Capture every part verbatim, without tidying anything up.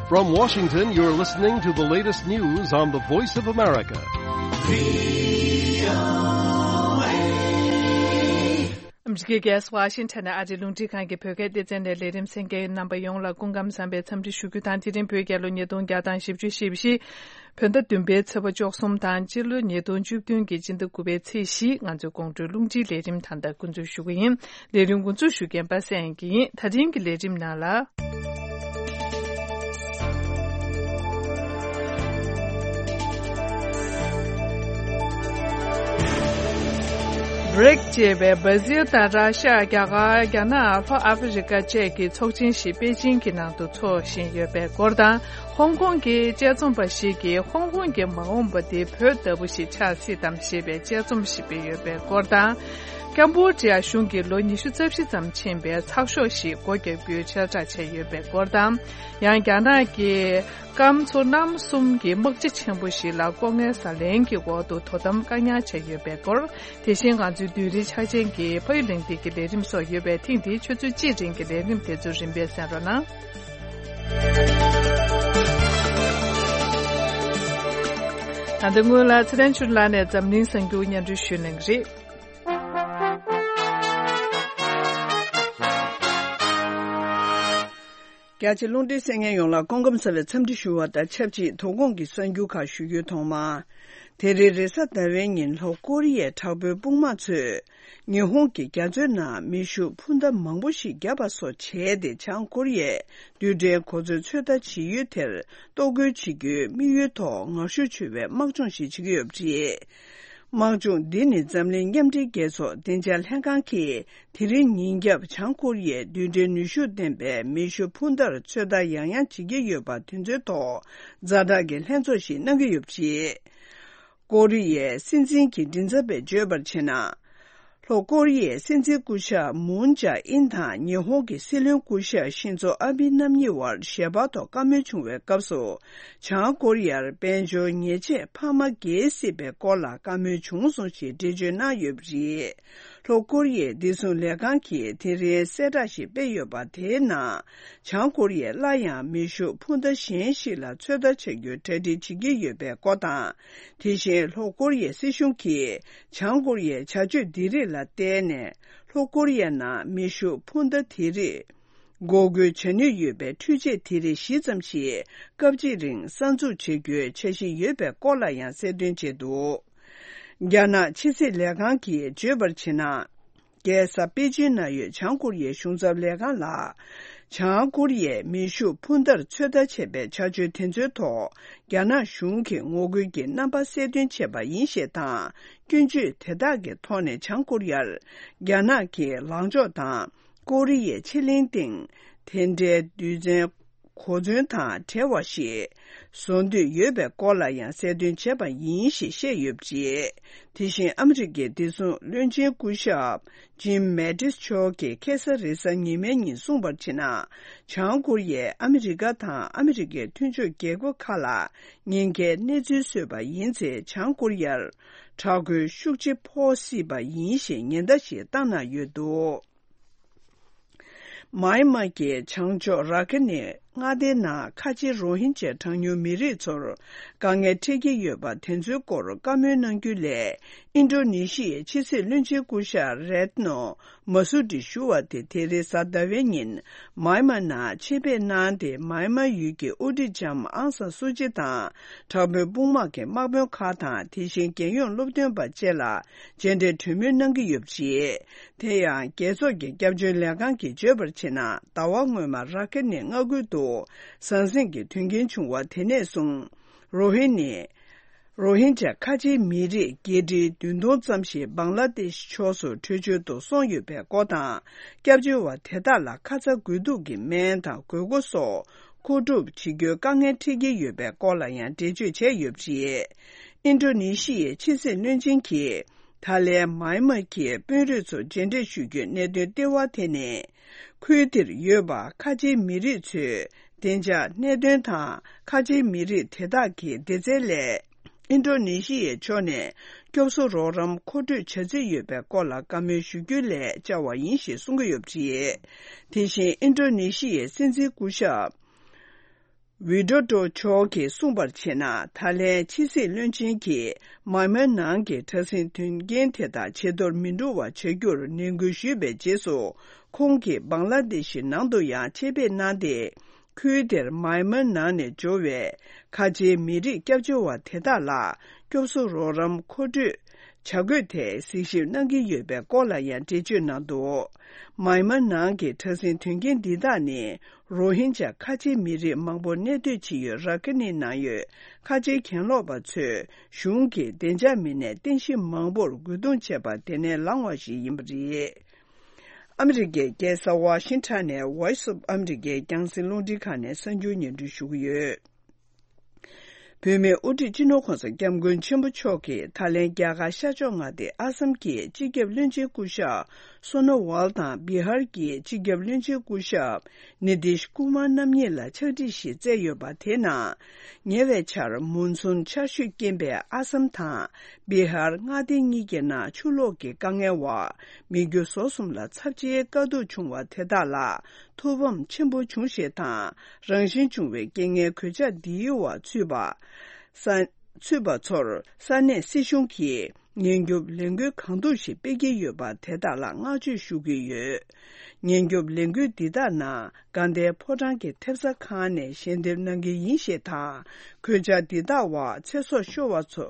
From Washington, you're listening to the latest news on the Voice of America. ཨ་མི་རི་ཀའི་རྒྱལ་ས་ཝ་ཤིང་ཊོན་ནས་ཨ་རིའི་རླུང་འཕྲིན་ཁང་གི་བོད་སྐད་སྡེ་ཚན་ནས་ལས་རིམ་གསན་མཁན་རྣམ་པ་ཡོངས་ལ་སྐུ་ཁམས་བཟང་བའི་འཚམས་འདྲི་ཞུ་རྒྱུ་དང་། དེ་རིང་བོད་རྒྱལ་ལོ་ཉིས་སྟོང་བརྒྱ་དང་བཞི་བཅུ་ཞེ་བཞི། བོད་ཟླ་བདུན་པའི་ཚེས་པ་བཅུ་གསུམ་དང་། སྤྱི་ལོ་ཉིས་སྟོང་བཅུ་བདུན་གྱི་སྤྱི་ཟླ་དགུ་པའི་ཚེས་བཞི། ང་ཚོའི་དགོང་དྲོའི་རླུང་འཕྲིན་ལས་རིམ་ད་ལྟ་འགོ་འཛུགས་ཞུ་གི་ཡིན། ལས་རིམ་འགོ་འཛུགས་ཞུ་མཁན་པ་སངས་སྐྱིད་ཡིན། ད་ཐེངས་ཀྱི་ལས་རིམ་ནང་ལ། བྷི་རིག་ཅེས་པའི་བྷ་ཟིལ་དང་ར་ཤ། རྒྱ་གར། རྒྱ་ནག་ལྷོ་ཨ་ཧྥེ་རི་ཀ་བཅས་ཀྱི་ཚོགས་ཆེན་ཞིག་པེ་ཅིང་གི་ནང་དུ་འཚོགས་བཞིན་ཡོད་པའི་སྐོར་དང་། ཧོང་ཀོང་གི་དཔྱད་རྩོམ་པ་ཞིག་གིས་ཧོང་ཀོང་གི་མ་འོངས་པ་དེ་བོད་ལྟ་བུ་ཞིག་ཆགས་སྲིད་དམ་ཞེས་པའི་དཔྱད་རྩོམ་ཞིག་སྤེལ་ཡོད་པའི་སྐོར་དང་། ཀམ་བོ་ཌི་ཡ་གཞུང་གིས་ལོ་ཉི་ཤུ་རྩ་བཞི་ཙམ་ཕྱིན་པའི་ཚགས་ཤོག་ཞིག་སྒོ་བརྒྱབ་རྒྱུའི་གསལ་བསྒྲགས་བྱས་ཡོད་པའི་སྐོར་དང་། ཡང་རྒྱ་ནག་གིས་སྐམ་མཚོ་གནམ་གསུམ་གྱི་དམག་སྤྱི་ཆེན་པོ་ཞིག་ལ་ལྐོག་རྔན་ཟ་ལེན་གྱི་འོག་ཏུ་དོ་དམ་བཀག་ཉར་བྱས་ཡོད་པའི་སྐོར། དེ་བཞིན་ང་ཚོའི་བསྡུས་རིས་ཆ་ཅན་གྱི་ཕ་ཡུལ་གླེང་སྟེགས་ཀྱི་ལས་རིམ་སོགས་ཡོད་པས། ཐེངས་འདིའི་ཆུ་ཚོད་གཅིག་རིང་གི་ལས་རིམ་དེ་ཚོ་རིམ་པས་གསན་རོགས་གནང་། ད་ལྟ་སྔོན་ལ་ཚེ་རིང་ཆོས་ལགས་ནས་འཛམ་གླིང་གསར་འགྱུར་སྙན་སྒྲོན་ཞུ་གནང་གི་རེད། རྒྱ་ཆེ་རླུང་འཕྲིན་གསན་མཁན་ཡོངས་ལ་སྐུ་ཁམས་བཟང་བའི་འཚམས་འདྲི་ཞུ་བ་དང་ཆབས་ཅིག་དོ་དགོང་གི་གསར་འགྱུར་ཁག་ཞུ་རྒྱུའི་ཐོག་མ། དེ་རིང་རེས་གཟའ་ཟླ་བའི་ཉིན་ལྷོ་ཀོ་རི་ཡའི་དྲག་པོའི་དཔུང་དམག་ཚོས་ཉི་ཧོང་གི་རྒྱ་མཚོའི་ནང་མེ་ཤུགས་འཕུར་མདའ་མང་པོ་ཞིག་བརྒྱབ་པ་སོགས་བྱས་ཏེ། བྱང་ཀོ་རི་ཡས་རྡུལ་ཕྲན་གོ་མཚོན་ཚོད་ལྟ་བྱེད་ཡུལ་དེར་གཏོར་རྒོལ་བྱེད་རྒྱུའི་དམིགས་ཡུལ་ཐོག་ངར་ཤུགས་ཆེ་བའི་དམག་སྦྱོང་ཞིག་བྱེད་ཀྱི་ཡོད་པ་རེད། དམག་སྦྱོང་འདི་ནི་འཛམ་གླིང་མཉམ་འབྲེལ་རྒྱལ་ཚོགས་བདེ་འཇགས་ལྷན་ཁང་གིས་དེ་རིང་ཉིན་རྒྱབ་བྱང་ཀོ་རི་ཡས་རྡུལ་ཕྲན་ནུས་ཤུགས་ལྡན་པའི་མེ་ཤུགས་འཕུར་མདའ་ཚོད་ལྟ་ཡང་ཡང་བྱེད་ཀྱི་ཡོད་པ་དེ་ཚོའི་ཐོག་ཛ་དྲག་གི་ལྷན་ཚོགས་ཤིག་གནང་གི་ཡོད་པ་རེད། ཀོ་རི་ཡའི་སྲིད་འཛིན་གྱི་མགྲིན་ཚབ་པས་བརྗོད་པར་བྱས་ན། ལྷོ་ཀོ་རི་ཡའི་སྲིད་འཛིན་སྐུ་ཞབས་མུན་ཇཱ་ཨིན་དང་ཉི་ཧོང་གི་སྲིད་བློན་སྐུ་ཞབས་ཤིན་ཛོ་ཨ་བི་རྣམ་གཉིས་བར་ཞལ་པར་ཐོག་བཀའ་མོལ་བྱུང་བའི་སྐབས་སུ། བྱང་ཀོ་རི་ཡར་དཔལ་འབྱོར་ཉེས་ཆད་འཕར་མ་བརྒལ་སྲིད་པའི་སྐོར་ལ་བཀའ་མོལ་བྱུང་སོང་ཞེས་འགྲེལ་བརྗོད་གནང་ཡོད་པ་རེད། ལྷོ་ཀོ་རི་ཡའི་བདེ་སྲུང་ལས་ཁང་གིས་དེ་རིང་གསལ་བསྒྲགས་ཤིག་སྤེལ་ཡོད་པ། དེའི་ནང་། བྱང་ཀོ་རི་ཡས་སླར་ཡང་མེ་ཤུགས་འཕུར་མདའ་གཞན་ཞིག་ལ་ཚོད་ལྟ་བྱ་རྒྱུའི་གྲ་སྒྲིག་བྱེད་ཀྱི་ཡོད་པའི་སྐོར་དང་། དེ་བཞིན་ལྷོ་ཀོ་རི་ཡའི་སྲིད་གཞུང་གིས་བྱང་ཀོ་རི་ཡའི་བྱ་སྤྱོད་འདི་རིགས་ལ་བརྟེན་ནས། ལྷོ་ཀོ་རི་ཡའི་ནང་མེ་ཤུགས་འཕུར་མདའ་དེ་རིགས་འགོག་རྒོལ་བྱ་ནུས་ཡོད་པའི་འཕྲུལ་ཆས་དེ་རིགས་བཞི་ཙམ་ཞིག་སྐབས་གཅིག་རིང་གསར་འཛུགས་བྱེད་རྒྱུའི་འཆར་གཞི་ཡོད་པའི་སྐོར་ལ་ཡང་གསལ་སྟོན་བྱས་འདུག་རྒྱ་ནག་ཕྱི་སྲིད་ལས་ཁང་གིས་བརྗོད་པར་བྱས་ན། རྒྱལ་ས་པེ་ཅིན་ན་ཡོད་བྱང་ཀོ་རི་ཡའི་གཞུང་ཚབ་ལས་ཁང་ལ། བྱང་ཀོ་རི་ཡས་མེ་ཤུགས་འཕུར་མདའ་ཚོད་ལྟ་བྱས་པའི་བྱ་སྤྱོད་དེ་ཚོའི་ཐོག་རྒྱ་ནག་གཞུང་གིས་ངོ་རྒོལ་གྱི་རྣམ་པ་གསལ་སྟོན་བྱས་པ་ཡིན་ཞེས་དང་། སྐྱོན་བརྗོད་དེ་དག་གི་ཐོག་ནས་བྱང་ཀོ་རི་ཡར་རྒྱ་ནག་གིས་ལངས་ཕྱོགས་དང་། ཀོ་རི་ཡའི་ཕྱེད་གླིང་སྟེང་དེ་འདྲའི་རྡུལ་ཚོན་གོ་མཚོན་དང་བྲལ་བ་ཞིག་བཟོ་འདོད་ཡོད་པའི་སྐོར་ལ་ཡང་གསལ་སྟོན་བྱས་པ་ཡིན་ཞེས་བཤད་ཡོད་པ་རེད། དེ་བཞིན་ཨ་མི་རི་ཀའི་བདེ་སྲུང་བློན་ཆེན་སྐུ་ཞབས་ཇིམ་མེ་ཏིས་མཆོག་གིས་ཁ་སང་རེས་གཟའ་ཉི་མའི་ཉིན་གསུངས་པར་བྱས་ན། བྱང་ཀོ་རི་ཡས་ཨ་མི་རི་ཀ་དང་ཨ་མི་རི་ཀའི་མཐུན་ཕྱོགས་རྒྱལ་ཁབ་ཁག་ལ་ཉེན་ཁའི་གནས་ཚུལ་བཟོས་པ་ཡིན་ཚེ། བྱང་ཀོ་རི་ཡར་དྲག་རྒོལ་ཤུགས་ཆེ་ཕོག་སྲིད་པ་ཡིན་ཞེས་ཉེན་བརྡ་ཞིག་བཏང་གནང་ཡོད་འདུག་མཱི་མཱ་གི་བྱང་ཕྱོགས་ར་ཁི་ནི་མངའ་སྡེའི་ནང་ཁ་ཆེའི་རོ་ཧིན་ཇཱ་གྲངས་ཉུང་མི་རིགས་ཚོར་དཀའ་ངལ་འཕྲད་ཀྱི་ཡོད་པ་དེ་ཚོའི་སྐོར་བཀའ་མོལ་གནང་རྒྱུ་ལས། ཨིན་ཌོ་ནེ་ཤི་ཡའི་ཕྱི་སྲིད་བློན་ཆེན་སྐུ་ཞབས་རེད་ནོ་མ་སུ་ཏི་ཞུ་བ་དེ་དེ་རིང་གཟའ་ཟླ་བའི་ཉིན་མཱི་མཱ་ནང་ཆེད་ཕེབས་གནང་སྟེ། མཱི་མཱ་ཡུལ་གྱི་དབུ་ཁྲིད་ལྕམ་ཨང་སན་སུ་ཅི་དང་། དྲག་པོའི་དཔུང་དམག་གི་དམག་དཔོན་ཁག་དང་། དེ་བཞིན་རྒྱལ་ཡོངས་སློབ་སྟོན་པ་བཅས་ལ་མཇལ་འཕྲད་གྲོས་མོལ་གནང་གི་ཡོད་པ་རེད། དེ་ཡང་རྒྱལ་ཚོགས་ཀྱི་སྐྱབས་བཅོལ་ལས་ཁང་གིས་བརྗོད་པར་བྱས་ན། ཟླ་བ་སྔོན་མ་ར་ཁི་ནི་མངའ་ཁུལ་དུ་ཟང་ཟིང་གི་དོན་རྐྱེན་བྱུང་བ་དེ་ནས་བཟུང་། རོ་ཧི་ནི། རོ་ཧིན་ཇཱ་ཁ་ཆེའི་མི་རིགས་བརྒྱད་ཁྲི་བདུན་སྟོང་ཙམ་ཞིག་བང་ལ་དེཤ་ཕྱོགས་སུ་བྲོས་བྱོལ་དུ་སོང་ཡོད་པའི་སྐོར་དང་། སྐྱབས་བཅོལ་བ་དེ་དག་ལ་ཁ་ཚ་དགོས་གཏུགས་ཀྱི་སྨན་དང་དགོས་མཁོ་སོགས་མཁོ་སྒྲུབ་བྱེད་རྒྱུའི་དཀའ་ངལ་འཕྲད་ཀྱི་ཡོད་པའི་སྐོར་ལ་ཡང་འགྲེལ་བརྗོད་བྱས་ཡོད་པ་རེད། ཨིན་ཌོ་ནེ་ཤི་ཡའི་ཕྱི་སྲིད་བློན་ཆེན་གྱིས། ད་ལན་མཱི་མཱ་གི་དཔོན་རིགས་ཚོ་མཇལ་འཕྲད་ཞུ་རྒྱུའི་གནད་དོན་ལྟེ་བ་དེ་ནི། ཁུལ་དེར་ཡོད་པ་ཁ་ཆེའི་མི་རིགས་ཚོའི་བདེ་འཇགས་གནད་དོན་དང་། ཁ་ཆེའི་མི་རིགས་དེ་དག་གི་བདེ་རྩའི་སླད། ཨིན་ཌོ་ནེ་ཤི་ཡའི་ཕྱོགས་ནས་སྐྱོབ་གསོ་རོགས་རམ་མཁོ་སྤྲོད་བྱ་རྩིས་ཡོད་པའི་སྐོར་ལ་བཀའ་མོལ་ཞུ་རྒྱུའི་སླད་བཅར་བ་ཡིན་ཞེས་གསུང་གི་ཡོད་པ་རེད། དེ་བཞིན་ཨིན་ཌོ་ནེ་ཤི་ཡའི་སྲིད་འཛིན་སྐུ་ཞབས། ཝི་ཌོ་ཌོ་མཆོག་གིས་གསུངས་པར་བྱས་ན། ཐའི་ལེན་ཕྱི་སྲིད་བློན་ཆེན་གྱིས་མཱན་མཱ་ནང་གི་དྲག་ཟིང་དོན་རྐྱེན་དེ་དག་ཇེ་མཐོར་མི་འགྲོ་བ་བྱ་རྒྱུར་ནན་སྐུལ་ཞུས་པའི་རྗེས་སུ། ཁོང་གིས་བང་ལ་དེ་ཤི་ནང་དུ་ཡང་ཆེད་ཕེབས་གནང་སྟེ། ཁུལ་དེར་མཱན་མཱ་ནང་ནས་འབྱོར་བའི་ཁ་ཆེའི་མི་རིགས་སྐྱབས་བཅོལ་བ་དེ་དག་ལ་སྐྱོབ་གསོ་རོགས་རམ་མཁོ་སྤྲོད་བྱ་དགོས་ཐད་གཟིགས་ཞིབ་གནང་གི་ཡོད་པའི་སྐོར་ལ་ཡང་འགྲེལ་བརྗོད་གནང་འདུག་མཱན་མཱ་ནང་གི་དྲག་ཟིང་དོན་རྐྱེན་འདི་དག་ནི། རོ་ཧིན་ཇཱ་ཁ་ཆེའི་མི་རིགས་མང་པོ་གནས་སྡོད་བྱེད་ཡུལ་ར་ཁི་ནི་ནང་ཡོད་ཁ་ཆེའི་གྱེན་ལོག་པ་ཚོས་གཞུང་གི་བདེ་འཇགས་མི་སྣས་རྟེན་གཞི་མང་པོར་རྒོལ་རྡུང་བྱས་པ་དེ་ནས་ལངས་པ་ཞིག་ཡིན་པ་རེད། ཨ་མི་རི་ཀའི་རྒྱལ་ས་ཝ་ཤིང་ཊོན་ནས་Voice of America་རྒྱང་སྲིང་རླུང་འཕྲིན་ཁང་ནས་གསར་འགྱུར་སྙན་སྒྲོན་ཞུ་གི་ཡོད། བོད་མིའི་དབུ་ཁྲིད་སྤྱི་ནོར་༸གོང་ས་༸སྐྱབས་མགོན་ཆེན་པོ་མཆོག་གིས་ད་ལན་རྒྱ་གར་ཤར་ཕྱོགས་མངའ་སྡེ་ཨ་སམ་གྱི་སྤྱི་ཁྱབ་བློན་ཆེན་སྐུ་ཞབས་སོ་ནོ་ཝལ་དང་། བི་ཧར་གྱི་སྤྱི་ཁྱབ་བློན་ཆེན་སྐུ་ཞབས་ནི་ཏིཤ་ཀུ་མར་རྣམ་གཉིས་ལ་ཕྱག་བྲིས་ཤིག་བསྩལ་ཡོད་པ་དེའི་ནང་། ཉེ་བའི་ཆར་མུན་སུམ་ཆར་ཞོད་རྐྱེན་པས་ཨ་སམ་དང་བི་ཧར་མངའ་སྡེ་གཉིས་ཀྱི་ནང་ཆུ་ལོག་གི་དཀའ་ངལ་འོག་མི་རྒྱུ་ཟོག་གསུམ་ལ་ཚབས་ཆེའི་དཀའ་སྡུག་བྱུང་བ་དེ་དག་ལ་ཐུགས་ཕམ་ཆེན་པོ་བྱུང་ཞེས་དང་། རང་བཞིན་བྱུང་བའི་རྐྱེན་ངན་གོད་ཆག་འདིའི་འོག་ཚུད་པ། ས་ཚུད་པ་ཚོར་ས་གནས་སྲིད་གཞུང་གིས་ཉེན་སྐྱོབ་ལས་འགུལ་གང་ཐུབ་ཞིག་སྤེལ་གྱི་ཡོད་པ་དེ་དག་ལ་བསྔགས་བརྗོད་ཞུ་གི་ཡོད། ཉེན་སྐྱོབ་ལས་འགུལ་འདི་དག་ནང་དགའ་ལྡན་ཕོ་བྲང་གི་ཐེབས་རྩ་ཁང་ནས་ཞལ་འདེབས་གནང་གི་ཡིན་ཞེས་དང་། གོད་ཆག་འདི་དག་འོག་ཚེ་སྲོག་ཤོར་བ་ཚོ་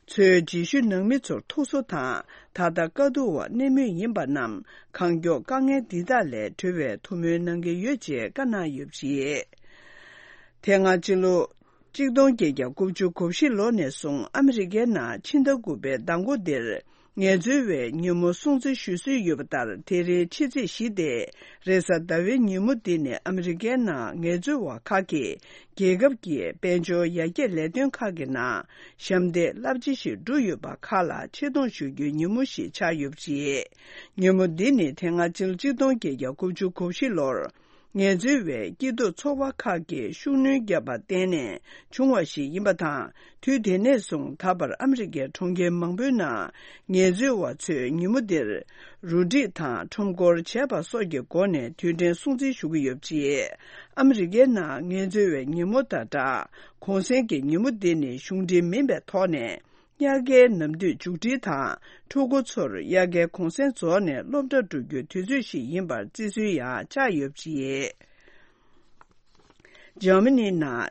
ཚོའི་རྗེས་ཤུལ་ནང་མི་ཚོར་ཐུགས་གསོ་དང་། ད་ལྟ་དཀའ་སྡུག་འོག་གནས་མུས་ཡིན་པ་རྣམས་གང་མགྱོགས་དཀའ་ངལ་འདི་དག་ལས་གྲོལ་བའི་ཐུགས་སྨོན་གནང་གི་ཡོད་ཅེས་བཀའ་གནང་ཡོད་པ་རེད། དེ་སྔ་ཕྱི་ལོ། གཅིག་སྟོང་བརྒྱད་བརྒྱ་དགུ་བཅུ་གོ་བཞི་ལོ་ནས་བཟུང་ཨ་མི་རི་ཀའི་ནང་ཕྱི་ཟླ་དགུ་པའི་ཟླ་མགོ་འདིར་ངལ་རྩོལ་བའི་ཉིན་མོ་སྲུང་བརྩི་ཞུ་སྲོལ་ཡོད་པ་ལྟར། དེ་རིང་ཕྱི་ཚེས་བཞི་སྟེ་རེས་གཟའ་ཟླ་བའི་ཉིན་མོ་འདི་ནི་ཨ་མི་རི་ཀའི་ནང་ངལ་རྩོལ་བ་ཁག་གིས་རྒྱལ་ཁབ་ཀྱི་དཔལ་འབྱོར་ཡར་རྒྱས་ལས་དོན་ཁག་གི་ནང་ཞབས་འདེགས་རླབས་ཆེ་ཞིག་བསྒྲུབས་ཡོད་པ་ཁག་ལ་ཆེ་མཐོང་ཞུ་རྒྱུའི་ཉིན་མོ་ཞིག་ཆགས་ཡོད་པ་རེད། ཉིན་མོ་འདི་ནི་དེ་སྔ་ཕྱི་ལོ་གཅིག་སྟོང་བརྒྱད་བརྒྱ་དགུ་བཅུ་གོ་བཞི་ལོར། ངལ་རྩོལ་བའི་སྐྱིད་སྡུག་ཚོགས་པ་ཁག་གིས་ཤུགས་སྣོན་བརྒྱབ་པར་བརྟེན་ནས་བྱུང་བ་ཞིག་ཡིན་པ་དང་། དུས་དེ་ནས་བཟུང་ད་བར་ཨ་མི་རི་ཀའི་གྲོང་ཁྱེར་མང་པོའི་ནང་ངལ་རྩོལ་བ་ཚོས་ཉིན་མོ་འདིར་རུ་སྒྲིག་དང་ཁྲོམ་སྐོར་བྱས་པ་སོགས་ཀྱི་སྒོ་ནས་དུས་དྲན་སྲུང་བརྩི་ཞུ་གི་ཡོད་པ་རེད། ཨ་མི་རི་ཀའི་ནང་ངལ་རྩོལ་བའི་ཉིན་མོ་དང་སྦྲགས། གུང་སེང་གི་ཉིན་མོ་འདི་ནི་གཞུང་འབྲེལ་མིན་པའི་ཐོག་ནས། དབྱར་ཁའི་ནམ་དུས་མཇུག་སྒྲིལ་དང་། ཕྲུ་གུ་ཚོར་དབྱར་ཁའི་གུང་སེང་རྫོགས་ནས་སློབ་གྲྭ་འགྲོ་རྒྱུའི་དུས་ཚོད་ཞིག་ཡིན་པར་བརྩི་སྲོལ་ཡང་ཆགས་ཡོད་པ་རེད། འཇར་མ་ནི་ནང་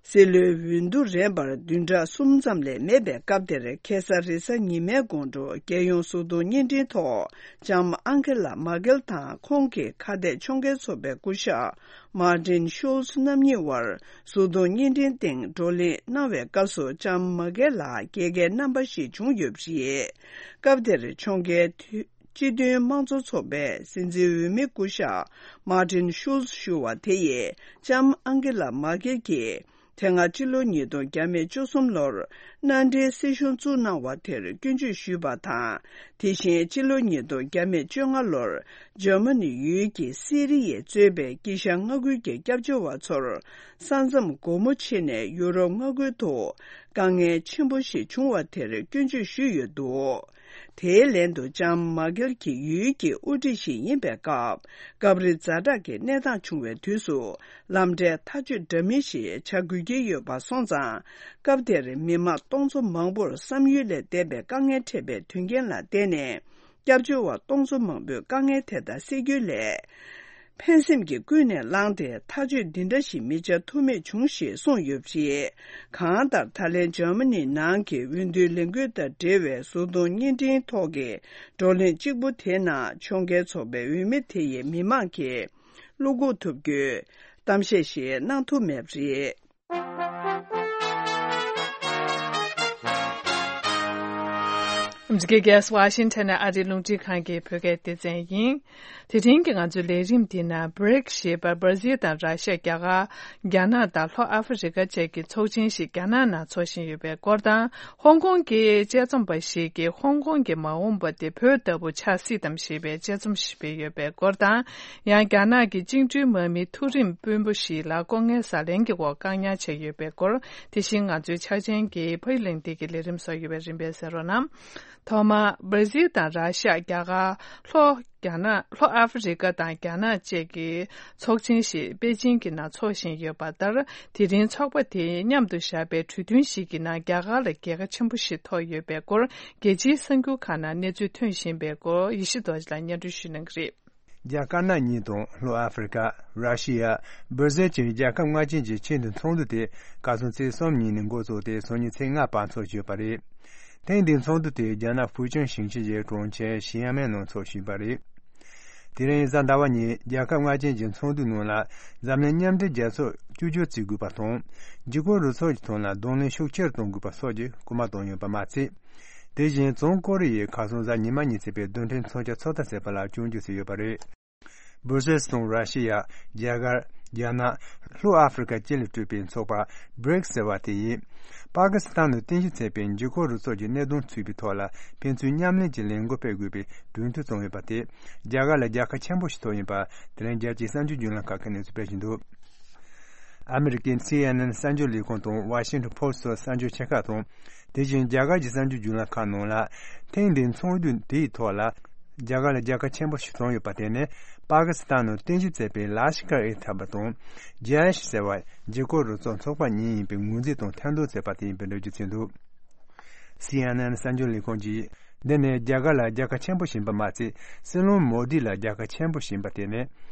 སྲིད་བློན་འོས་བསྡུ་རན་པར་བདུན་ཕྲག་གསུམ་ཙམ་ལས་མེད་པའི་སྐབས་དེར། ཁ་སང་རེས་གཟའ་ཉི་མའི་དགོང་དྲོ་རྒྱལ་ཡོངས་བཟོ་ཚོང་བརྙན་འཕྲིན་ཐོག་ལྕམ་ཨང་ཀེ་ལ་མར་ཀེལ་དང་ཁོང་གི་ཁ་གཏད་ཕྱོགས་འགལ་ཚོགས་པའི་སྐུ་ཞབས་མར་ཏིན་ཤུལ་ཚ་རྣམ་གཉིས་དབར། བཟོ་ཚོང་བརྙན་འཕྲིན་སྟེང་བགྲོ་གླེང་གནང་བའི་སྐབས་སུ་ལྕམ་མར་ཀེལ་ལ་རྒྱལ་ཁའི་རྣམ་པ་ཞིག་བྱུང་ཡོད་པ་རེད། སྐབས་དེར་ཕྱོགས་འགལ་སྤྱི་མཐུན་དམངས་གཙོ་ཚོགས་པའི་སྲིད་འཛིན་འོས་མི་སྐུ་ཞབས་མར་ཏིན་ཤུལ་ཚ་ཞུ་བ་དེ་ཡིས་ལྕམ་ཨང་ཀེ་ལ་མར་ཀེལ་གྱིས་དེ་སྔ་སྤྱི་ལོ་ཉིས་སྟོང་བཅུ་གསུམ་ལོར་མནའ་འབྲེལ་སྲིད་གཞུང་བཙུགས་གནང་བ་དེར་སྐྱོན་བརྗོད་ཞུས་པ་དང་། དེ་བཞིན་སྤྱི་ལོ་ཉིས་སྟོང་བཅོ་ལྔ་ལོར་འཇར་མ་ནི་ཡུལ་གྱི་སི་རི་ཡས་གཙོས་པའི་དཀྱིལ་ཤར་མངའ་ཁུལ་གྱི་སྐྱབས་བཅོལ་བ་ཚོར་ས་མཚམས་སྒོ་མོ་ཕྱེ་ནས་ཡུ་རོབ་མངའ་ཁུལ་དུ་དཀའ་ངལ་ཆེན་པོ་ཞིག་བྱུང་བ་དེར་སྐྱོན་བརྗོད་ཞུས་ཡོད་འདུག་དེའི་ལན་དུ་ལྕམ་མར་ཀེལ་གྱིས་ཡུལ་གྱི་དབུ་ཁྲིད་ཞིག་ཡིན་པའི་སྐབས། སྐབས་རེ་ཛ་དྲག་གི་གནས་སྟངས་བྱུང་བའི་དུས་སུ། ལམ་འབྲས་ཐག་གཅོད་འདྲ་མིན་ཞིག་བྱ་དགོས་ཀྱི་ཡོད་པ་སོང་ཙང་། སྐབས་དེར་མི་མང་སྟོང་ཚོ་མང་པོར་བསམ་ཡུལ་ལས་འདས་པའི་དཀའ་ངལ་འཕྲད་པའི་དོན་རྐྱེན་ལ་བརྟེན་ནས། སྐྱབས་བཅོལ་བ་སྟོང་ཚོ་མང་པོས་དཀའ་ངལ་དེ་དག་སེལ་རྒྱུའི་སླད། ཕན་སེམས་ཀྱིས་ཀུན་ནས་བསླངས་ཏེ་ཐག་གཅོད་འདི་འདྲ་ཞིག་མི་བྱ་ཐུབ་མེད་བྱུང་ཞེས་གསུངས་ཡོད་པ་རེད། གང་ལྟར་ད་ལན་འཇར་མ་ནི་ནང་གི་འོས་བསྡུའི་ལས་འགུལ་དང་འབྲེལ་བའི་བཟོ་ཚོང་བརྙན་འཕྲིན་ཐོག་གི་བགྲོ་གླེང་གཅིག་པུ་དེའི་ནང་ཕྱོགས་འགལ་ཚོགས་པའི་འོས་མི་དེ་ཡིས་མི་མང་གིས་བློ་འགུག་ཐུབ་རྒྱུའི་གཏམ་བཤད་ཞིག་གནང་ཐུབ་མེད་པ་རེད། འཛུགས་སྐད་གསར་པ་ཝ་ཤིང་ཊོན་ནས་ཨ་རིའི་རླུང་འཕྲིན་ཁང་གི་བོད་སྐད་སྡེ་ཚན་ཡིན། དེ་རིང་གི་ང་ཚོའི་ལས་རིམ་འདི་ན། བྷི་རིག་ཞེས་པ་སྦར་ཟིལ་དང་ར་ཤ། རྒྱ་གར། རྒྱ་ནག་དང་ལྷོ་ཨ་ཧྥེ་རི་ཀ་བཅས་ཀྱི་ཚོགས་ཆེན་ཞིག་རྒྱ་ནག་ནང་འཚོགས་བཞིན་ཡོད་པའི་སྐོར་དང་། ཧོང་ཀོང་གི་དཔྱད་རྩོམ་པ་ཞིག་གིས་ཧོང་ཀོང་གི་མ་འོངས་པ་དེ་བོད་ལྟ་བུ་ཆགས་སྲིད་དམ་ཞེས་པའི་དཔྱད་རྩོམ་ཞིག་སྤེལ་ཡོད་པའི་སྐོར་དང་། ཡང་རྒྱ་ནག་གི་བཅིངས་འགྲོལ་དམག་མི་མཐོ་རིམ་དཔོན་པོ་ཞིག་ལ་ལྐོག་རྔན་ཟ་ལེན་གྱི་འོག་བཀག་ཉར་བྱས་ཡོད་པའི་སྐོར། དེ་བཞིན་ང་ཚོའི་ཕྱག་ཆེན་གྱིས་ཕ་ཡུལ་གླེང་སྟེགས་ཀྱི་ལས་རིམ་བཟོ་ཡོད་པའི་རིམ་པས་གསན་རོགས་གནང་། ཐོག་མར་སྦྲ་ཟིལ་དང་ར་ཤི་ཡ། རྒྱ་གར། ལྷོ་རྒྱ་ནག་ལྷོ་ཨ་ཧྥེ་རི་ཀ་དང་རྒྱ་ནག་བཅས་ཀྱི་ཚོགས་ཆེན་ཞིག་པེ་ཅིང་གི་ནང་འཚོགས་བཞིན་ཡོད་པ་ལྟར། དེ་རིང་ཚོགས་པ་དེས་མཉམ་དུ་བཞག་པའི་གྲོས་མཐུན་ཞིག་གི་ནང་རྒྱ་གར་ལ་རྒྱལ་ཁ་ཆེན་པོ་ཞིག་ཐོབ་ཡོད་པའི་སྐོར། རྒྱལ་སྤྱིའི་གསར་འགྱུར་ཁག་ནང་གནས་ཚུལ་ཐོན་བཞིན་པའི་སྐོར། ཡེ་ཤེས་རྡོ་རྗེ་ལགས་སྙན་སྒྲོན་ཞུ་གནང་གི་རེད། རྒྱ་དཀར་ནག་གཉིས་དང་ལྷོ་ཨ་ཧྥེ་རི་ཀ། ར་ཤི་ཡ། སྦྲ་ཟིལ་བཅས་རྒྱལ་ཁབ་ལྔ་ཅན་གྱི་ཆེས་མཐོའི་ཚོགས་འདུ་དེ་ཁ་སང་ཚེས་གསུམ་ཉིན་ནས་འགོ་བཙུགས་ཏེ་སང་ཉིན་ཚེས་ལྔ་བར་འཚོགས་ཀྱི་ཡོད་པ་རེད། ཐེངས་འདིའི་ཚོགས་འདུ་དེ་རྒྱ་ནག་ཧྥུའུ་ཅན་ཞིང་ཆེན་གྱི་གྲོང་ཁྱེར་ཞི་ཡན་མན་ནང་འཚོགས་བཞིན་པ་རེད། དེ་རིང་གཟའ་ཟླ་བ་ཉིན་རྒྱལ་ཁབ་ལྔ་ཅན་གྱི་ཚོགས་འདུའི་ནང་ལ་འཛམ་གླིང་མཉམ་འབྲེལ་རྒྱལ་ཚོགས་བཅོས་བསྒྱུར་བྱེད་དགོས་པ་དང་། འཇིགས་སྐུལ་རུ་ཚོགས་ཀྱི་ཐོག་ལ་གདོང་ལེན་ཤུགས་ཆེར་གཏོང་དགོས་པ་སོགས་ཀྱི་སྐུལ་མ་བཏང་ཡོད་པ་མ་ཚད། དེ་བཞིན་བྱང་ཀོ་རི་ཡས་ཁ་སང་གཟའ་ཉི་མ་ཉིན་བྱས་པའི་རྡུལ་ཕྲན་མཚོན་ཆ་ཚོད་ལྟ་བྱས་པ་ལ་སྐྱོན་བརྗོད་བྱས་ཡོད་པ་རེད། སྦྲ་ཟིལ་དང་ར་ཤི་ཡ། རྒྱ་གར། རྒྱ་ནག་ལྷོ་ཨ་ཧྥེ་རི་ཀ་བཅས་ལས་གྲུབ་པའི་ཚོགས་པ་བྷྲིག་སི་ཟེར་བ་དེ་ཡིས། པ་ཀི་སི་ཐན་ནང་རྟེན་གཞི་བྱས་པའི་འཇིགས་སྐུལ་རུ་ཚོགས་ཀྱི་གནད་དོན་ཚུད་པའི་ཐོག་ལ་ཕན་ཚུན་མཉམ་ལེན་གྱི་ལས་འགུལ་སྤེལ་དགོས་པའི་གྲོས་མཐུན་བྱུང་ཡོད་པ་དེ། རྒྱ་གར་ལ་རྒྱལ་ཁ་ཆེན་པོ་ཞིག་ཐོབ་ཡོད་པ་དེ་རིང་རྒྱལ་སྤྱིའི་གསར་འགྱུར་བརྒྱུད་ལམ་ཁག་གིས་གནས་ཚུལ་སྤེལ་བཞིན་འདུག་ཨ་མི་རི་ཀའི་སི་ཨེན་ཨེན་གསར་འགྱུར་ལས་ཁང་དང་ཝ་ཤིང་ཊོན་པོ་སི་ཊི་སོགས་གསར་འགྱུར་ཆེ་ཁག་དང་། དེ་བཞིན་རྒྱ་གར་གྱི་གསར་འགྱུར་བརྒྱུད་ལམ་ཁག་ནང་ལ། ཐེངས་འདིའི་ཚོགས་འདུ་དེའི་ཐོག་ལ། རྒྱ་གར་ལ་རྒྱལ་ཁ་ཆེན་པོ་ཞིག་བྱུང་ཡོད་པ་དེ་ནི། པ་ཀི་སི་ཐན་ནང་རྟེན་གཞི་བྱས་པའི་ལ་ཤི་ཀར་ཨེ་ཐ་བ་དང་། ཇེ་ཨེ་ཤི་ཟེར་བ་འཇིགས་སྐུལ་རུ་ཚོགས་ཚོགས་པ་གཉིས་ཡིན་པའི་ངོས་འཛིན་དང་ཐེར་འདོན་བྱས་པ་དེ་ཡིན་པའི་འགྲེལ་བརྗོད་བྱས་འདུག་སི་ཨེན་ཨེན་གསར་འགྱུར་ལས་ཁང་གིས། འདི་ནི་རྒྱ་གར་ལ་རྒྱལ་ཁ་ཆེན་པོ་བྱིན་པ་མ་ཚད། སྲིད་བློན་མོ་དི་ལ་རྒྱལ་ཁ་ཆེན་པོ་བྱིན་པ་དེ་ནི།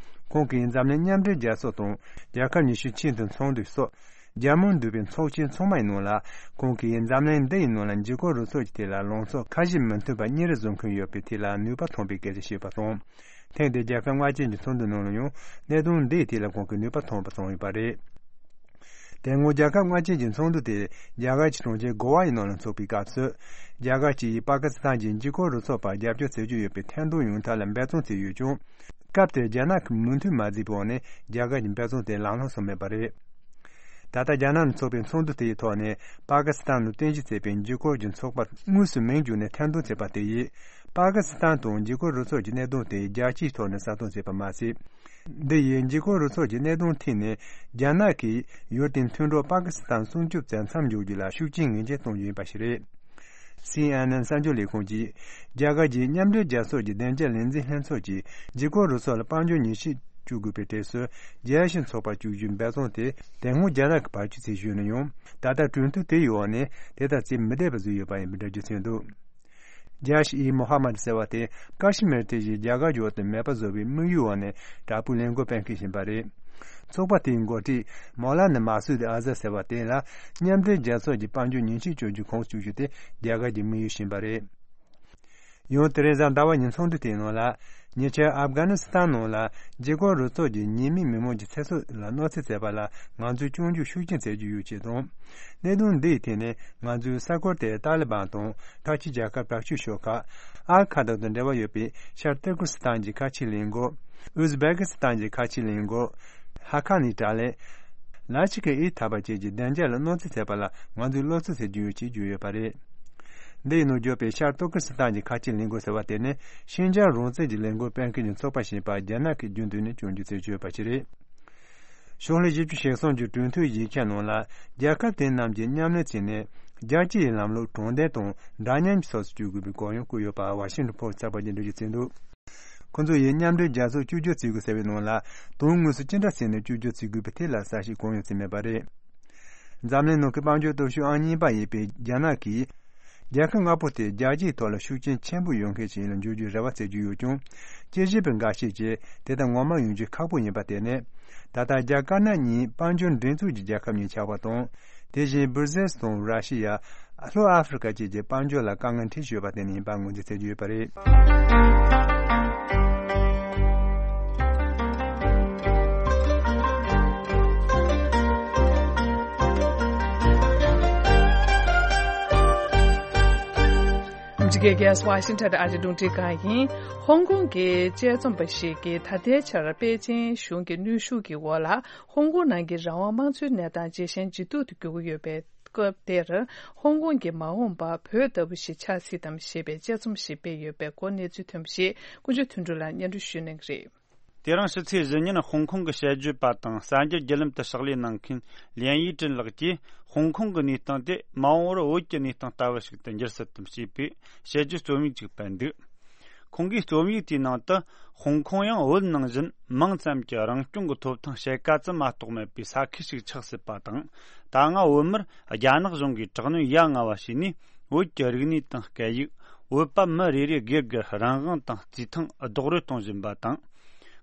ཁོང་གིས་འཛམ་གླིང་མཉམ་འབྲེལ་རྒྱལ་ཚོགས་དང་། རྒྱལ་ཁབ་ཉི་ཤུའི་ཆེས་མཐོའི་ཚོགས་འདུ་སོགས། རྒྱལ་མོ་འདུས་པའི་ཚོགས་ཆེན་ཚང་མའི་ནང་ལ། ཁོང་གིས་འཛམ་གླིང་འདི་ཡི་ནང་ལ་འཇིགས་སྐུལ་རུ་ཚོགས་ཀྱི་ཐད་ལ་ལངས་ཕྱོགས་ཁ་ཞེ་མི་མཐུན་པ་གཉིས་རེ་བཟོ་མཁན་ཡོད་པའི་ཐད་ལ་ནུས་པ་ཐོན་པའི་སྐད་ཆ་བཤད་པ་དང་། ཐེངས་འདིའི་རྒྱལ་ཁབ་ལྔ་ཅན་གྱི་ཚོགས་འདུ་ནང་ལ་ཡང་གནད་དོན་འདིའི་ཐད་ལ་ཁོང་གིས་ནུས་པ་ཐོན་པ་བྱུང་ཡོད་པ་རེད། དེ་སྔོན་རྒྱལ་ཁབ་ལྔ་ཅན་གྱི་ཚོགས་འདུ་དེ་རྒྱ་གར་གྱི་གྲོང་ཁྱེར་གོ་ཝ་ཡི་ནང་ལ་འཚོགས་པའི་སྐབས་སུ། རྒྱ་གར་གྱིས་པ་ཀི་སི་ཐན་གྱི་འཇིགས་སྐུལ་རུ་ཚོགས་པར་རྒྱབ་སྐྱོར་བྱེད་ཀྱི་ཡོད་པའི་ཐེར་འདོན་ཡོང་ཐབས་ལ་འབད་བརྩོན་བྱས་ཡོད་ཀྱང་། སྐབས་དེར་རྒྱ་ནག་གི་མོས་མཐུན་མ་བྱས་པའི་འོག་ནས་རྒྱ་གར་གྱི་འབད་བརྩོན་དེ་ལམ་ལྷོང་སོང་མེད་པ་རེད། ད་ལྟ་རྒྱ་ནག་ནང་འཚོགས་པའི་ཚོགས་འདུ་དེའི་ཐོག་ནས་པ་ཀི་སི་ཐན་ནང་རྟེན་གཞི་བྱས་པའི་འཇིགས་སྐུལ་གྱི་ཚོགས་པ་དངོས་སུ་མིང་བརྗོད་ནས་ཐེར་འདོན་བྱས་པ་དེ་ཡིས། པ་ཀི་སི་ཐན་དང་འཇིགས་སྐུལ་རུ་ཚོགས་ཀྱི་གནད་དོན་དེ་རྒྱལ་སྤྱིའི་ཐོག་ནས་བསམ་བློ་བྱས་པ་མ་ཟད། འདི་ཡིས་འཇིགས་སྐུལ་རུ་ཚོགས་ཀྱི་གནད་དོན་ཐད་ནས་རྒྱ་ནག་གིས་ཡུལ་དེའི་མཐུན་གྲོགས་པ་ཀི་སི་ཐན་སྲུང་སྐྱོབ་བྱེད་མཚམས་འཇོག་རྒྱུ་ལ་ཤུགས་རྐྱེན་ངེས་ཅན་གཏོང་རྒྱུ་ཡིན་པ་ཞིག་རེད། སི་ཨེན་ཨེན་གསར་འགྱུར་ལས་ཁུངས་ཀྱིས། རྒྱ་གར་གྱིས་མཉམ་འབྲེལ་རྒྱལ་ཚོགས་ཀྱི་བདེ་འཇགས་ལས་འཛིན་ལྷན་ཚོགས་ཀྱིས་འཇིགས་སྐུལ་རུ་ཚོགས་ལ་དཔལ་འབྱོར་ཉེས་ཆད་གཅོད་དགོས་པའི་གྲས་སུ། རྒྱལ་སྤྱིའི་ཚོགས་པ་བཅུ་བཞི་འབད་བརྩོན་དེ་དེ་སྔོན་རྒྱ་ནག་གིས་བར་ཆད་བྱེད་བཞིན་ཡོད་ན་ཡང་། ད་ལྟ་གྲོས་མཐུན་དེའི་འོག་ནས་དེ་དག་བྱེད་མི་བདེ་བ་བཟོས་ཡོད་པ་ཡིན་པའི་འགྲེལ་བརྗོད་བྱས་འདུག་ཇཱ་ཤི་ཨི་མོ་ཧ་མད་ཟེར་བ་དེ་ཀ་ཤི་མིར་དེ་བཞིན་རྒྱ་གར་ཡུལ་དུ་མེད་པ་བཟོ་བའི་དམིགས་ཡུལ་འོག་ནས་དྲག་པོའི་ལས་འགུལ་སྤེལ་མཁན་ཞིག་ཡིན་པ་རེད། ཚོགས་པ་དེའི་འགོ་ཁྲིད་མོ་ལ་ན་མ་སུ་དི་ཨ་ཟ་ཟེར་བ་དེ་ལ་མཉམ་འབྲེལ་རྒྱལ་ཚོགས་ཀྱི་དཔལ་འབྱོར་ཉེས་ཆད་གཅོད་རྒྱུ་ཁོངས་གཅིག་གྱུར་དེ་རྒྱ་གར་གྱི་དམིགས་ཡུལ་ཞིག་ཡིན་པ་རེད། ཡང་དེ་རིང་གཟའ་ཟླ་བ་ཉིན་ཚོགས་འདུ་དེའི་ནང་ལ། ཉེ་ཆར་ཨབ་གྷ་ནི་སི་ཐན་ནང་ལ་འཇིགས་སྐུལ་རུ་ཚོགས་ཀྱིས་ཉེས་མེད་མི་མང་གི་ཚེ་སྲོག་ལ་གནོད་འཚེ་བྱས་པ་ལ་ང་ཚོས་སྐྱོན་བརྗོད་ཤུགས་ཆེན་བྱེད་ཀྱི་ཡོད་ཅེས་དང་། གནད་དོན་འདིའི་ཐད་ནས་ང་ཚོས་ས་ཁུལ་དེའི་ཏཱ་ལི་བན་དང་ཁ་ཆེ་རྒྱལ་ཁབ་དྲག་སྤྱོད་ཤོག་ཁག་ཨལ་ཁ་ད་དང་འབྲེལ་བ་ཡོད་པའི་ཤར་ཏུར་ཀི་སི་ཐན་གྱི་ཁ་ཆེའི་ལས་འགུལ། ཨུ་ཛི་བེ་ཀི་སི་ཐན་གྱི་ཁ་ཆེའི་ལས་འགུལ། ཧ་ཁ་ནི་དྲག་ལས། ལ་ཆི་ཀི་ཨི་ཐ་བ་བཅས་ཀྱི་བདེ་འཇགས་ལ་གནོད་འཚེ་བྱས་པ་ལ་ང་ཚོས་བློ་འཚབ་བྱེད་ཀྱི་ཡོད་ཅེས་བརྗོད་ཡོད་པ་རེད། འདི་ཡི་ནང་བརྗོད་པའི་ཤར་ཏུར་ཀི་སི་ཐན་གྱི་ཁ་ཆེའི་ལས་འགུལ་ཟེར་བ་དེ་ནི་ཤིན་ཅང་རང་བཙན་གྱི་ལས་འགུལ་སྤེལ་མཁན་གྱི་ཚོགས་པ་ཞིག་ཡིན་པ་རྒྱ་ནག་གིས་རྒྱུན་དུ་ནས་སྐྱོན་བརྗོད་བྱེད་ཀྱི་ཡོད་པ་ཞིག་རེད། ཕྱོགས་ལྷུང་བཞི་བཅུ་ཞེ་གསུམ་གྱི་གྲོས་མཐུན་ཡིག་ཆ་ནང་ལ་རྒྱལ་ཁབ་དེ་རྣམས་ཀྱིས་མཉམ་ལས་བྱས་ནས་རྒྱལ་སྤྱི་ཡི་ལམ་ལུགས་དྲང་བདེན་དང་འདྲ་མཉམ་གྱི་ཕྱོགས་སུ་བསྐྱོད་དགོས་པའི་གུ་ཡངས་བཀོད་ཡོད་པ་ཝ་ཤིང་ཊོན་ཕོ་སི་ཊི་གསར་པ་གྱིས་འགྲེལ་བརྗོད་བྱས་འདུག་ཁོ་ཚོ་ཡིས་མཉམ་འབྲེལ་རྒྱལ་ཚོགས་བཅོས་བསྒྱུར་བྱེད་དགོས་ཟེར་བའི་ནང་ལ། དོན་དངོས་སུ་ཅི་འདྲ་བྱས་ནས་བཅོས་བསྒྱུར་བྱེད་དགོས་པའི་ཐད་ལ་གསལ་བཤད་གང་ཡང་བྱས་མེད་པ་རེད། འཛམ་གླིང་ནང་གི་དཔལ་འབྱོར་སྟོབས་ཤུགས་ཨང་གཉིས་པ་ཡིན་པའི་རྒྱ་ནག་གིས། རྒྱལ་ཁབ་ལྔ་པོ་དེ་རྒྱལ་སྤྱིའི་ཐོག་ལ་ཤུགས་རྐྱེན་ཆེན་པོ་ཡོད་མཁན་ཞིག་ལ་འགྱུར་རྒྱུའི་རེ་བ་བྱེད་ཀྱི་ཡོད་ཀྱང་། དཔྱད་ཞིབ་པ་འགའ་ཤས་ཀྱིས་དེ་ལྟར་ངོ་མ་ཡོང་རྒྱུ་ཁག་པོ་ཡིན་པ་དེ་ནི། ད་ལྟ་རྒྱ་དཀར་ནག་གཉིས་དཔལ་འབྱོར་འགྲན་ཚོགས་ཀྱི་རྒྱལ་ཁབ་གཉིས་ཆགས་པ་དང་། དེ་བཞིན་སྦུར་ཟེལ་དང་ར་ཤི་ཡ། ལྷོ་ཨ་ཧྥེ་རི་ཀ་བཅས་ཀྱི་དཔལ་འབྱོར་ལ་དཀའ་ངལ་འཕྲད་བཞིན་ཡོད་པ་དེ་ནི་ཡིན་པ་ངོས་འཛིན་བྱེད་ཀྱི་ཡོད་པ་རེད། ཨ་མི་རི་ཀའི་རྒྱལ་ས་ཝ་ཤིང་ཊོན་དུ་ཨ་རིའི་རླུང་འཕྲིན་ཁང་ཡིན། ཧོང་ཀོང་གི་དཔྱད་རྩོམ་པ་ཞིག་གིས་ད་ལྟའི་ཆར་པེ་ཅིང་གཞུང་གི་གནོན་ཤུགས་ཀྱི་འོག་ལ། ཧོང་ཀོང་ནང་གི་རང་དབང་དམངས་གཙོའི་གནས་སྟངས་ཇེ་ཞན་ཇེ་སྡུག་ཏུ་འགྱུར་གྱི་ཡོད་པའི་སྐབས་དེར། ཧོང་ཀོང་གི་མ་འོངས་པ་བོད་ལྟ་བུ་ཞིག་ཆགས་སྲིད་དམ་ཞེས་པའི་དཔྱད་རྩོམ་ཞིག་སྤེལ་ཡོད་པའི་སྐོར་གནས་ཚུལ་ཐོན་པ་ཞིག་དཀོན་མཆོག་དོན་གྲུབ་ལགས་སྙན་སྒྲོན་ཞུ་གནང་གི་རེད། དེ་རིང་ཕྱི་ཚེས་བཞི་ཉིན་ཧོང་ཀོང་གི་དཔྱད་བརྗོད་པ་དང་གསར་འགྱུར་བརྒྱུད་ལམ་དུ་ཕྱག་ལས་གནང་མཁན་ལིན་ཡི་ཀྲིན་ལགས་ཀྱིས། ཧོང་ཀོང་གི་གནས་སྟངས་དེ་མ་འོངས་པར་བོད་ཀྱི་གནས་སྟངས་ལྟ་བུ་ཞིག་ཏུ་འགྱུར་སྲིད་དམ་ཞེས་པའི་དཔྱད་བརྗོད་རྩོམ་ཡིག་ཅིག་སྤེལ་འདུག་ཁོང་གིས་རྩོམ་ཡིག་དེའི་ནང་དུ། ཧོང་ཀོང་ཡང་བོད་ནང་བཞིན་མིང་ཙམ་གྱི་རང་སྐྱོང་གི་ཐོབ་ཐང་ཕྱེད་ཀ་ཙམ་མ་གཏོགས་མེད་པའི་ས་ཁུལ་ཞིག་ཆགས་སྲིད་པ་དང་། ད་སྔ་བོད་མིར་རྒྱ་ནག་གཞུང་གིས་དྲག་གནོན་ཡ་ང་བ་བྱས་ནས། བོད་ཀྱི་རིག་གནས་དང་སྐད་ཡིག་བོད་པ་མི་རེ་རེ་སྒེར་སྒེར་རང་དབང་དང་རྩིས་ཐང་རྡོག་རོལ་གཏོང་བཞིན་པ་དང་།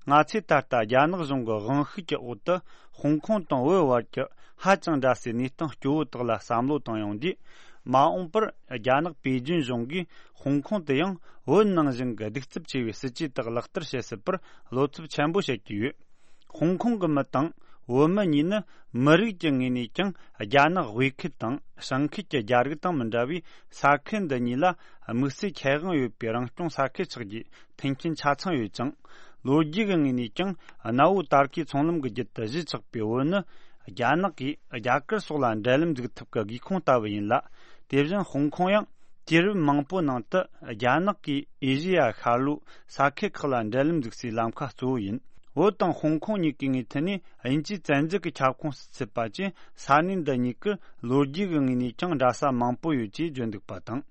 ང་ཚོས་ད་ལྟ་རྒྱ་ནག་གཞུང་གི་དབང་ཤུགས་ཀྱི་འོག་ཏུ་ཧོང་ཀོང་དང་བོད་བར་གྱི་ཧ་ཅང་འདྲ་སའི་གནས་སྟངས་སྐྱོ་བོ་དག་ལ་བསམ་བློ་བཏང་ཡོང་དུས། མ་འོངས་པར་རྒྱ་ནག་པེ་ཅིན་གཞུང་གིས་ཧོང་ཀོང་དུ་ཡང་བོད་ནང་བཞིན་གྱི་གདུག་རྩུབ་ཆེ་བའི་སྲིད་ཇུས་དག་ལག་བསྟར་བྱེད་སྲིད་པར་བློ་འཚབ་ཆེན་པོ་བྱེད་ཀྱི་ཡོད། ཧོང་ཀོང་གི་མི་དང་བོད་མི་གཉིས་ནི་མི་རིགས་ཀྱི་ངོས་ནས་ཀྱང་རྒྱ་ནག་དབུས་ཁུལ་དང་བྱང་ཁུལ་གྱི་རྒྱ་རིགས་དང་མི་འདྲ་བའི་ས་ཁུལ་འདི་གཉིས་ལ་དམིགས་བསལ་ཁེ་དབང་ཡོད་པའི་རང་སྐྱོང་ས་ཁུལ་ཆགས་རྒྱུའི་མཐུན་རྐྱེན་ཆ་ཚང་ཡོད་ཅིང་། ལོ་རྒྱུས་ཀྱི་ངོས་ནས་ཀྱང་གནའ་བོའི་ཏཱ་རྐའི་ཚོང་ལམ་གྱི་རྒྱུད་དུ་གཞིས་ཆགས་པའི་བོད་ནི། རྒྱ་ནག་གིས་རྒྱ་གར་སོགས་ལ་འབྲེལ་ལམ་འཛུགས་ཐུབ་ཀྱི་སྒེའུ་ཁུང་ལྟ་བུ་ཡིན་ལ། དེ་བཞིན་ཧོང་ཀོང་ཡང་དུས་རབས་མང་པོའི་ནང་དུ་རྒྱ་ནག་གིས་ཨེ་ཤེ་ཡ་ཤར་ལྷོའི་ས་ཁུལ་ཁག་ལ་འབྲེལ་ལམ་འཛུགས་སའི་ལམ་ཁ་གཙོ་བོ་ཡིན། བོད་དང་ཧོང་ཀོང་གཉིས་ཀའི་ངོས་ཐད་ནས་དབྱིན་ཇིའི་བཙན་འཛུལ་གྱི་ཁྱབ་ཁོངས་སུ་ཚུད་པ་བཅས་ས་གནས་འདི་གཉིས་ཀར་ལོ་རྒྱུས་ཀྱི་ངོས་ནས་ཀྱང་འདྲ་ས་མང་པོ་ཡོད་ཅེས་བརྗོད་འདུག་པ་དང་།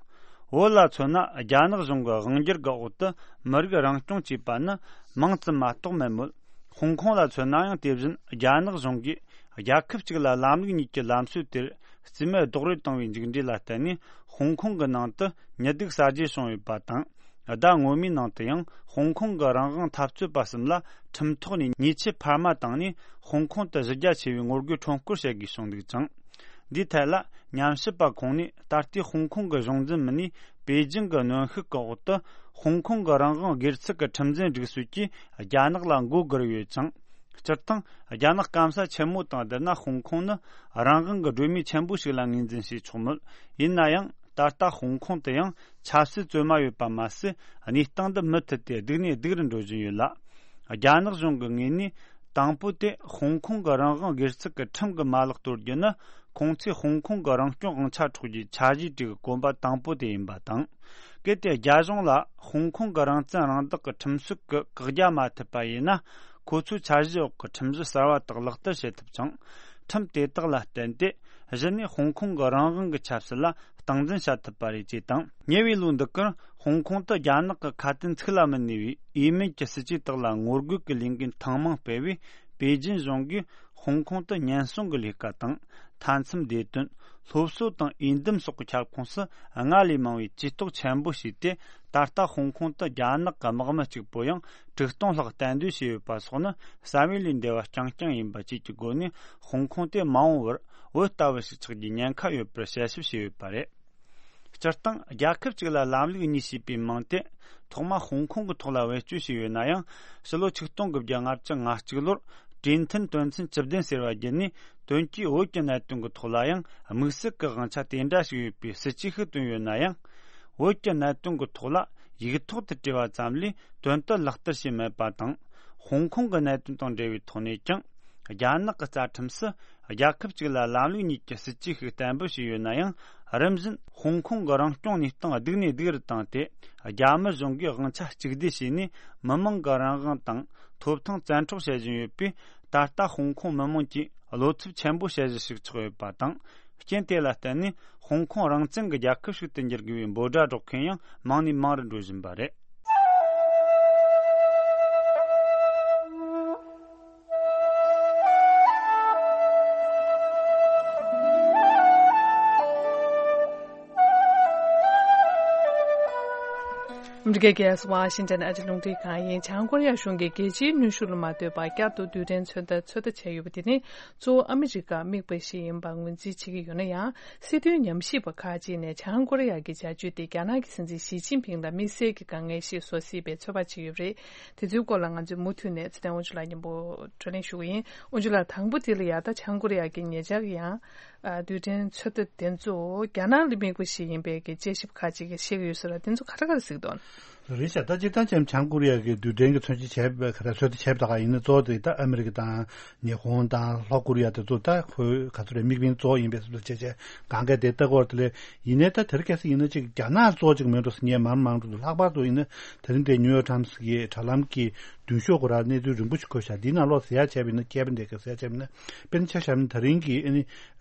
བོད་ལ་མཚོན་ན་རྒྱ་ནག་གཞུང་གི་དབང་སྒྱུར་གྱི་འོག་ཏུ་མི་རིགས་རང་སྐྱོང་བཅས་པ་ནི་མིང་ཙམ་མ་གཏོགས་མེད་མོད། ཧོང་ཀོང་ལ་མཚོན་ན་ཡང་དེ་བཞིན་རྒྱ་ནག་གཞུང་གིས་རྒྱལ་ཁབ་གཅིག་ལ་ལམ་ལུགས་གཉིས་ཀྱི་ལམ་སྲོལ་དེར་རྩིས་མེད་རྡོག་རོལ་བཏང་བའི་མཇུག་འབྲས་ལ་བརྟེན་ནས། ཧོང་ཀོང་གི་ནང་དུ་ཉི་གདུགས་གསར་བརྗེ་བྱུང་ཡོད་པ་དང་། ཟླ་སྔོན་མའི་ནང་དུ་ཡང་ཧོང་ཀོང་གི་རང་དབང་འཐབ་རྩོད་པ་གསུམ་ལ་ཁྲིམས་ཐོག་ནས་ཉེས་ཆད་འཕར་མ་བཏང་ནས། ཧོང་ཀོང་དུ་གཞི་རྒྱ་ཆེ་བའི་ངོ་རྒོལ་ཁྲོམ་སྐོར་བྱེད་དགོས་བྱུང་འདུག་ཅིང་། འདིའི་ཐད་ལ་ཉམས་ཞིབ་པ་ཁོང་ནས། ད་ལྟའི་ཧོང་ཀོང་གི་གཞུང་འཛིན་མི་སྣས་པེ་ཅིང་གི་གནོན་ཤུགས་ཀྱི་འོག་ཏུ་ཧོང་ཀོང་གི་རང་དབང་སྒེར་ཚུགས་ཀྱི་ཁྲིམས་འཛིན་སྒྲིག་སྲོལ་གྱིས་རྒྱ་ནག་ལ་མགོ་སྒུར་ཡོད་ཅིང་། སྤྱིར་བཏང་རྒྱ་ནག་སྐམ་ས་ཆེན་མོ་དང་བསྡུར་ན་ཧོང་ཀོང་ནི་རང་དབང་གི་སྒྲོན་མེ་ཆེན་པོ་ཞིག་ལ་ངོས་འཛིན་བྱས་ཆོག་མོད། ཡིན་ན་ཡང་ད་ལྟ་ཧོང་ཀོང་དུ་ཡང་ཆབ་སྲིད་བཙོན་མ་ཡོད་པ་མ་ཟད། གནས་སྟངས་འདི་མུ་མཐུད་དེ་སྡུག་ནས་སྡུག་རུ་འགྲོ་བཞིན་ཡོད་ལ། རྒྱ་ནག་གཞུང་གི་ངོས་ནས་དང་པོ་དེ་ཧོང་ཀོང་གི་རང་དབང་སྒེར་ཚུགས་ཀྱི་ཁྲིམས་ཀྱི་མ་ལག་གཏོར་རྒྱུ་ནི། ཁོང་ཚོས་ཧོང་ཀོང་གི་རང་སྐྱོང་དབང་ཆ་འཕྲོག་རྒྱུའི་འཆར་གཞིའི་གྲས་ཀྱི་གོམ་པ་དང་པོ་དེ་ཡིན་པ་དང་། གལ་ཏེ་རྒྱ་གཞུང་ལ་ཧོང་ཀོང་གི་རང་བཙན་རང་བདག་གི་ཁྲིམས་སྲོལ་གྱི་བཀག་རྒྱ་མ་ཐེབས་པ་ཡིན་ན། ཁོ་ཚོའི་འཆར་གཞིའི་འོག་གི་ཁྲིམས་གཞི་གསར་བ་དག་ལག་བསྟར་བྱེད་ཐུབ་ཅིང་། ཁྲིམས་དེ་དག་ལ་བརྟེན་ཏེ་གཞི་ནས་ཧོང་ཀོང་གི་རང་དབང་གི་ཆབ་སྲིད་ལ་སྟངས་འཛིན་བྱ་ཐུབ་པ་རེད་ཅེས་དང་། ཉེ་བའི་ལོ་འདི་གར་ཧོང་ཀོང་དུ་རྒྱ་ནག་གི་ཁ་དན་ཚིག་ལ་མི་གནས་པའི་འོས་མིན་གྱི་སྲིད་ཇུས་དག་ལ་ངོ་རྒོལ་གྱི་ལས་འགུལ་ཐེངས་མང་སྤེལ་བས། པེ་ཅིན་གཞུང་གིས་ཧོང་ཀོང་དུ་ཉེན་སྲུང་གི་ལས་ཀ་དང་། མཐའ་མཚམས་བདེ་དོན། སློབ་གསོ་དང་འོས་འདེམས་སོགས་ཀྱི་ཁྱབ་ཁོངས་སུ་སྔར་ལས་མང་བའི་ཇུས་གཏོགས་ཆེན་པོ་བྱས་ཏེ། ད་ལྟ་ཧོང་ཀོང་དུ་རྒྱ་ནག་གི་དམག་མི་གཅིག་པོ་ཡང་དྲུག་སྟོང་ལྷག་གཏན་སྡོད་བྱས་ཡོད་པ་སོགས་ནི་བསམ་ཡུལ་ལས་འདས་པ་རྐྱང་རྐྱང་ཡིན་པ་བཅས་ཀྱི་སྒོ་ནས། ཧོང་ཀོང་དེ་མ་འོངས་པར་བོད་ལྟ་བུ་ཞིག་ཆགས་རྒྱུའི་ཉེན་ཁ་ཡོད་པར་དཔྱད་ཞིབ་བྱས་ཡོད་པ་རེད། སྤྱིར་བཏང་རྒྱལ་ཁབ་ཅིག་ལ་ལམ་ལུགས་གཉིས་ཞེས་པའི་མིང་དེ་ཐོག་མ་ཧོང་ཀོང་གི་ཐོག་ལ་བེད་སྤྱོད་བྱས་ཡོད་ན་ཡང་། ཕྱི་ལོ་ཆིག་སྟོང་དགུ་བརྒྱ་ལྔ་བཅུ་ང་གཅིག་ལོར་གྲོས་མཐུན་དོན་ཚན་བཅུ་བདུན་ཟེར་བ་བརྒྱུད་ནས། དོན་གྱིས་བོད་ཀྱི་གནད་དོན་གྱི་ཐོག་ལ་ཡང་དམིགས་བསལ་གྱི་དབང་ཆ་དེ་འདྲ་ཞིག་ཡོད་པའི་སྲིད་ཇུས་ཤིག་བཏོན་ཡོད་ན་ཡང་། བོད་ཀྱི་གནད་དོན་གྱི་ཐོག་ལ་ཡིག་ཐོག་ཏུ་བྲིས་པ་ཙམ་ལས་དོན་དུ་ལག་བསྟར་བྱས་མེད་པ་དང་། ཧོང་ཀོང་གི་གནད་དོན་དང་འབྲེལ་བའི་ཐོག་ནས་ཀྱང་། རྒྱ་ནག་གི་རྩ་ཁྲིམས་སུ་རྒྱལ་ཁབ་ཅིག་ལ་ལམ་ལུགས་གཉིས་ཀྱི་སྲིད་ཇུས་ཤིག་གཏན་འབེབས་བྱས་ཡོད་ན་ཡང་། རིམ་བཞིན་ཧོང་ཀོང་གི་རང་སྐྱོང་གནས་སྟངས་སྡུག་ནས་སྡུག་རུ་བཏང་སྟེ། རྒྱ་མི་གཞུང་གིས་དབང་ཆ་གཅིག་སྡུད་བྱས་ནས། མི་མང་གི་རང་དབང་དང་ཐོབ་ཐང་བཙན་འཕྲོག་བྱེད་བཞིན་ཡོད་པས། ད་ལྟ་ཧོང་ཀོང་མི་མང་གིས་བློ་འཚབ་ཆེན་པོ་བྱེད་གཞི་ཞིག་ཆགས་ཡོད་པ་དང་། རྐྱེན་དེ་ལ་བརྟེན་ནས་ཧོང་ཀོང་རང་བཙན་གྱི་རྒྱལ་ཁབ་ཞིག་ཏུ་འགྱུར་དགོས་པའི་འབོད་སྒྲ་སྒྲོག་མཁན་ཡང་མང་ནས་མང་རུ་འགྲོ་བཞིན་པ་རེད། ཨ་མི་རི་ཀའི་རྒྱལ་ས་ཝ་ཤིང་ཏན་ཨ་རིའི་རླུང་འཕྲིན་ཁང་ཡིན། བྱང་ཀོ་རི་ཡ་གཞུང་གིས་རྒྱལ་སྤྱིའི་གནོན་ཤུགས་ལ་མ་ལྟོས་པར་བསྐྱར་དུ་རྡུལ་ཕྲན་ཚོད་ལྟ་ཚོད་ལྟ་བྱས་ཡོད་པ་དེ་ནི། གཙོ་བོ་ཨ་མི་རི་ཀར་དམིགས་པ་ཞིག་ཡིན་པར་ངོས་འཛིན་བྱེད་ཀྱི་ཡོད་ན་ཡང་། སྲིད་དོན་ཉམས་ཞིབ་པ་ཁག་ཅིག་ནས་བྱང་ཀོ་རི་ཡ་གི་བྱ་སྤྱོད་དེ་རྒྱ་ནག་གི་སྲིད་འཛིན་ཞི་ཅིན་ཕིང་ལ་དམིགས་བསལ་གྱི་དཀའ་ངལ་ཞིག་བཟོ་སྲིད་པའི་ཚོད་དཔག་བྱས་ཡོད་པ་རེད། དེ་ཚོའི་སྐོར་ལ་ང་ཚོས་མུ་མཐུད་ནས་ཚེ་བརྟན་དབང་ཕྱུག་ལགས་མཉམ་པོ་བགྲོ་གླེང་ཞུ་གི་ཡིན། དབང་ཕྱུག་ལགས། དང་པོ་དེ་ལ་ཡ། ད་བྱང་ཀོ་རི་ཡ་གི་ཉེ་ཆར་གྱི་ཡང་། ཨ། རྡུལ་ཕྲན་ཚོད་ལྟ་དེ་ཚོ་རྒྱ་ནག་ལ་དམིགས་པ་ཞིག་ཡིན་པའི་གི་དཔྱད་ཞིབ་ཁག་ཅིག་གིས་བཤད་ཀྱི་ཡོད་ཟེར་བ་དེ་ཚོ་ག་རེ་ག་རེ་གཟིགས་འདུག་རེད་ཤག་ད་སྤྱིར་བཏང་ཅན་བྱང་ཀོ་རི་ཡ་གི་རྡུལ་ཕྲན་གྱི་མཚོན་ཆ་བྱས་པ་ག་རེ་ཚོད་ལྟ་བྱས་པ་ད་ག་ཡིན་ན། གཙོ་བོ་དེ་ད་ཨ་མི་རི་ཀ་དང་ཉི་ཧོང་དང་ལྷོ་ཀོ་རི་ཡ་དེ་ཚོ་ད་ཁོའི་ག་ཚོད་རེད། དམིགས་འབེན་གཙོ་བོ་ཡིན་པའི་བཟོ་འདྲ་བྱས་བྱས་གང་ག་དེ་ལྟ་སྐོར་དེ་ལས། ཡིན་ནའི་ད་དེར་གལ་སྲིད་ཡིན་ན་ཅིག་རྒྱ་ནག་གཙོ་བོ་ཅིག་མེད་འགྲོ་ཟེར་ངས་མང་མང་འགྲོ་འདུག་ལྷག་པར་དུ་ཡིན་ན་དེ་རིང་དེ་ནིའུ་ཡོག་ཊའིམ་སི་གི་དྲ་ལམ་གྱི་མདུན་ཤོག་གུ་ར་གནས་ཚུལ་རིང་པོ་ཞིག་འཁོད་ཤག་འདིའི་ནང་ལོགས་ཟེར་ཡ་བྱས་པ་ཡིན་ན། མཁས་པ་འདི་ག་ཟེར་ཡ་བྱས་པ་ཡིན་ན། དཔེར་ན་ཆ་བཞག་ན་ད་རིང་གི་ཨ་ནི་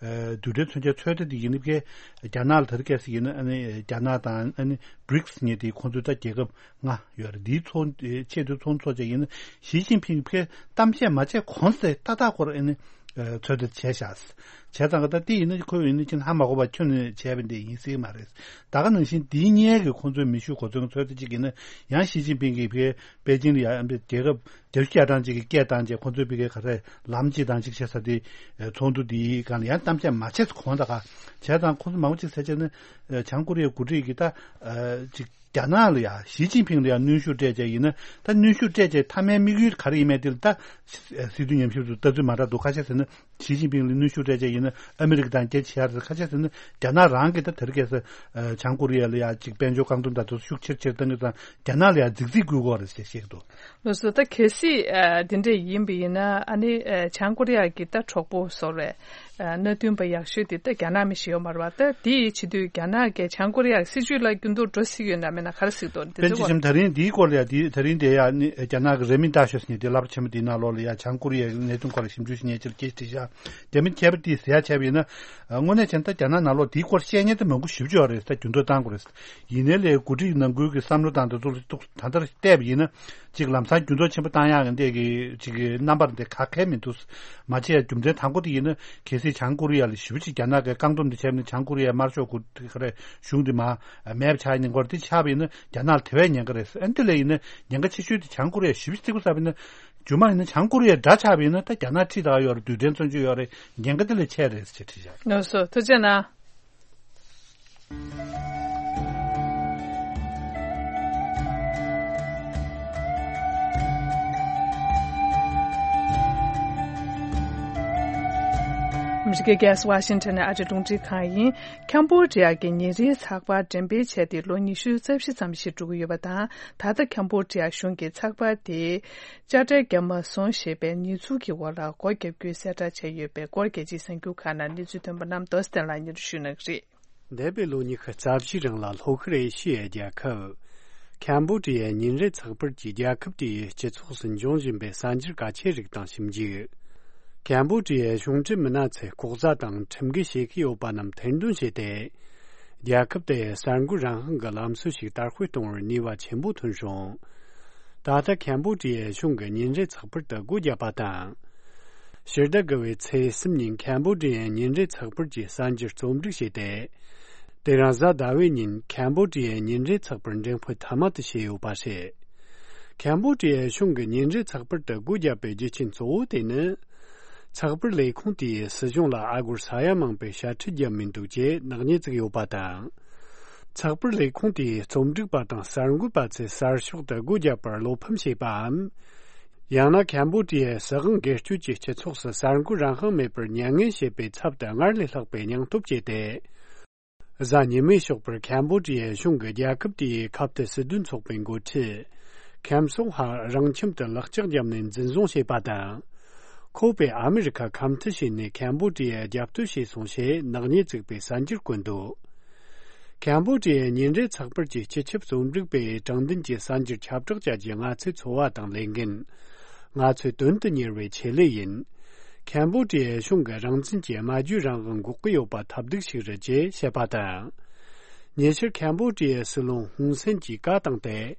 རྡུལ་ཕྲན་མཚོན་ཆའི་ཚོད་ལྟ་འདི་ཡིན་ན། ཕ་གིའི་རྒྱ་ནག་ལ་དེར་གལ་སྲིད་ཡིན་ན། ཨ་ནི་རྒྱ་ནག་དང་ཨ་ནི་བྷི་རིག་སི་ཉེ་དེ་ཁོང་ཚོའི་ད་རྒྱལ་ཁབ་ལྔ་ཡོད་རེད། འདིའི་ཚོགས་ཆེས་མཐོའི་ཚོགས་འདུ་ཚོགས་ཡིན་ན། ཞི་ཅིན་ཕིང་གིས་ཕ་གིར་གཏམ་བཤད་མ་བྱས་གོང་ཚེ་ཏག་ཏག་སྐོར་ཨ་ནི་ཚོད་ལྟ་བྱས་ཤག་བྱས་ཙང་གི་ད་དེ་ཡིན་ན་ཁོ་ཡིན་ན་ཅིག་ཧ་མ་གོ་བ་ཁྱོན་ནས་བྱས་པ་འདི་ཡིན་སྲིད་མ་རེད། ད་ག་ནང་བཞིན་འདིའི་སྔོན་གྱི་ཁོང་ཚོའི་མེ་ཤུགས་གོ་མཚོན་ཚོད་ལྟ་ཅིག་ཡིན་ན་ཡང་ཞི་ཅིན་ཕིང་གིས་ཕ་གིར་པེ་ཅིང་ལ་ཡ་རྒྱལ་ཁབ་བརྒྱད་ཅུ་གྱ་གྲངས་ཅིག་གི་སྐད་བཏང་རྗེས། ཁོང་ཚོས་ཕ་གིར་ག་རེ་ལམ་གཅིག་དང་གཅིག་བྱས་ས་དེ་ཚོགས་འདུ་འདིའི་སྒང་ལ་ཡང་གཏམ་བཤད་མ་བྱས་གོང་ད་ག་བྱས་ཙང་། ཁོང་ཚོ་མང་པོ་ཅིག་ཟེར་བྱས་ན་བྱང་ཀོ་རི་ཡའི་འགོ་ཁྲིད་ཀྱིས་ད་ཅིག་རྒྱ་ནག་ལ་ཡ་ཞི་ཅིན་ཕིང་ལ་ཡ་གནོན་ཤུགས་སྤྲད་བྱས་ཡིན་ན། ད་གནོན་ཤུགས་སྤྲད་བྱས་མཐའ་མའི་དམིགས་ཡུལ་ག་རེ་ཡིན་མིན་དེ་ལ་ད་སྲིད་དོན་ཉམས་ཞིབ་ཚོས་ལྟ་ཚུལ་མ་འདྲ་འདུག་ཁ་ཤས་ཟེར་ན། ཞི་ཅིན་ཕིང་ལ་གནོན་ཤུགས་སྤྲད་བྱས་ཡིན་ན་ཨ་མི་རི་ཀ་དང་རྒྱ་ཆེ་ཡ་རེད། ཁ་ཤས་ཟེར་ན་རྒྱ་ནག་རང་གིས་ད་དེར་གལ་སྲིད་བྱང་ཀོ་རི་ཡ་ལ་ཡ་ཅིག་དཔལ་འབྱོར་བཀག་སྡོམ་དང་དེ་ཚོ་ཤུགས་ཆེར་ཆེར་བཏང་གི་ཙང་རྒྱ་ནག་ལ་ཡ་རྫིག་རྫིག་བསྐུལ་གྱི་ཡོད་རེད་ཅེས་བཤད་ཀྱི་འདུག་ལགས་སོ། ད་གལ་སྲིད་ཨ་འདི་འདྲ་ཡིན་པ་ཡིན་ན། ཨ་ནི་ཨ་བྱང་ཀོ་རི་ཡ་གི་ད་གྲོགས་པོ་བཟོ་འདྲ་ཨ་མནའ་མཐུན་པ་ཡག་ཤོས་དེ་ད་རྒྱ་ནག་མི་ཞིག་ཡོད་མ་རེད་པ། ད་དེ་ཡི་བྱེད་དུས་རྒྱ་ནག་གིས་བྱང་ཀོ་རི་ཡ་གི་སྲིད་བྱུས་ལ་འགྱུར་ལྡོག་འགྲོ་སྲིད་ཡོད་ན་མེད་ན་ག་རེ་གཟིགས་འདུག་འདི་དཔེར་ཚོ་ཆ་བཞག་ན་ད་རིང་འདིའི་སྐོར་ལ་ཡ་འདི་ད་རིང་དེ་ཡ་ནི་རྒྱ་ནག་གི་རེ་མི་ཏཱ་ཤོ་ཟེར་མཁན་དེ་ལབ་ཆེན་པོ་དེའི་ནང་ལོགས་ལ་ཡ་བྱང་ཀོ་རི་ཡའི་གནད་དོན་སྐོར་ལ་ཞིབ་འཇུག་བྱེད་མཁན་ཅིག་གིས་བྲིས་ཤག་དེ་མིན་ཁྱད་པར་དེ་ཟེར་ཡ་བྱས་པ་ཡིན་ན། དངོས་གནས་བྱས་ན་ད་རྒྱ་ནག་ནང་ལོགས་དེའི་སྐོར་བཤད་མཁན་དེ་མང་པོ་ཞེ་པོ་ཅིག་ཡོད་རེད། ད་འགྱུར་ལྡོག་བཏང་དགོས་རེད། ཡིན་ནའི་ལས་འགོ་ཁྲིད་ནང་ཁུལ་གྱི་བསམ་བློ་བཏང་དེ་ཚོ་ལ་ཏོག་ད་ལྟར་བལྟས་པ་ཡིན་ན། ཅིག་ལམ་སང་འགྱུར་ལྡོག་ཆེན་པོ་བཏང་ཡག་གི་འདི་གི་ཅིག་གི་རྣམ་པ་འདི་ག་གེ་མི་འདུག་མ་བྱས་རྒྱུ་མཚན་དང་པོ་དེ་ཡིན་ན། གལ་སྲིད་བྱང་ཀོ་རི་ཡ་ལ་ཞེ་པོ་ཅིག་རྒྱ་ནག་གིས་བཀག་སྡོམ་དེ་བྱས་པ་ཡིན་ན། བྱང་ཀོ་རི་ཡའི་དམར་ཤོག་གི་ག་རེ་གཞུང་དེ་མར་མེད་པ་ཆགས་ཡིན་སྐོར་དེ་ཆགས་པ་ཡིན་ན། རྒྱ་ནག་ལ་དེ་བས་ཉེན་ཁ་རེད། ཨ་འདི་ལས་ཡིན་ན་ཉེན་ཁ་ཆེ་ཤོས་དེ་བྱང་ཀོ་རི་ཡ་ཞེ་པོ་ཅིག་གཙིགས་པ་ཟེར་བ་ཡིན་ན། རྗེས་མ་ཡིན་ན་བྱང་ཀོ་རི་ཡའི་དགྲ་ཆགས་པ་ཡིན་ན། ད་རྒྱ་ནག་ཁྲིད་ད་ཡོད་རེད། རྡུལ་ཕྲན་མཚོན་ཆ་ཡོད་རེད། ཉེན་ཁ་དེ་ལས་ཆེ་རེད་ཅེས་བྲིས་བཞག་ལགས་སོ། ཐུགས་རྗེ་གནང་། ཨ་མི་རི་ཀའི་རྒྱལ་ས་ཝ་ཤིང་ཊོན་ནས་ཨ་རིའི་རླུང་འཕྲིན་ཁང་ཡིན། ཁམ་བྷོ་ཌི་ཡ་གི་ཉིན་རེའི་ཚགས་པར་འགྲེམས་སྤེལ་བྱས་ཏེ་ལོ་ཉི་ཤུ་རྩ་བཞི་ཙམ་ཞིག་འགྲོ་གི་ཡོད་པ་དང་། ད་ལྟ་ཁམ་བྷོ་ཌི་ཡ་གཞུང་གིས་ཚགས་པར་དེ་དཔྱ་ཁྲལ་བརྒྱབ་མ་སོང་ཞེས་པའི་ཉེས་འཛུགས་ཀྱི་འོག་ལ་སྒོ་བརྒྱབ་རྒྱུའི་གསལ་བསྒྲགས་བྱས་ཡོད་པའི་སྐོར། རྒྱལ་སྤྱིའི་གསར་འགྱུར་ཁག་ནང་གནས་ཚུལ་ཐོན་པ་རྣམས་རྡོ་རྗེ་བསྟན་ལགས་སྙན་སྒྲོན་ཞུ་གནང་གི་རེད། འདས་པའི་ལོ་ཉི་ཤུ་རྩ་བཞིའི་རིང་ལ་ལྷོ་ཤར་ཨེ་ཤི་ཡའི་རྒྱལ་ཁབ་ཁམ་བྷོ་ཌི་ཡའི་ཉིན་རེའི་ཚགས་པར་གྱིས་རྒྱལ་ཁབ་དེའི་སྤྱི་ཚོགས་སུ་འབྱུང་བཞིན་པའི་གསར་འགྱུར་གལ་ཆེ་རིགས་དང་ཞིབ་འཇུག་ཁམ་བྷོ་ཌི་ཡའི་གཞུང་འབྲེལ་མི་སྣ་ཚོས་ལྐོག་ཟ་དང་ཁྲིམས་འགལ་བྱེད་ཀྱི་ཡོད་པ་རྣམས་ཐེར་འདོན་བྱས་ཏེ། རྒྱལ་ཁབ་དེའི་གསར་འགོད་རང་དབང་གི་ལམ་སྲོལ་ཞིག་དར་སྤེལ་གཏོང་བར་ནུས་པ་ཆེན་པོ་ཐོན་བྱུང་། ད་ལྟ་ཁམ་བྷོ་ཌི་ཡའི་གཞུང་གིས་ཉིན་རེའི་ཚགས་པར་དུ་སྒོ་བརྒྱབ་པ་དང་། ཕྱི་ཟླ་དགུ་པའི་ཚེས་གསུམ་ཉིན་ཁམ་བྷོ་ཌི་ཡའི་ཉིན་རེའི་ཚགས་པར་གྱི་གསར་འགྱུར་རྩོམ་སྒྲིག་བྱས་ཏེ། དེ་རིང་གཟའ་ཟླ་བའི་ཉིན་ཁམ་བྷོ་ཌི་ཡའི་ཉིན་རེའི་ཚགས་པར་འགྲེམས་སྤེལ་མཐའ་མ་དེ་བྱས་ཡོད་པ་རེད། ཁམ་བྷོ་ཌི་ཡའི་གཞུང་གིས་ཉིན་རེའི་ཚགས་པར་དུ་སྒོ་བརྒྱབ་པའི་རྒྱུ་རྐྱེན་གཙོ་བོ་དེ་ནི། ཚགས་པར་ལས་ཁུངས་དེས་སྲིད་གཞུང་ལ་ཨ་སྒོར་ས་ཡ་མང་པའི་ཞལ་འཕྲད་བརྒྱབ་མི་འདུག་ཅེས་ནག་ཉེས་བཙུགས་ཡོད་པ་དང་། ཚགས་པར་ལས་ཁུངས་དེའི་རྩོམ་སྒྲིག་པ་དང་གསར་འགོད་པ་ཚོས་གསར་ཤོག་ཏུ་སྒོ་བརྒྱབ་པར་བློ་ཕམ་བྱས་པའམ། ཡང་ན་ཁམ་བྷོ་ཌི་ཡའི་སྲིད་དབང་སྒེར་གཅོད་ཀྱིས་སྤྱི་ཚོགས་སུ་གསར་འགོད་རང་དབང་མེད་པར་མྱ་ངན་བྱེད་པའི་ཚབ་ཏུ་སྔར་ལས་ལྷག་པའི་སྙིང་སྟོབས་བསྐྱེད་དེ། གཟའ་ཉི་མའི་ཞོགས་པར་ཁམ་བྷོ་ཌི་ཡའི་གཞུང་གིས་རྒྱལ་ཁབ་དེའི་ཁ་གཏད་སྲིད་དོན་ཚོགས་པའི་འགོ་ཁྲིད་ཁམ་སོང་ཧ་རང་ཁྱིམ་དུ་ལག་ལྕགས་བརྒྱབ་ནས་འཛིན་བཟུང་བྱས་པ་དང་། ཁོ་པས་ཨ་མི་རི་ཁ་ཁམས་མཐུད་བྱས་ནས་ཁམ་བྷོ་ཌི་ཡར་རྒྱབ་གཏོད་བྱས་སོང་ཞེས་ནག་ཉེས་བཙུགས་པའི་གསར་འགྱུར་བཀོད་འདུག་ཁམ་བྷོ་ཌི་ཡའི་ཉིན་རེའི་ཚགས་པར་གྱི་སྤྱི་ཁྱབ་རྩོམ་སྒྲིག་པས་དྲང་བདེན་གྱི་གསར་འགྱུར་ཁྱབ་བསྒྲགས་བྱ་རྒྱུ་ང་ཚོའི་འཚོ་བ་དང་ལས་འགན། ང་ཚོའི་དོན་དུ་གཉེར་བའི་ཆེད་ལས་ཡིན། ཁམ་བྷོ་ཌི་ཡའི་གཞུང་གིས་རང་བཙན་གྱི་སྨྲ་བརྗོད་རང་དབང་འགོག་གི་ཡོད་པ་ཐབས་སྡུག་ཞིག་རེད་ཅེས་བཤད་པ་དང་། ཉེ་ཆར་ཁམ་བྷོ་ཌི་ཡའི་སྲིད་བློན་ཧུན་སེན་གྱིས་བཀའ་བཏང་སྟེ།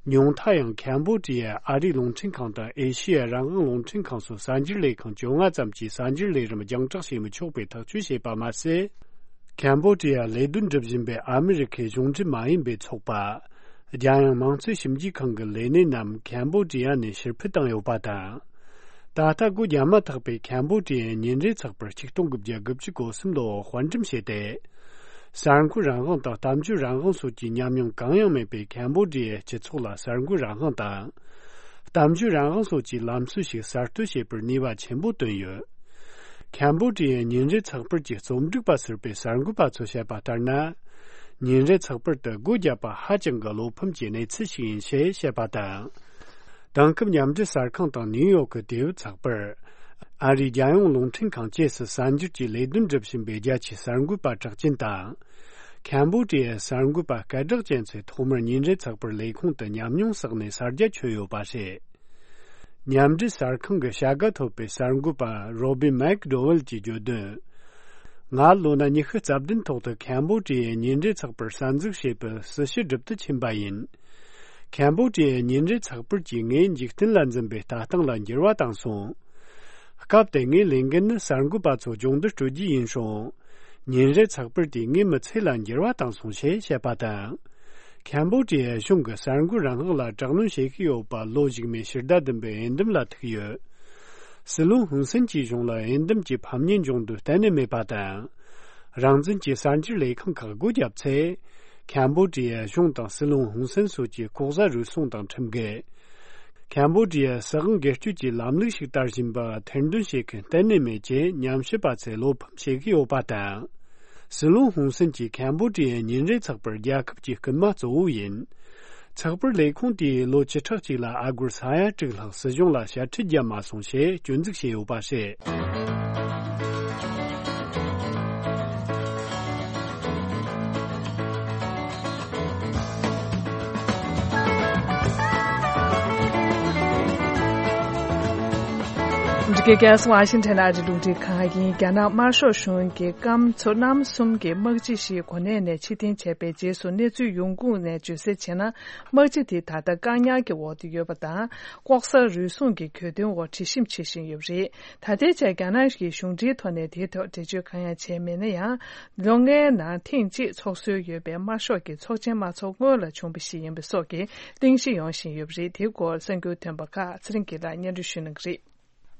ཉུང་མཐའ་ཡང་ཁམ་བྷོ་ཌི་ཡའི་ཨ་རིའི་རླུང་འཕྲིན་ཁང་དང་ཨེ་ཤི་ཡའི་རང་དབང་རླུང་འཕྲིན་ཁང་སོགས་གསར་འགྱུར་ལས་ཁང་བཅོ་ལྔ་ཙམ་གྱིས་གསར་འགྱུར་ལས་རིམ་རྒྱང་བསྒྲགས་བྱེད་མི་ཆོག་པའི་ཐག་གཅོད་བྱས་པ་མ་ཟད། ཁམ་བྷོ་ཌི་ཡར་ལས་དོན་སྒྲུབ་བཞིན་པའི་ཨ་མི་རི་ཁའི་གཞུང་འབྲེལ་མ་ཡིན་པའི་ཚོགས་པ། རྒྱལ་ཡོངས་དམངས་གཙོའི་ཞིབ་འཇུག་ཁང་གི་ལས་སྣེ་རྣམས་ཁམ་བྷོ་ཌི་ཡ་ནས་ཕྱིར་འཕུད་བཏང་ཡོད་པ་དང་། ད་ལྟ་སྒོ་བརྒྱབ་མ་ཐག་པའི་ཁམ་བྷོ་ཌི་ཡའི་ཉིན་རེའི་ཚགས་པར་ཆིག་སྟོང་དགུ་བརྒྱ་དགུ་བཅུ་གོ་གསུམ་ལོར་དཔར་འགྲེམས་བྱས་ཏེ། གསར་འགོད་རང་དབང་དང་གཏམ་བརྗོད་རང་དབང་སོགས་ཀྱི་ཉམས་མྱོང་གང་ཡང་མེད་པའི་ཁམ་བྷོ་ཌི་ཡའི་སྤྱི་ཚོགས་ལ་གསར་འགོད་རང་དབང་དང་། གཏམ་བརྗོད་རང་དབང་སོགས་ཀྱི་ལམ་སྲོལ་ཞིག་གསར་གཏོད་བྱེད་པར་ནུས་པ་ཆེན་པོ་བཏོན་ཡོད། ཁམ་བྷོ་ཌི་ཡའི་ཉིན་རེའི་ཚགས་པར་གྱི་རྩོམ་སྒྲིག་པ་ཟུར་པའི་གསར་འགོད་པ་ཚོས་བཤད་པ་ལྟར་ན། ཉིན་རེ་ཚགས་པར་དུ་སྒོ་བརྒྱབ་པ་ཧ་ཅང་གི་བློ་ཕམ་གྱི་གནས་ཚུལ་ཞིག་ཡིན་ཞེས་བཤད་པ་དང་། དེང་སྐབས་མཉམ་འབྲེལ་གསར་ཁང་དང་ནིའུ་ཡོག་གི་དུས་བབ་ཚགས་པར། ཨ་རིའི་རྒྱལ་ཡོངས་རླུང་འཕྲིན་ཁང་བཅས་སུ་གསར་འགྱུར་གྱི་ལས་དོན་སྒྲུབ་བཞིན་པའི་རྒྱ་ཆེའི་གསར་འགོད་པ་གྲགས་ཅན་དང་། ཁམ་བོ་ཌི་ཡའི་གསར་འགོད་པ་སྐད་གྲགས་ཅན་ཚོས་ཐོག་མར་ཉིན་རེ་ཚགས་པར་ལས་ཁུངས་དུ་ཉམས་མྱོང་བསགས་ནས་གསར་རྒྱ་ཁྱོན་ཡོད་པ་རེད། མཉམ་འབྲེལ་གསར་ཁང་གི་བྱ་དགའ་ཐོབ་པའི་གསར་འགོད་པ་རོ་བི་མེག་ཌོ་ཝེལ་གྱིས་བརྗོད་དོན། ང་ལོ་ན་ཉི་ཤུ་རྩ་བདུན་ཐོག་ཏུ་ཁམ་བོ་ཌི་ཡའི་ཉིན་རེ་ཚགས་པར་གསར་འཛུགས་བྱེད་པའི་སྲི་ཞུ་སྒྲུབ་ཏུ་ཕྱིན་པ་ཡིན། ཁམ་བོ་ཌི་ཡའི་ཉིན་རེ་ཚགས་པར་གྱིས་ངའི་འཇིག་རྟེན་ལ་འཛིན་པའི་ལྟ་སྟངས་ལ་འགྱུར་བ་བཏང་སོང་། སྐབས་དེ་ངའི་ལས་འགན་ནི་གསར་འགོད་པ་ཚོ་སྦྱོང་བརྡར་སྤྲོད་རྒྱུ་ཡིན་སོང་། ཉིན་རེ་ཚགས་པར་དེས་ངའི་མི་ཚེ་ལ་འགྱུར་བ་བཏང་སོང་ཞེས་བཤད་པ་དང་། ཁམ་བོ་ཌི་ཡའི་གཞུང་གི་གསར་འགོད་རང་དབང་ལ་དྲག་གནོན་བྱེད་ཀྱི་ཡོད་པ་ལོ་གཞུག་མའི་ཕྱི་ཟླ་བདུན་པའི་འོས་འདེམས་ལ་ཐུག་ཡོད། སྲིད་བློན་ཧུན་སན་གྱི་གཞུང་ལ་འོས་འདེམས་ཀྱི་ཕམ་ཉེས་འབྱུང་དོན་གཏན་ནས་མེད་པ་དང་། རང་བཙན་གྱི་གསར་འགྱུར་ལས་ཁང་ཁག་སྒོ་བརྒྱབ་ཚེ། ཁམ་བོ་ཌི་ཡའི་གཞུང་དང་སྲིད་བློན་ཧུན་སན་སོགས་ཀྱིས་ལྐོག་ཟ་རུལ་སུངས་དང་ཁྲིམས་འགལ། ཁམ་བོ་ཌི་ཡའི་སྲིད་དབང་སྒེར་གཅོད་ཀྱི་ལམ་ལུགས་ཤིག་དར་བཞིན་པ་ཐེར་འདོན་བྱེད་མཁན་གཏན་ནས་མེད་ཅེས་ཉམས་ཞིབ་པ་ཚོས་བློ་ཕམ་བྱེད་ཀྱི་ཡོད་པ་དང་། སྲིད་བློན་ཧུན་སན་གྱིས་ཁམ་བོ་ཌི་ཡའི་ཉིན་རེའི་ཚགས་པར་རྒྱལ་ཁབ་ཀྱི་རྐུན་མ་གཙོ་བོ་ཡིན། ཚགས་པར་ལས་ཁུངས་དེས་ལོ་བཅུ་ཕྲག་གཅིག་ལ་ཨ་སྒོར་ས་ཡ་དྲུག་ལྷག་སྲིད་གཞུང་ལ་ཞལ་འཕྲད་བརྒྱབ་མ་སོང་ཞེས་སྐྱོན་འཛུགས་བྱས་ཡོད་པ་རེད། འདི་གའི་རྒྱལ་ས་ཝ་ཤིང་ཊོན་ཨ་རིའི་རླུང་འཕྲིན་ཁང་ཡིན། རྒྱ་ནག་དམར་ཤོག་གཞུང་གིས་སྐམ་མཚོ་གནམ་གསུམ་གྱི་དམག་སྤྱི་ཞིག་གོ་གནས་ནས་ཕྱིར་འཐེན་བྱས་པའི་རྗེས་སུ་གནས་ཚུལ་ཡོང་ཁུངས་ནས་བརྗོད་གསལ་བྱས་ན། དམག་སྤྱི་དེ་ད་ལྟ་བཀག་ཉར་གྱི་འོག་ཏུ་ཡོད་པ་དང་། ལྐོག་ཟ་རུལ་སུངས་ཀྱི་གྱོད་དོན་འོག་དྲི་ཞིབ་བྱེད་བཞིན་ཡོད་པ་རེད། ད་ལྟའི་ཆར་རྒྱ་ནག་གི་གཞུང་འབྲེལ་ཐོག་ནས་དེའི་ཐོག་འགྲེལ་བརྗོད་གང་ཡང་བྱས་མེད་ན་ཡང་། ལོ་ལྔའི་ནང་ཐེངས་གཅིག་ཚོགས་སྲོལ་ཡོད་པའི་དམར་ཤོག་གི་ཚོགས་ཆེན་མ་འཚོགས་སྔོན་ལ་བྱུང་བ་ཞིག་ཡིན་པ་སོགས་ཀྱི་གླེང་གཞི་ཡོང་བཞིན་ཡོད་པ་རེད། དེའི་སྐོར་གསར་འགྱུར་ཐོན་པ་ཁག་ཚེ་རིང་སྐྱིད་ལགས་སྙན་སྒྲོན་ཞུ་གནང་གི་རེད།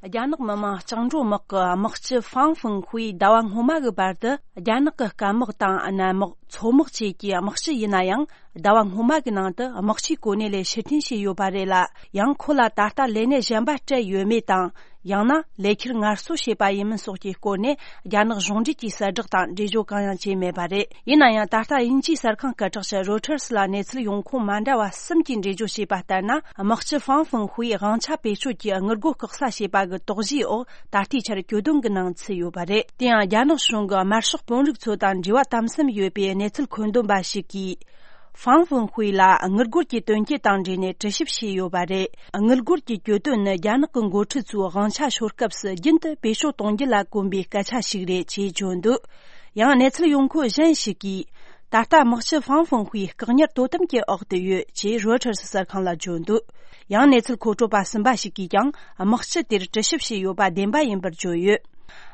རྒྱ་ནག་མི་དམངས་བཅིངས་འགྲོལ་དམག་གི་དམག་སྤྱི་ཧྥང་ཧྥང་ཧུའེ་ཟླ་བ་སྔོན་མ་གི་བར་དུ་རྒྱ་ནག་གི་སྐམ་དམག་དང་གནམ་དམག་མཚོ་དམག་བཅས་ཀྱི་དམག་སྤྱི་ཡིན་ན་ཡང་། ཟླ་བ་སྔོན་མ་གི་ནང་དུ་དམག་སྤྱིའི་གོ་གནས་ལས་ཕྱིར་འཐེན་བྱས་ཡོད་པ་རེད་ལ། ཡང་ཁོ་ལ་ད་ལྟ་ལས་གནས་གཞན་པ་སྤྲད་ཡོད་མེད་དང་། ཡང་ན་ལས་འཁྱུར་ངལ་གསོ་བྱས་པ་ཡིན་མིན་སོགས་ཀྱི་སྐོར་ནས་རྒྱ་ནག་གཞུང་འབྲེལ་གྱི་གསལ་བསྒྲགས་དང་འགྲེལ་བརྗོད་གང་ཡང་བྱས་མེད་པ་རེད། ཡིན་ན་ཡང་ད་ལྟ་དབྱིན་ཇིའི་གསར་ཁང་སྐད་གྲགས་ཅན་རོ་ཊར་སི་ལ་གནས་ཚུལ་ཡོང་ཁུངས་མ་འདྲ་བ་གསུམ་གྱིས་འགྲེལ་བརྗོད་བྱས་པ་ལྟར་ན། དམག་སྤྱི་ཧྥང་ཧྥང་ཧུའེ་དབང་ཆ་བེད་སྤྱོད་ཀྱིས་དངུལ་སྒོར་བཀག་ས་བྱས་པ་གི་དོགས་གཞིའི་འོག་ད་ལྟའི་ཆར་གྱོད་དོན་གྱི་ནང་ཚུད་ཡོད་པ་རེད། དེ་ཡང་རྒྱ་ནག་གཞུང་གི་དམར་ཤོག་དཔོན་རིགས་ཚོ་དང་འབྲེལ་བ་དམ་ཟབ་ཡོད་པའི་གནས་ཚུལ་མཁོ་འདོན་པ་ཞིག་གིས། ཧྥང་ཧྥང་ཧུའེ་ལ་དངུལ་སྒོར་གྱི་དོན་རྐྱེན་དང་འབྲེལ་ནས་དྲི་ཞིབ་བྱས་ཡོད་པ་རེད། དངུལ་སྒོར་གྱི་གྱོད་དོན་ནི་རྒྱ་ནག་གི་འགོ་ཁྲིད་ཚོས་དབང་ཆ་ཤོར་སྐབས་སུ་རྒྱུན་དུ་བེད་སྤྱོད་གཏོང་རྒྱུ་ལ་གོམས་པའི་སྐད་ཆ་ཞིག་རེད་ཅེས་བརྗོད་འདུག་ཡང་གནས་ཚུལ་ཡོང་ཁུངས་གཞན་ཞིག་གིས། ད་ལྟ་དམག་སྤྱི་ཧྥང་ཧྥང་ཧུའེ་བཀག་ཉར་དོ་དམ་གྱི་འོག་ཏུ་ཡོད་ཅེས་རོའི་ཊར་སི་གསར་ཁང་ལ་བརྗོད་འདུག་ཡང་གནས་ཚུལ་མཁོ་སྤྲོད་པ་གསུམ་པ་ཞིག་གིས་ཀྱང་དམག་སྤྱི་དེར་དྲི་ཞིབ་བྱས་ཡོད་པ་བདེན་པ་ཡིན་པར་བརྗོད་ཡོད།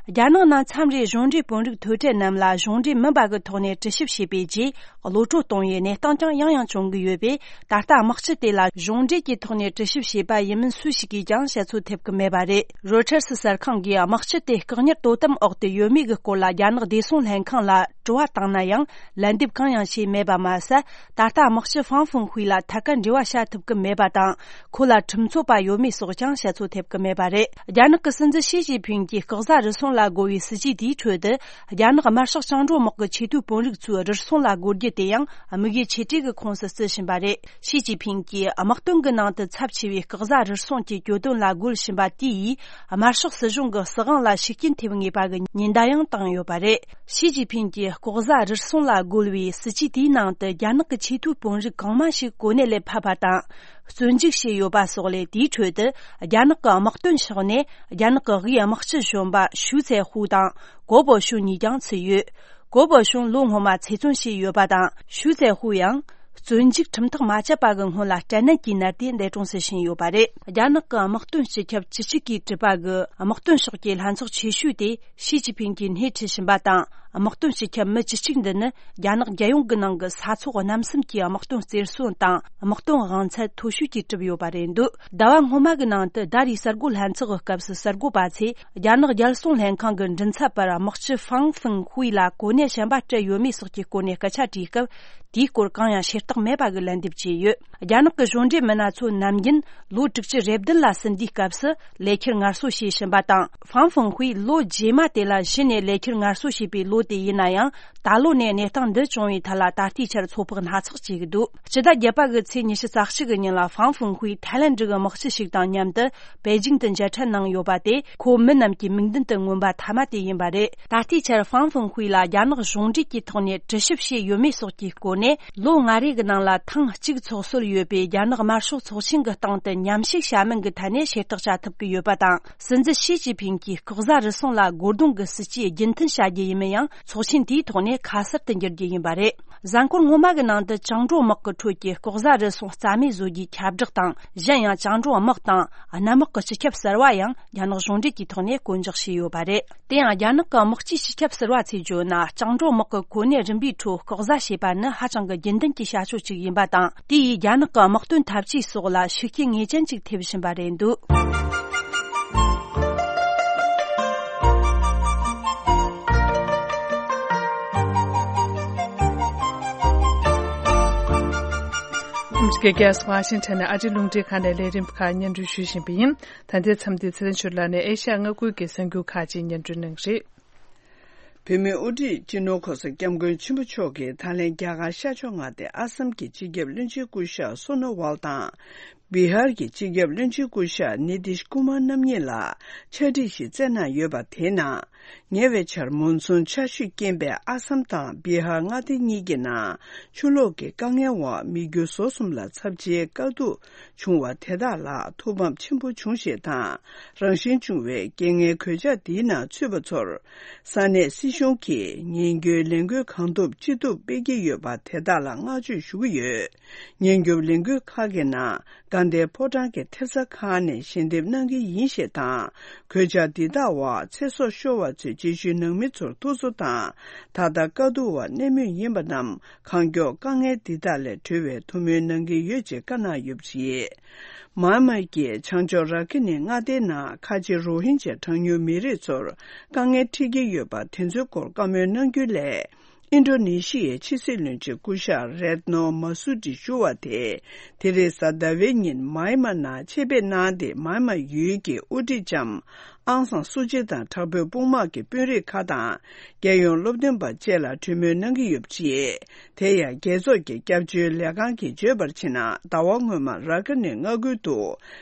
རྒྱ་ནག་ནང་མཚམས་རེ་གཞུང་འབྲེལ་དཔོན་རིགས་ཐོས་གྲལ་རྣམས་ལ་གཞུང་འབྲེལ་མིན་པ་གི་ཐོག་ནས་དྲི་ཞིབ་བྱས་པའི་རྗེས། གློད་གྲོལ་གཏོང་བའི་གནས་སྟངས་ཀྱང་ཡང་ཡང་བྱུང་གི་ཡོད་པས། ད་ལྟ་དམག་སྤྱི་དེ་ལ་གཞུང་འབྲེལ་གྱི་ཐོག་ནས་དྲི་ཞིབ་བྱས་པ་ཡིན་མིན་སུ་ཞིག་གིས་ཀྱང་བཤད་ཚོད་ཐེབས་ཀྱི་མེད་པ་རེད། རོའི་ཊར་སི་གསར་ཁང་གིས་དམག་སྤྱི་དེ་བཀག་ཉར་དོ་དམ་འོག་ཏུ་ཡོད་མེད་ཀྱི་སྐོར་ལ་རྒྱ་ནག་བདེ་སྲུང་ལྷན་ཁང་ལ་དྲི་བ་བཏང་ན་ཡང་ལན་འདེབས་གང་ཡང་བྱས་མེད་པ་མ་ཟད། ད་ལྟ་དམག་སྤྱི་ཧྥང་ཧྥང་ཧུའེ་ལ་ཐད་ཀར་འབྲེལ་བ་བྱ་ཐུབ་ཀྱི་མེད་པ་དང་། ཁོ་ལ་ཁྲིམས་རྩོད་པ་ཡོད་མེད་སོགས་ཀྱང་བཤད་ཚོད་ཐེབས་ཀྱི་མེད་པ་རེད། རྒྱ་ནག་གི་སྲིད་འཛིན་ཞི་ཅིན་ཕིང་གིས་ལྐོག་ཟ་རུལ་སུངས་ལ་རྒོལ་བའི་སྲིད་ཇུས་དེའི་ཁྲོད་དུ། རྒྱ་ནག་དམར་ཤོག་བཅིངས་འགྲོལ་དམག་གི་ཆེས་མཐོའི་དཔོན་རིགས་ཚོས་རུལ་སུངས་ལ་རྒོལ་རྒྱུ་དེ་ཡང་དམིགས་ཡུལ་ཆེ་གྲས་ཀྱི་ཁོངས་སུ་བརྩི་བཞིན་པ་རེད། ཞི་ཅིན་ཕིང་གིས་དམག་དོན་གྱི་ནང་དུ་ཚབས་ཆེ་བའི་ལྐོག་ཟ་རུལ་སུངས་ཀྱི་གྱོད་དོན་ལ་རྒོལ་བཞིན་པ་དེ་ཡིས་དམར་ཤོག་སྲིད་གཞུང་གི་སྲིད་དབང་ལ་ཤུགས་རྐྱེན་ཐེབས་ངེས་པ་གི་ཉེན་བརྡ་ཡང་བཏང་ཡོད་པ་རེད། ཞི་ཅིན་ཕིང་གིས་ལྐོག་ཟ་རུལ་སུངས་ལ་རྒོལ་བའི་སྲིད་ཇུས་དེའི་ནང་དུ་རྒྱ་ནག་གི་ཆེས་མཐོའི་དཔོན་རིགས་གང་མང་ཞིག་གོ་གནས་ལས་ཕབ་པ་དང་། བཙོན་འཇུག་བྱས་ཡོད་པ་སོགས་ལས། དེའི་ཁྲོད་དུ་རྒྱ་ནག་གི་དམག་དོན་ཕྱོགས་ནས་རྒྱ་ནག་གི་དབུས་དམག་སྤྱི་གཞོན་པ་ཞུའུ་ཙེ་ཧུའུ་དང་གོ་པོ་ཞུང་གཉིས་ཀྱང་ཚུད་ཡོད། གོ་པོ་ཞུང་ལོ་སྔོན་མ་ཚེ་བཙོན་བྱས་ཡོད་པ་དང་། ཞུའུ་ཙེ་ཧུའུ་ཡང་བཙོན་འཇུག་ཁྲིམས་ཐག་མ་བཅད་པ་གི་སྔོན་ལ་སྐྲན་ནད་ཀྱིས་ནད་དེ་འདས་གྲོངས་སུ་ཕྱིན་ཡོད་པ་རེད། རྒྱ་ནག་གི་དམག་དོན་སྤྱི་ཁྱབ་བཅུ་གཅིག་གིས་གྲུབ་པ་གི་དམག་དོན་ཕྱོགས་ཀྱི་ལྷན་ཚོགས་ཆེ་ཤོས་དེ། ཞི་ཅིན་ཕིང་གིས་སྣེ་ཁྲིད་བཞིན་པ་དང་། དམག་དོན་སྤྱི་ཁྱབ་མི་བཅུ་གཅིག་འདི་ནི་རྒྱ་ནག་རྒྱལ་ཡོངས་ཀྱི་ནང་གི་ས་ཚོགས་རྣམ་གསུམ་གྱི་དམག་དོན་རྩེར་སོན་དང་དམག་དོན་དབང་ཚད་མཐོ་ཤོས་ཀྱིས་གྲུབ་ཡོད་པ་རེད་འདུག་ཟླ་བ་སྔོན་མ་གི་ནང་དུ་ཟླ་རེའི་གསར་འགོད་ལྷན་ཚོགས་ཀྱི་སྐབས་སུ་གསར་འགོད་པ་ཚོས་རྒྱ་ནག་རྒྱལ་སྲུང་ལྷན་ཁང་གི་མགྲིན་ཚབ་པར་དམག་སྤྱི་ཧྥང་ཧྥང་ཧུའེ་ལ་གོ་གནས་གཞན་པ་སྤྲད་ཡོད་མེད་སོགས་ཀྱི་སྐོར་ནས་སྐད་ཆ་དྲིས་སྐབས། དེའི་སྐོར་གང་ཡང་ཤེས་རྟོགས་མེད་པ་གི་ལན་འདེབས་བྱས་ཡོད། རྒྱ་ནག་གི་གཞུང་འབྲེལ་མི་སྣ་ཚོ་ནམ་རྒྱུན་ལོ་དྲུག་ཅུ་རེ་བདུན་ལ་ཟིན་དུས་སྐབས་སུ་ལས་འཁྱུར་ངལ་གསོ་བྱེད་བཞིན་པ་དང་། ཧྥང་ཧྥང་ཧུའེ་ལོ་རྗེས་མ་དེ་ལ་གཞི་ནས་ལས་འཁྱུར་ངལ་གསོ་བྱས་པའི་ལོ། པོ་དེ་ཡིན་ན་ཡང་། ད་ལོ་ནས་གནས་སྟངས་འདི་བྱུང་བའི་ཐད་ལ་ད་ལྟའི་ཆར་ཚོད་དཔག་སྣ་ཚོགས་བྱེད་ཀྱི་འདུག་སྤྱི་ཟླ་བརྒྱད་པ་གི་ཚེས་ཉི་ཤུ་རྩ་གཅིག་གི་ཉིན་ལ་ཧྥང་ཧྥུང་ཧུའེ་ཐའི་ལན་ཌི་གི་དམག་སྤྱི་ཞིག་དང་མཉམ་དུ་པེ་ཅིང་དུ་མཇལ་འཕྲད་གནང་ཡོད་པ་དེ་ཁོ་མི་རྣམས་ཀྱི་མིག་མདུན་དུ་མངོན་པ་མཐའ་མ་དེ་ཡིན་པ་རེད། ད་ལྟའི་ཆར་ཧྥང་ཧྥུང་ཧུའེ་ལ་རྒྱ་ནག་གཞུང་འབྲེལ་གྱི་ཐོག་ནས་དྲི་ཞིབ་བྱས་ཡོད་མེད་སོགས་ཀྱི་སྐོར་ནས། ལོ་ལྔ་རེ་གི་ནང་ལ་ཐེངས་གཅིག་ཚོགས་སྲོལ་ཡོད་པའི་རྒྱ་ནག་དམར་ཤོག་ཚོགས་ཆེན་གྱི་སྟེང་དུ་མཉམ་ཞུགས་བྱ་མིན་གྱི་ཐད་ནས་བྱེ་བྲག་བྱ་ཐུབ་ཀྱི་ཡོད་པ་དང་། སྲིད་འཛིན་ཞི་ཅིན་ཕིང་གིས་ལྐོག་ཟ་རུལ་སུངས་ལ་རྒོལ་རྡུང་གི་སྲིད་ཇུས་རྒྱུན་མཐུད་བྱ་རྒྱུ་ཡིན་མིན་ཡང་ཚོགས་ཆེན་དེའི་ཐོག་ནས་ཁ་གསལ་དུ་འགྱུར་རྒྱུ་ཡིན་པ་རེད། གཟའ་འཁོར་སྔོན་མ་གི་ནང་དུ་བཅིངས་འགྲོལ་དམག་གི་ཁྲོད་ཀྱི་ལྐོག་ཟ་རུལ་སུངས་རྩ་མེད་བཟོ་རྒྱུའི་ཁྱབ་བསྒྲགས་དང་། གཞན་ཡང་བཅིངས་འགྲོལ་དམག་དང་གནམ་དམག་གི་སྤྱི་ཁྱབ་གསར་བ་ཡང་རྒྱ་ནག་གཞུང་འབྲེལ་གྱི་ཐོག་ནས་བསྐོ་འཇོག་བྱས་ཡོད་པ་རེད། དེ་ཡང་རྒྱ་ནག་གི་དམག་སྤྱིའི་སྤྱི་ཁྱབ་ཟུར་པ་ཚོས་བརྗོད་ན། བཅིངས་འགྲོལ་དམག་གི་གོ་གནས་རིམ་པའི་ཁྲོད་ལྐོག་ཟ་བྱས་པ་ནི་ཧ་ཅང་གི་རྒྱུན་ལྡན་གྱི་བྱ་སྤྱོད་ཅིག་ཡིན་པ་དང་། དེ་ཡིས་རྒྱ་ནག་གི་དམག་དོན་འཐབ་ཇུས་སོགས་ལ་ཤུགས་རྐྱེན་ངེས་ཅན་ཅིག་ཐེབས་བཞིན་པ་རེད་འདུག་ཨ་མི་རི་ཀའི་རྒྱལ་ས་ཝ་ཤིང་ཊོན་ནས་ཨ་རིའི་རླུང་འཕྲིན་ཁང་ནས་ལས་རིམ་ཁག་སྙན་སྒྲོན་ཞུ་བཞིན་པ་ཡིན། ད་ལྟའི་མཚམས་འདིར་ཚེ་རིང་ཆོས་ལགས་ནས་ཨེ་ཤ་ཡ་མངའ་ཁུལ་གྱི་གསར་འགྱུར་ཁག་ཅིག་སྙན་སྒྲོན་གནང་གི་རེད། བོད་མིའི་དབུ་ཁྲིད་སྤྱི་ནོར་གོང་ས་སྐྱབས་མགོན་ཆེན་པོ་མཆོག་གིས་ད་ལན་རྒྱ་གར་ཤར་ཕྱོགས་མངའ་སྡེ་ཨ་སམ་གྱི་སྤྱི་ཁྱབ་བློན་ཆེན་སྐུ་ཞབས་སོ་ནོ་ཝལ་དང་། བི་ཧར་གྱི་སྤྱི་ཁྱབ་བློན་ཆེན་སྐུ་ཞབས་ནི་ཏིཤ་ཀུ་མར་རྣམ་གཉིས་ལ་ཕྱག་བྲིས་ཤིག་བསྩལ་གནང་ཡོད་པ་དེའི་ནང་། ཉེ་བའི་ཆར་མོན་སུན་ཆར་ཞུས་རྐྱེན་པས་ཨ་སམ་དང་བི་ཧར་མངའ་སྡེ་གཉིས་ཀྱི་ནང་ཆུ་ལོག་གི་དཀའ་ངལ་འོག་མི་རྒྱུ་ཟོག་གསུམ་ལ་ཚབས་ཆེའི་དཀའ་སྡུག་བྱུང་བ་དེ་དག་ལ་ཐུགས་ཕམ་ཆེན་པོ་བྱུང་ཞེས་དང་། རང་བཞིན་བྱུང་བའི་རྐྱེན་ངན་གོད་ཆག་འདིའི་ནང་ཚུད་པ་ཚོར་ས་གནས་སྲིད་གཞུང་གིས་ཉེན་སྐྱོན་ལས་འགུལ་གང་ཐུབ་ཅི་ཐུབ་སྤེལ་གྱི་ཡོད་པ་དེ་དག་ལ་བསྔགས་བརྗོད་ཞུ་གི་ཡོད། ཉེན་སྐྱོབ་ལས་འགུལ་ཁག་གི་ནང་དགའ་ལྡན་ཕོ་བྲང་གི་ཐེབས་རྩ་ཁག་ནས་ཞལ་འདེབས་གནང་གི་ཡིན་ཞེས་དང་། གོད་ཆག་འདི་དག་འོག་ཚེ་སྲོག་ཤོར་བ་ཚོའི་རྗེས་ཤུལ་ནང་མི་ཚོར་ཐུགས་གསོ་དང་། ད་ལྟ་དཀའ་སྡུག་འོག་གནས་མུས་ཡིན་པ་རྣམས་གང་མགྱོགས་དཀའ་ངལ་འདི་དག་ལས་གྲོལ་བའི་ཐུགས་སྨོན་གནང་གི་ཡོད་ཅེས་བཀའ་གནང་ཡོད་པ་རེད། མཱན་མཱ་གི་བྱང་ཕྱོགས་ར་ཁི་ནི་མངའ་སྡེའི་ནང་ཁ་ཆེ་རོ་ཧིན་ཇཱ་གྲངས་ཉུང་མི་རིགས་ཚོར་དཀའ་ངལ་འཕྲད་ཀྱི་ཡོད་པ་དེ་ཚོའི་སྐོར་བཀའ་མོལ་གནང་རྒྱུ་ལས། ཨིན་ཌོ་ནེ་ཤི་ཡའི་ཕྱི་སྲིད་བློན་ཆེན་སྐུ་ཞབས་རེད་ནོ་མ་སུ་ཏི་ཞུ་བ་དེ། དེ་རེས་གཟའ་ཟླ་བའི་ཉིན་མཱ་ཡན་མ་ནང་ཆེད་ཕེབས་གནང་སྟེ། མཱ་ཡན་མ་ཡུལ་གྱི་དབུ་ཁྲིད་ལྕམ་ཨང་སང་སུ་ཅི་དང་དྲག་པོའི་དཔུང་དམག་གི་དཔོན་རིགས་ཁག་དང་། རྒྱལ་ཡོངས་སློབ་སྟོན་པ་བཅས་ལ་གྲོས་མོལ་གནང་གི་ཡོད་པ་རེད། དེ་ཡང་རྒྱལ་ཚོགས་ཀྱི་སྐྱབས་བཅོལ་ལས་ཁང་གིས་བརྗོད་པར་བྱས་ན། ཟླ་བ་སྔོན་མ་ར་ཁི་ནི་མངའ་ཁུལ་དུ་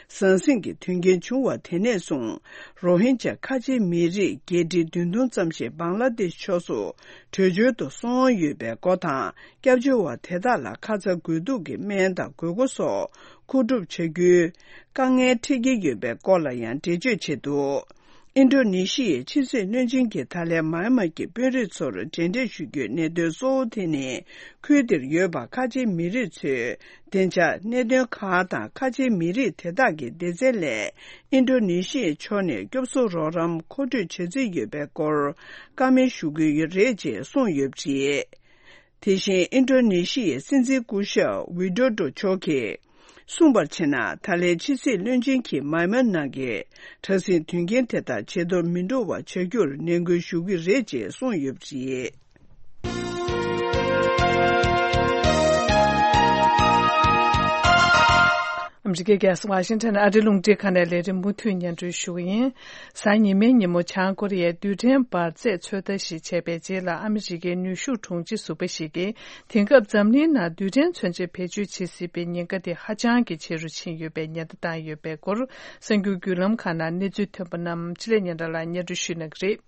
ཟང་ཟིང་གི་དོན་རྐྱེན་བྱུང་བ་དེ་ནས་བཟུང་རོ་ཧིན་ཇཱ་ཁ་ཆེའི་མི་རིགས་བརྒྱད་ཁྲི་བདུན་སྟོང་ཙམ་ཞིག་བང་ལ་དེཤ་ཕྱོགས་སུ་བྲོས་བྱོལ་དུ་སོང་ཡོད་པའི་སྐོར་དང་། སྐྱབས་བཅོལ་བ་དེ་དག་ལ་ཁ་ཚ་དགོས་གཏུགས་ཀྱི་སྨན་དང་དགོས་མཁོ་སོགས་མཁོ་སྒྲུབ་བྱ་རྒྱུའི་དཀའ་ངལ་འཕྲད་ཀྱི་ཡོད་པའི་སྐོར་ལ་ཡང་འགྲེལ་བརྗོད་བྱས་འདུག་ཨིན་ཌོ་ནེ་ཤི་ཡའི་ཕྱི་སྲིད་བློན་ཆེན་གྱིས་ད་ལན་མཱ་ཡན་མ་གི་དཔོན་རིགས་ཚོར་མཇལ་འཕྲད་ཞུ་རྒྱུའི་གནད་དོན་གཙོ་བོ་དེ་ནི། ཁུལ་དེར་ཡོད་པ་ཁ་ཆེའི་མི་རིགས་ཚོའི་བདེ་འཇགས་གནད་དོན་ཁག་དང་། ཁ་ཆེའི་མི་རིགས་དེ་དག་གི་སྡེ་ཚན་ལས་ཨིན་ཌོ་ནེ་ཤི་ཡའི་ཕྱོགས་ནས་སྐྱོབ་གསོ་རོགས་རམ་མཁོ་སྤྲོད་བྱ་རྩིས་ཡོད་པའི་སྐོར་བཀའ་མོལ་ཞུ་གི་ཡོད་རེད་ཅེས་གསུངས་ཡོད་པ་རེད། དེ་བཞིན་ཨིན་ཌོ་ནེ་ཤི་ཡའི་སྲིད་འཛིན་སྐུ་ཞབས་ཝི་ཌོ་ཌོ་མཆོག་གིས་གསུངས་པར་བྱས་ན། ད་ལན་ཕྱི་སྲིད་བློན་ཆེན་གྱིས་མཱ་ཡན་མ་ནང་གི་དྲག་ཟིང་དོན་རྐྱེན་དེ་དག་ཇེ་མཐོར་མི་འགྲོ་བ་བྱ་རྒྱུར་ནན་སྐུལ་ཞུ་གི་རེད་ཅེས་གསུངས་ཡོད་པ་རེད། ཨ་མི་རི་ཀའི་རྒྱལ་ས་ཝ་ཤིང་ཊོན་ཨ་རིའི་རླུང་འཕྲིན་ཁང་ནས་ལས་རིམ་མུ་མཐུད་སྙན་སྒྲོན་ཞུ་གི་ཡིན། གཟའ་ཉི་མའི་ཉིན་མོ་བྱང་ཀོ་རི་ཡས་རྡུལ་ཕྲན་འབར་རྫས་ཚོད་ལྟ་ཞིག་བྱས་པའི་རྗེས་ལ། ཨ་མི་རི་ཀའི་ནུས་ཤུགས་དྲུང་ཆེ་ཟུར་པ་ཞིག་གིས། དེང་སྐབས་འཛམ་གླིང་ནང་རྡུལ་ཕྲན་མཚོན་ཆ་བེད་སྤྱོད་བྱེད་སྲིད་པའི་ཉེན་ཁ་དེ་ཧ་ཅང་གི་ཆེ་རུ་ཕྱིན་ཡོད་པའི་ཉེན་བརྡ་བཏང་ཡོད་པའི་སྐོར། གསར་འགྱུར་བརྒྱུད་ལམ་ཁག་ནང་གནས་ཚུལ་ཐོན་པ་རྣམས་འཕྲིན་ལས་སྙན་གྲགས་ལགས་སྙན་སྒྲོན་ཞུ་གནང་གི་རེད།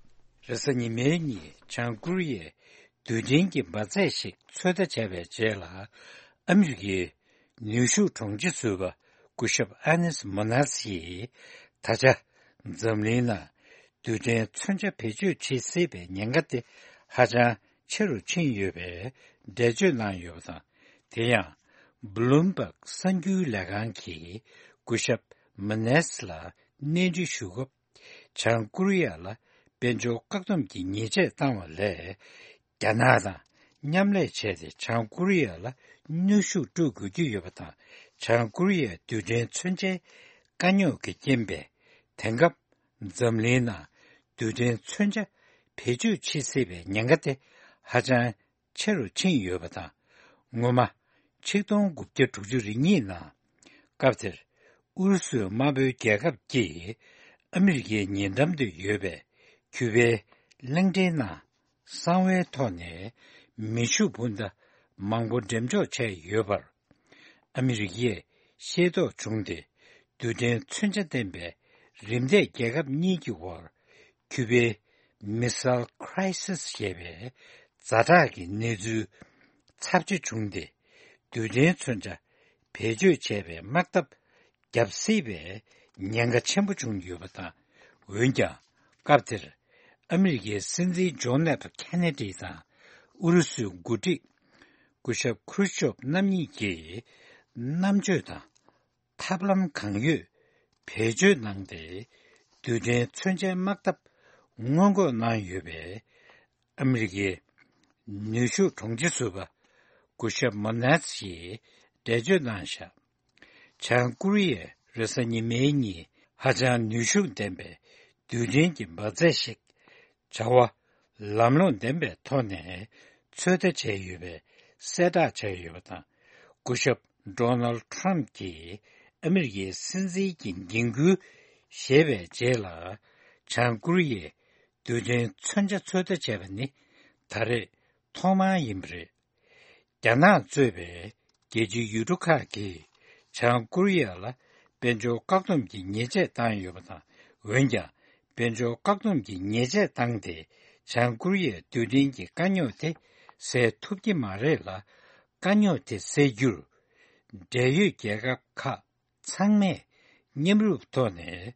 རེས་གཟའ་ཉི་མའི་ཉིན་བྱང་ཀོ་རི་ཡས་རྡུལ་ཕྲན་གྱི་འབར་རྫས་ཤིག་ཚོད་ལྟ་བྱས་པའི་རྗེས་ལ། ཨ་མི་རི་ཀའི་ནུས་ཤུགས་དྲུང་ཆེ་ཟུར་པ་སྐུ་ཞབས་ཨ་ནེས་མོ་ནས་ཡིས། ད་ཆ་འཛམ་གླིང་ནང་རྡུལ་ཕྲན་མཚོན་ཆ་བེད་སྤྱོད་བྱེད་སྲིད་པའི་ཉེན་ཁ་དེ་ཧ་ཅང་ཆེ་རུ་ཕྱིན་ཡོད་པའི་འགྲེལ་བརྗོད་གནང་ཡོད་པ་དང་། དེ་ཡང་བྷུ་ལུམ་བྷག་གསར་འགྱུར་ལས་ཁང་གིས་སྐུ་ཞབས་མོ་ནས་ལ་གནས་འདྲི་ཞུ་སྐབས། བྱང་ཀོ་རི་ཡ་ལ་དཔལ་འབྱོར་བཀག་སྡོམ་གྱི་ཉེས་ཆད་བཏང་བ་ལས། རྒྱ་ནག་དང་མཉམ་ལས་བྱས་ཏེ། བྱང་ཀོ་རི་ཡ་ལ་གནོན་ཤུགས་སྤྲོད་དགོས་ཀྱི་ཡོད་པ་དང་། བྱང་ཀོ་རི་ཡའི་རྡུལ་ཕྲན་མཚོན་ཆའི་དཀའ་རྙོག་གི་རྐྱེན་པས། དེང་སྐབས་འཛམ་གླིང་ནང་རྡུལ་ཕྲན་མཚོན་ཆ་བེད་སྤྱོད་བྱེད་སྲིད་པའི་ཉེན་ཁ་དེ་ཧ་ཅང་ཆེ་རུ་ཕྱིན་ཡོད་པ་དང་། སྔོན་མ་ཆིག་སྟོང་དགུ་བརྒྱ་དྲུག་ཅུ་རེ་གཉིས་ནང་། སྐབས་དེར་ཨུ་རུ་སུའི་དམར་པོའི་རྒྱལ་ཁབ་ཀྱིས་ཨ་མི་རི་ཀའི་ཉེ་འགྲམ་དུ་ཡོད་པའི་ཀྱུ་པའི་གླིང་ཕྲན་ནང་ གསང་བའི་ཐོག་ནས་མེ་ཤུགས་འཕུར་མདའ་མང་པོ་འགྲེམས་འཇོག་བྱས་ཡོད་པར། ཨ་མི་རི་ཀས་ཤེས་རྟོགས་བྱུང་སྟེ། རྡུལ་ཕྲན་མཚོན་ཆ་ལྡན་པའི་རིམ་འདས་རྒྱལ་ཁབ་གཉིས་ཀྱི་དབར། ཁྱུ་པའི་མི་སལ་ཁྲའི་སིས་ཞེས་པའི་ཛ་དྲག་གི་གནས་ཚུལ་ཚབས་ཆེ་བྱུང་སྟེ། རྡུལ་ཕྲན་མཚོན་ཆ་བེད་སྤྱོད་བྱས་པའི་དམག་འཐབ་བརྒྱབ་སྲིད་པའི་ཉེན་ཁ་ཆེན་པོ་བྱུང་ཡོད་པ་དང་། འོན་ཀྱང་། སྐབས་དེར་ཨ་མི་རི་ཀའི་སྲིད་འཛིན་ཇོ་ནེབ་ཁེ་ནེ་ཌི་དང་ཨུ་རུ་སུའི་འགོ་ཁྲིད་སྐུ་ཞབས་ཁུ་རུ་ཤོབ་རྣམ་གཉིས་ཀྱིས་རྣམ་དཔྱོད་དང་ཐབས་ལམ་གང་ཡོད་བེད་སྤྱོད་གནང་སྟེ། རྡུལ་ཕྲན་མཚོན་ཆའི་དམག་འཐབ་སྔོན་འགོག་གནང་ཡོད་པའི་ཨ་མི་རི་ཀའི་ནུས་ཤུགས་དྲུང་ཆེ་ཟུར་པ་སྐུ་ཞབས་མོ་ནེ་སི་ཡིས་འགྲེལ་བརྗོད་གནང་བཞག་བྱང་ཀོ་རི་ཡས་རེས་གཟའ་ཉི་མའི་ཉིན་ཧ་ཅང་ནུས་ཤུགས་ལྡན་པའི་རྡུལ་ཕྲན་གྱི་འབར་རྫས་ཤིག་བྱ་བ་ལམ་ལྷོང་ལྡན་པའི་ཐོག་ནས་ཚོད་ལྟ་བྱས་ཡོད་པའི་གསལ་བསྒྲགས་བྱས་ཡོད་པ་དང་། སྐུ་ཞབས་ཌོ་ནལ་ཊམ་གྱིས་ཨ་མི་རི་ཀའི་སྲིད་འཛིན་གྱི་འགན་ཁུར་བཞེས་པའི་རྗེས་ལ། བྱང་ཀོ་རི་ཡས་རྡུལ་ཕྲན་མཚོན་ཆ་ཚོད་ལྟ་བྱས་པ་ནི་ད་རེས་ཐོག་མ་ཡིན་པ་རེད། རྒྱ་ནག་གཙོས་པའི་རྒྱལ་སྤྱིའི་ཡུལ་གྲུ་ཁག་གིས་བྱང་ཀོ་རི་ཡ་ལ་དཔལ་འབྱོར་བཀག་སྡོམ་གྱི་ཉེས་ཆད་བཏང་ཡོད་པ་དང་། འོན་ཀྱང་། དཔལ་འབྱོར་བཀག་སྡོམ་གྱི་ཉེས་ཆད་བཏང་སྟེ། བྱང་ཀོ་རི་ཡའི་རྡུལ་ཕྲན་གྱི་དཀའ་རྙོག་དེ་སེལ་ཐུབ་ཀྱི་མ་རེད་ལ། དཀའ་རྙོག་དེ་སེལ་རྒྱུར། འབྲེལ་ཡོད་རྒྱལ་ཁབ་ཁག་ཚང་མས་མཉམ་རུབ་ཐོག་ནས་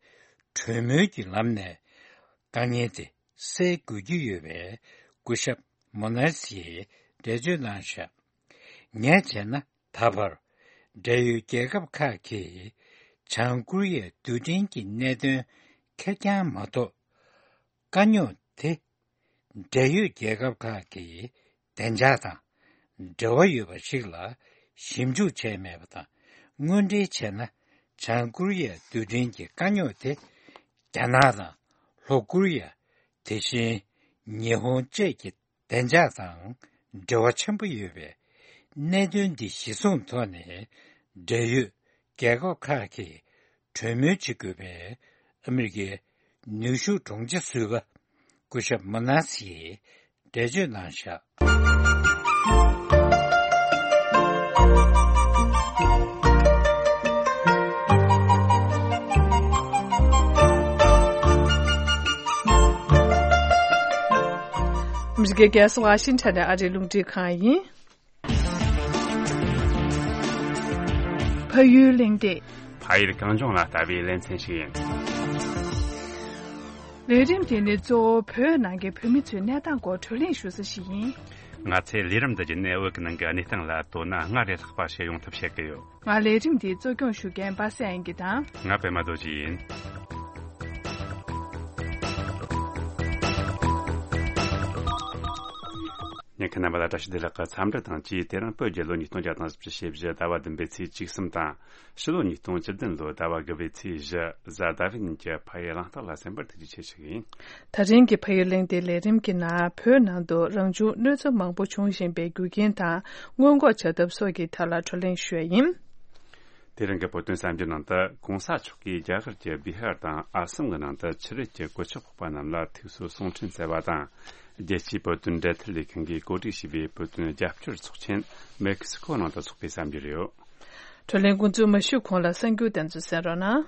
གྲོས་མོལ་གྱི་ལམ་ནས་དཀའ་ངལ་དེ་སེལ་དགོས་ཀྱི་ཡོད་པའི་སྐུ་ཞབས་མོ་ནེ་སི་ཡིས་འགྲེལ་བརྗོད་གནང་བཞག་ངས་བྱས་ན། ད་བར་འབྲེལ་ཡོད་རྒྱལ་ཁབ་ཁག་གིས་བྱང་ཀོ་རི་ཡའི་རྡུལ་ཕྲན་གྱི་གནད་དོན་ཁེར་རྐྱང་མ་གཏོགས། དཀའ་རྙོག་དེ་འབྲེལ་ཡོད་རྒྱལ་ཁབ་ཁག་གི་བདེ་འཇགས་དང་འབྲེལ་བ་ཡོད་པ་ཞིག་ལ་ཞིབ་འཇུག་བྱས་མེད་པ་དང་། དངོས་འབྲེལ་བྱས་ན། བྱང་ཀོ་རི་ཡའི་རྡུལ་ཕྲན་གྱི་དཀའ་རྙོག་དེ་རྒྱ་ནག་དང་ལྷོ་ཀོ་རི་ཡ། དེ་བཞིན་ཉི་ཧོང་བཅས་ཀྱི་བདེ་འཇགས་དང་འབྲེལ་བ་ཆེན་པོ་ཡོད་པས། གནད་དོན་འདི་གཞི་བཟུང་ཐོག་ནས་འབྲེལ་ཡོད་རྒྱལ་ཁབ་ཁག་གིས་གྲོས་མོལ་བྱེད་དགོས་པའི་ཨ་མི་རི་ཀའི་ནུས་ཤུགས་དྲུང་ཆེ་ཟུར་པ་སྐུ་ཞབས་མོ་ནེ་སི་ཡིས་འགྲེལ་བརྗོད་གནང་བཞག་ཨ་མི་རི་ཀའི་རྒྱལ་ས་ཝ་ཤིང་ཊོན་ནས་ཨ་རིའི་རླུང་འཕྲིན་ཁང་ཡིན། ཕ་ཡུལ་གླེང་སྟེགས། ཕ་ཡུལ་གངས་ལྗོངས་ལ་ལྟ་བའི་ལེ་ཚན་ཞིག་ཡིན། ལས་རིམ་དེ་ནི་གཙོ་བོ་བོད་ནང་གི་བོད་མི་ཚོའི་གནས་སྟངས་སྐོར་བགྲོ་གླེང་ཞུ་ས་ཞིག་ཡིན། ང་ཚོས་ལས་རིམ་འདི་བརྒྱུད་ནས་བོད་ཀྱི་ནང་གི་གནས་སྟངས་ལ་དོ་སྣང་སྔར་ལས་ལྷག་པ་བྱེད་ཡོང་ཐབས་བྱེད་ཀྱི་ཡོད། ང་ལས་རིམ་འདིའི་གཙོ་སྐྱོང་ཞུ་མཁན་པ་སངས་དབྱངས་སྐྱིད་དང་། ང་པད་མ་རྡོ་རྗེ་ཡིན། ཉན་མཁན་རྣམ་པ་ལ་བཀྲ་ཤིས་བདེ་ལེགས་ཀྱི་འཚམས་འདྲི་དང་བཅས། དེ་རིང་བོད་རྒྱལ་ལོ་ཉིས་སྟོང་བརྒྱ་དང་བཞི་བཅུ་ཞེ་བཞི་ཟླ་བ་བདུན་པའི་ཚེས་བཅུ་གསུམ་དང་། ཕྱི་ལོ་ཉིས་སྟོང་བཅུ་བདུན་ལོའི་ཟླ་བ་དགུ་པའི་ཚེས་བཞི་གཟའ་ཟླ་བའི་ཉིན་གྱི་ཕ་ཡུལ་གླེང་སྟེགས་ལ་གསན་པར་ཐུགས་རྗེ་ཆེ་ཞུ་གི་ཡིན། ད་རིང་གི་ཕ་ཡུལ་གླེང་སྟེགས་ལས་རིམ་གྱི་ནང་བོད་ནང་དུ་རང་བྱུང་གནོད་འཚེ་མང་པོ་བྱུང་བཞིན་པའི་རྒྱུ་རྐྱེན་དང་སྔོན་འགོག་བྱ་ཐབས་སོགས་ཀྱི་ཐད་ལ་བགྲོ་གླེང་ཞུ་ཡ་ཡིན། དེ་རིང་གི་བོད་དོན་གསར་འགྱུར་ནང་དུ། ྋགོང་ས་མཆོག་གིས་རྒྱ་གར་གྱི་བི་ཧར་དང་ཨ་སམ་གྱི་ནང་དུ་ཆུ་རེད་ཀྱི་གོད་ཆག་ཕོག་པ་རྣམས་ལ་ཐུགས་གསོ་གསུང་འཕྲིན་བསྩལ་བ་དང་། རྒྱལ་སྤྱིའི་བོད་དོན་འབྲེལ་མཐུད་ལས་ཁང་གིས་གོ་སྒྲིག་བྱས་པའི་བོད་དོན་རྒྱབ་སྐྱོར་ཚོགས་ཆེན་མེག་སི་ཀོ་ནང་དུ་འཚོགས་པའི་གསར་འགྱུར་ཡོད། བགྲོ་གླེང་འགོ་འཛུགས་མ་ཞུས་གོང་ལ་གསར་འགྱུར་དེ་ཚོ་གསན་རོགས་གནང་།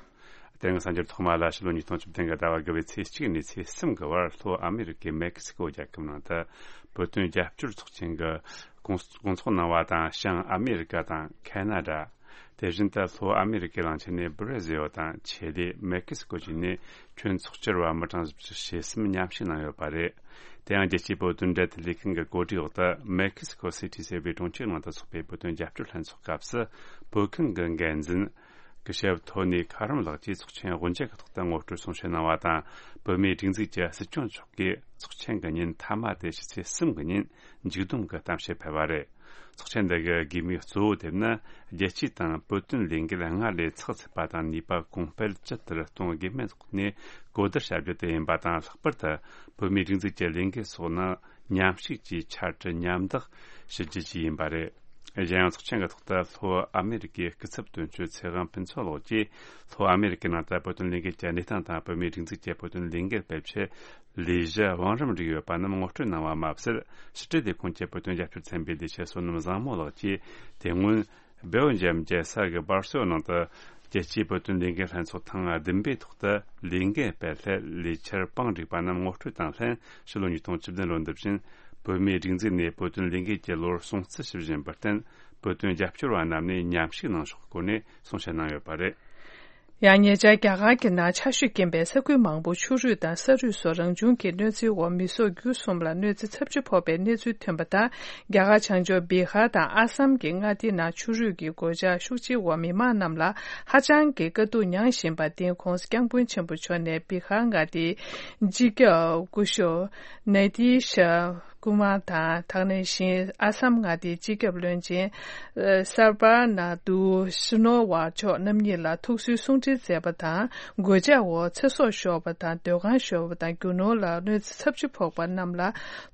དེ་རིང་གསར་འགྱུར་ཐོག་མ་ལ། ཕྱི་ལོ་ཉིས་སྟོང་བཅུ་བདུན་གྱི་ཟླ་བ་དགུ་པའི་ཚེས་གཅིག་ནས་ཚེས་གསུམ་གྱི་བར་ལྷོ་ཨ་མེ་རི་ཀའི་མེག་སི་ཀོ་རྒྱལ་ཁབ་ནང་དུ་བོད་དོན་རྒྱབ་སྐྱོར་ཚོགས་ཆེན་གྱི་སྐོང་སྐོང་ཚོགས་གནང་བ་དང་། བྱང་ཨ་མེ་རི་ཀ་དང་ཁ་ན་ཌ། དེ་བཞིན་དུ་ལྷོ་ཨ་མེ་རི་ཀའི་གླིང་ཆེན་ནས་བྷི་ར་ཟིལ་དང་ཆི་ལི། མེག་སི་ཀོ་བཅས་ནས་ཁྱོན་ཚོགས་བཅར་བ་མི་གྲངས་བཞི་བཅུ་ཞེ་གསུམ་མཉམ་ཞུགས་གནང་ཡོད་པ་རེད། དེ་ཡང་རྒྱལ་སྤྱིའི་བོད་དོན་འབྲེལ་མཐུད་ལས་ཁང་གི་གོ་སྒྲིག་འོག་ཏུ། མེག་སི་ཀོ་སི་ཊི་ཟེར་བའི་གྲོང་ཁྱེར་ནང་དུ་འཚོགས་པའི་བོད་དོན་རྒྱབ་སྐྱོར་ལྷན་ཚོགས་སྐབས་སུ། བོད་ཁང་གི་འགན་འཛིན་སྐུ་ཞབས་ཐོ་ནི་ཁ་རམ་ལགས་ཀྱིས་ཚོགས་ཆེན་དབུ་འབྱེད་ཀྱི་ཐོག་ཏུ་ངོ་སྤྲོད་གསུང་བཤད་གནང་བ་དང་། བོད་མིའི་སྒྲིག་འཛུགས་ཀྱི་སྲིད་སྐྱོང་མཆོག་གིས་ཚོགས་ཆེན་གྱི་ཉིན་མཐའ་མ་དེ་ཕྱི་ཚེས་གསུམ་གྱི་ཉིན་མཇུག་བསྡོམས་ཀྱི་གཏམ་བཤད་ཕེབས་པ་རེད། ཚོགས་ཆེན་འདི་གི་དགོས་དམིགས་གཙོ་བོ་དེ་ནི། རྒྱལ་སྤྱི་དང་བོད་དོན་ལས་འགུལ་སྔར་ལས་ཚགས་ཚུད་པ་དང་ནུས་པ་གོང་སྤེལ་ཇི་ལྟར་གཏོང་དགོས་མིན་ཐོག་ནས་གོ་བསྡུར་བྱ་རྒྱུ་དེ་ཡིན་པ་དང་། ལྷག་པར་དུ་བོད་མིའི་སྒྲིག་འཛུགས་ཀྱི་ལས་འགུལ་སོགས་ནང་མཉམ་ཞུགས་ཀྱིས་ཆ་འཕྲུལ་མཉམ་བདག་ཞུ་རྒྱུ་བཅས་ཡིན་པ་རེད། གཞན་ཡང་ཚོགས་ཆེན་གྱི་ཐོག་ཏུ་ལྷོ་ཨ་མེ་རི་ཀའི་སྐུ་ཚབ་དོན་གཅོད་ཚེ་དབང་ཕུན་ཚོགས་ལགས་ཀྱིས་ལྷོ་ཨ་མེ་རི་ཀའི་ནང་དུ་བོད་དོན་ལས་འགུལ་གྱི་གནས་སྟངས་དང་བོད་མིའི་སྒྲིག་འཛུགས་ཀྱི་བོད་དོན་ལས་འགུལ་སྤེལ་ཆེད་ལས་གཞི་བང་རིམ་བསྒྲིགས་ཡོད་པ་རྣམས་ངོ་སྤྲོད་གནང་བ་མ་ཟད། ཕྱི་དྲིལ་ལས་ཁུངས་ཀྱི་བོད་དོན་རྒྱབ་སྐྱོར་ཚན་པའི་ལས་བྱེད་བསོད་ནམས་བཟང་མོ་ལགས་ཀྱིས་དེ་སྔོན་སྦེལ་ཇམ་རྒྱལ་ས་གི་སྦར་སེལ་ནང་དུ་རྒྱལ་སྤྱིའི་བོད་དོན་ལས་འགུལ་ལྷན་ཚོགས་ཐེངས་བདུན་པའི་ཐོག་ཏུ་ལས་འགུལ་སྤེལ་སླད་ལས་འཆར་བང་བསྒྲིགས་པ་རྣམས་ངོ་སྤྲོད་དང་ལྷན། ཕྱི་ལོ་ཉིས་སྟོང་བཅུ་བདུན་ལོ་འདི་བཞིན་བོད་མིའི་སྒྲིག་འཛུགས་ནས་བོད་དོན་ལས་འགུལ་གྱི་ལོར་སྲུང་བརྩི་ཞུ་བཞིན་པར་བརྟེན། བོད་དོན་རྒྱབ་སྐྱོར་བ་རྣམས་ནས་མཉམ་ཞུགས་གནང་ཕྱོགས་ཀྱི་སྐོར་ནས་གསུང་བཤད་གནང་ཡོད་པ་རེད། ཡང་ཉེ་ཆར་རྒྱ་གར་གྱི་ནང་ཆར་ཞོད་རྐྱེན་པས་ས་ཁུལ་མང་པོ་ཆུ་རུད་དང་ས་རུད་སོགས་རང་བྱུང་གི་གནོད་འཚེའི་འོག་མི་སོགས་རྒྱུ་གསུམ་ལ་གནོད་འཚེ་ཚབས་ཆེ་ཕོག་པའི་གནས་ཚུལ་ཐོན་པ་དང་། རྒྱ་གར་བྱང་ཕྱོགས་བི་ཧར་དང་ཨ་སམ་གྱི་མངའ་སྡེ་ནང་ཆུ་རུད་ཀྱི་གོད་ཆག་ཤུགས་ཆེའི་འོག་མི་མང་རྣམས་ལ་ཧ་ཅང་གི་དཀའ་སྡུག་མྱངས་བཞིན་པར་བརྟེན། ྋགོང་ས་ྋསྐྱབས་མགོན་ཆེན་པོ་མཆོག་ནས་བི་ཧར་མངའ་སྡེའི་སྤྱི་ཁྱབ་སྐུ་ཞབས་ནེ་ཏི་ཤ་ཀུ་མར་དང་། དེ་ནང་བཞིན་ཨ་སམ་མངའ་སྡེའི་སྤྱི་ཁྱབ་བློན་ཆེན་སར་བ་ན་དུ་ཤི་ནོ་ཝཱ་མཆོག་རྣམ་གཉིས་ལ་ཐུགས་གསོའི་གསུང་འཕྲིན་སྩལ་བ་དང་། གོད་ཆག་འོག་ཚེ་སྲོག་ཤོར་བ་དང་། སྡོད་ཁང་ཤོར་བ་དང་། རྒྱུ་ནོར་ལ་གནོད་འཚེ་ཚབས་ཆེ་ཕོག་པ་རྣམས་ལ་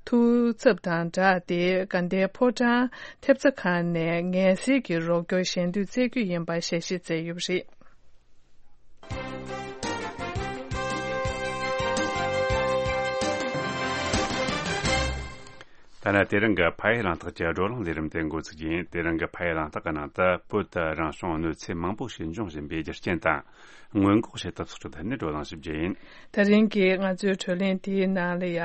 ཐུགས་འཚབ་དང་སྦྲགས་ཏེ། དགའ་ལྡན་ཕོ་བྲང་ཐེབས་རྩ་ཁང་ནས་ངལ་སེལ་གྱི་རོགས་སྐྱོར་ཞལ་འདོན་སྩལ་རྒྱུ་ཡིན་པ་ཞལ་བཞེས་མཛད་ཡོད་པ་རེད། ད་ནི་དེ་རིང་གི་ཕ་ཡུལ་གླེང་སྟེགས་ཀྱི་བགྲོ་གླེང་ལས་རིམ་དེ་འགོ་ཚུགས་རྒྱུ་ཡིན། དེ་རིང་གི་ཕ་ཡུལ་གླེང་སྟེགས་ཀྱི་ནང་དུ་བོད་དུ་རང་བྱུང་གནོད་འཚེ་མང་པོ་ཞིག་འབྱུང་བཞིན་པའི་རྒྱུ་རྐྱེན་དང་སྔོན་འགོག་བྱེད་ཐབས་སོགས་ཀྱི་ཐད་ནས་བགྲོ་གླེང་ཞིག་བྱེད་རྒྱུ་ཡིན། དེ་རིང་གི་ང་ཚོའི་བགྲོ་གླེང་དེའི་ནང་ལ་ཡ།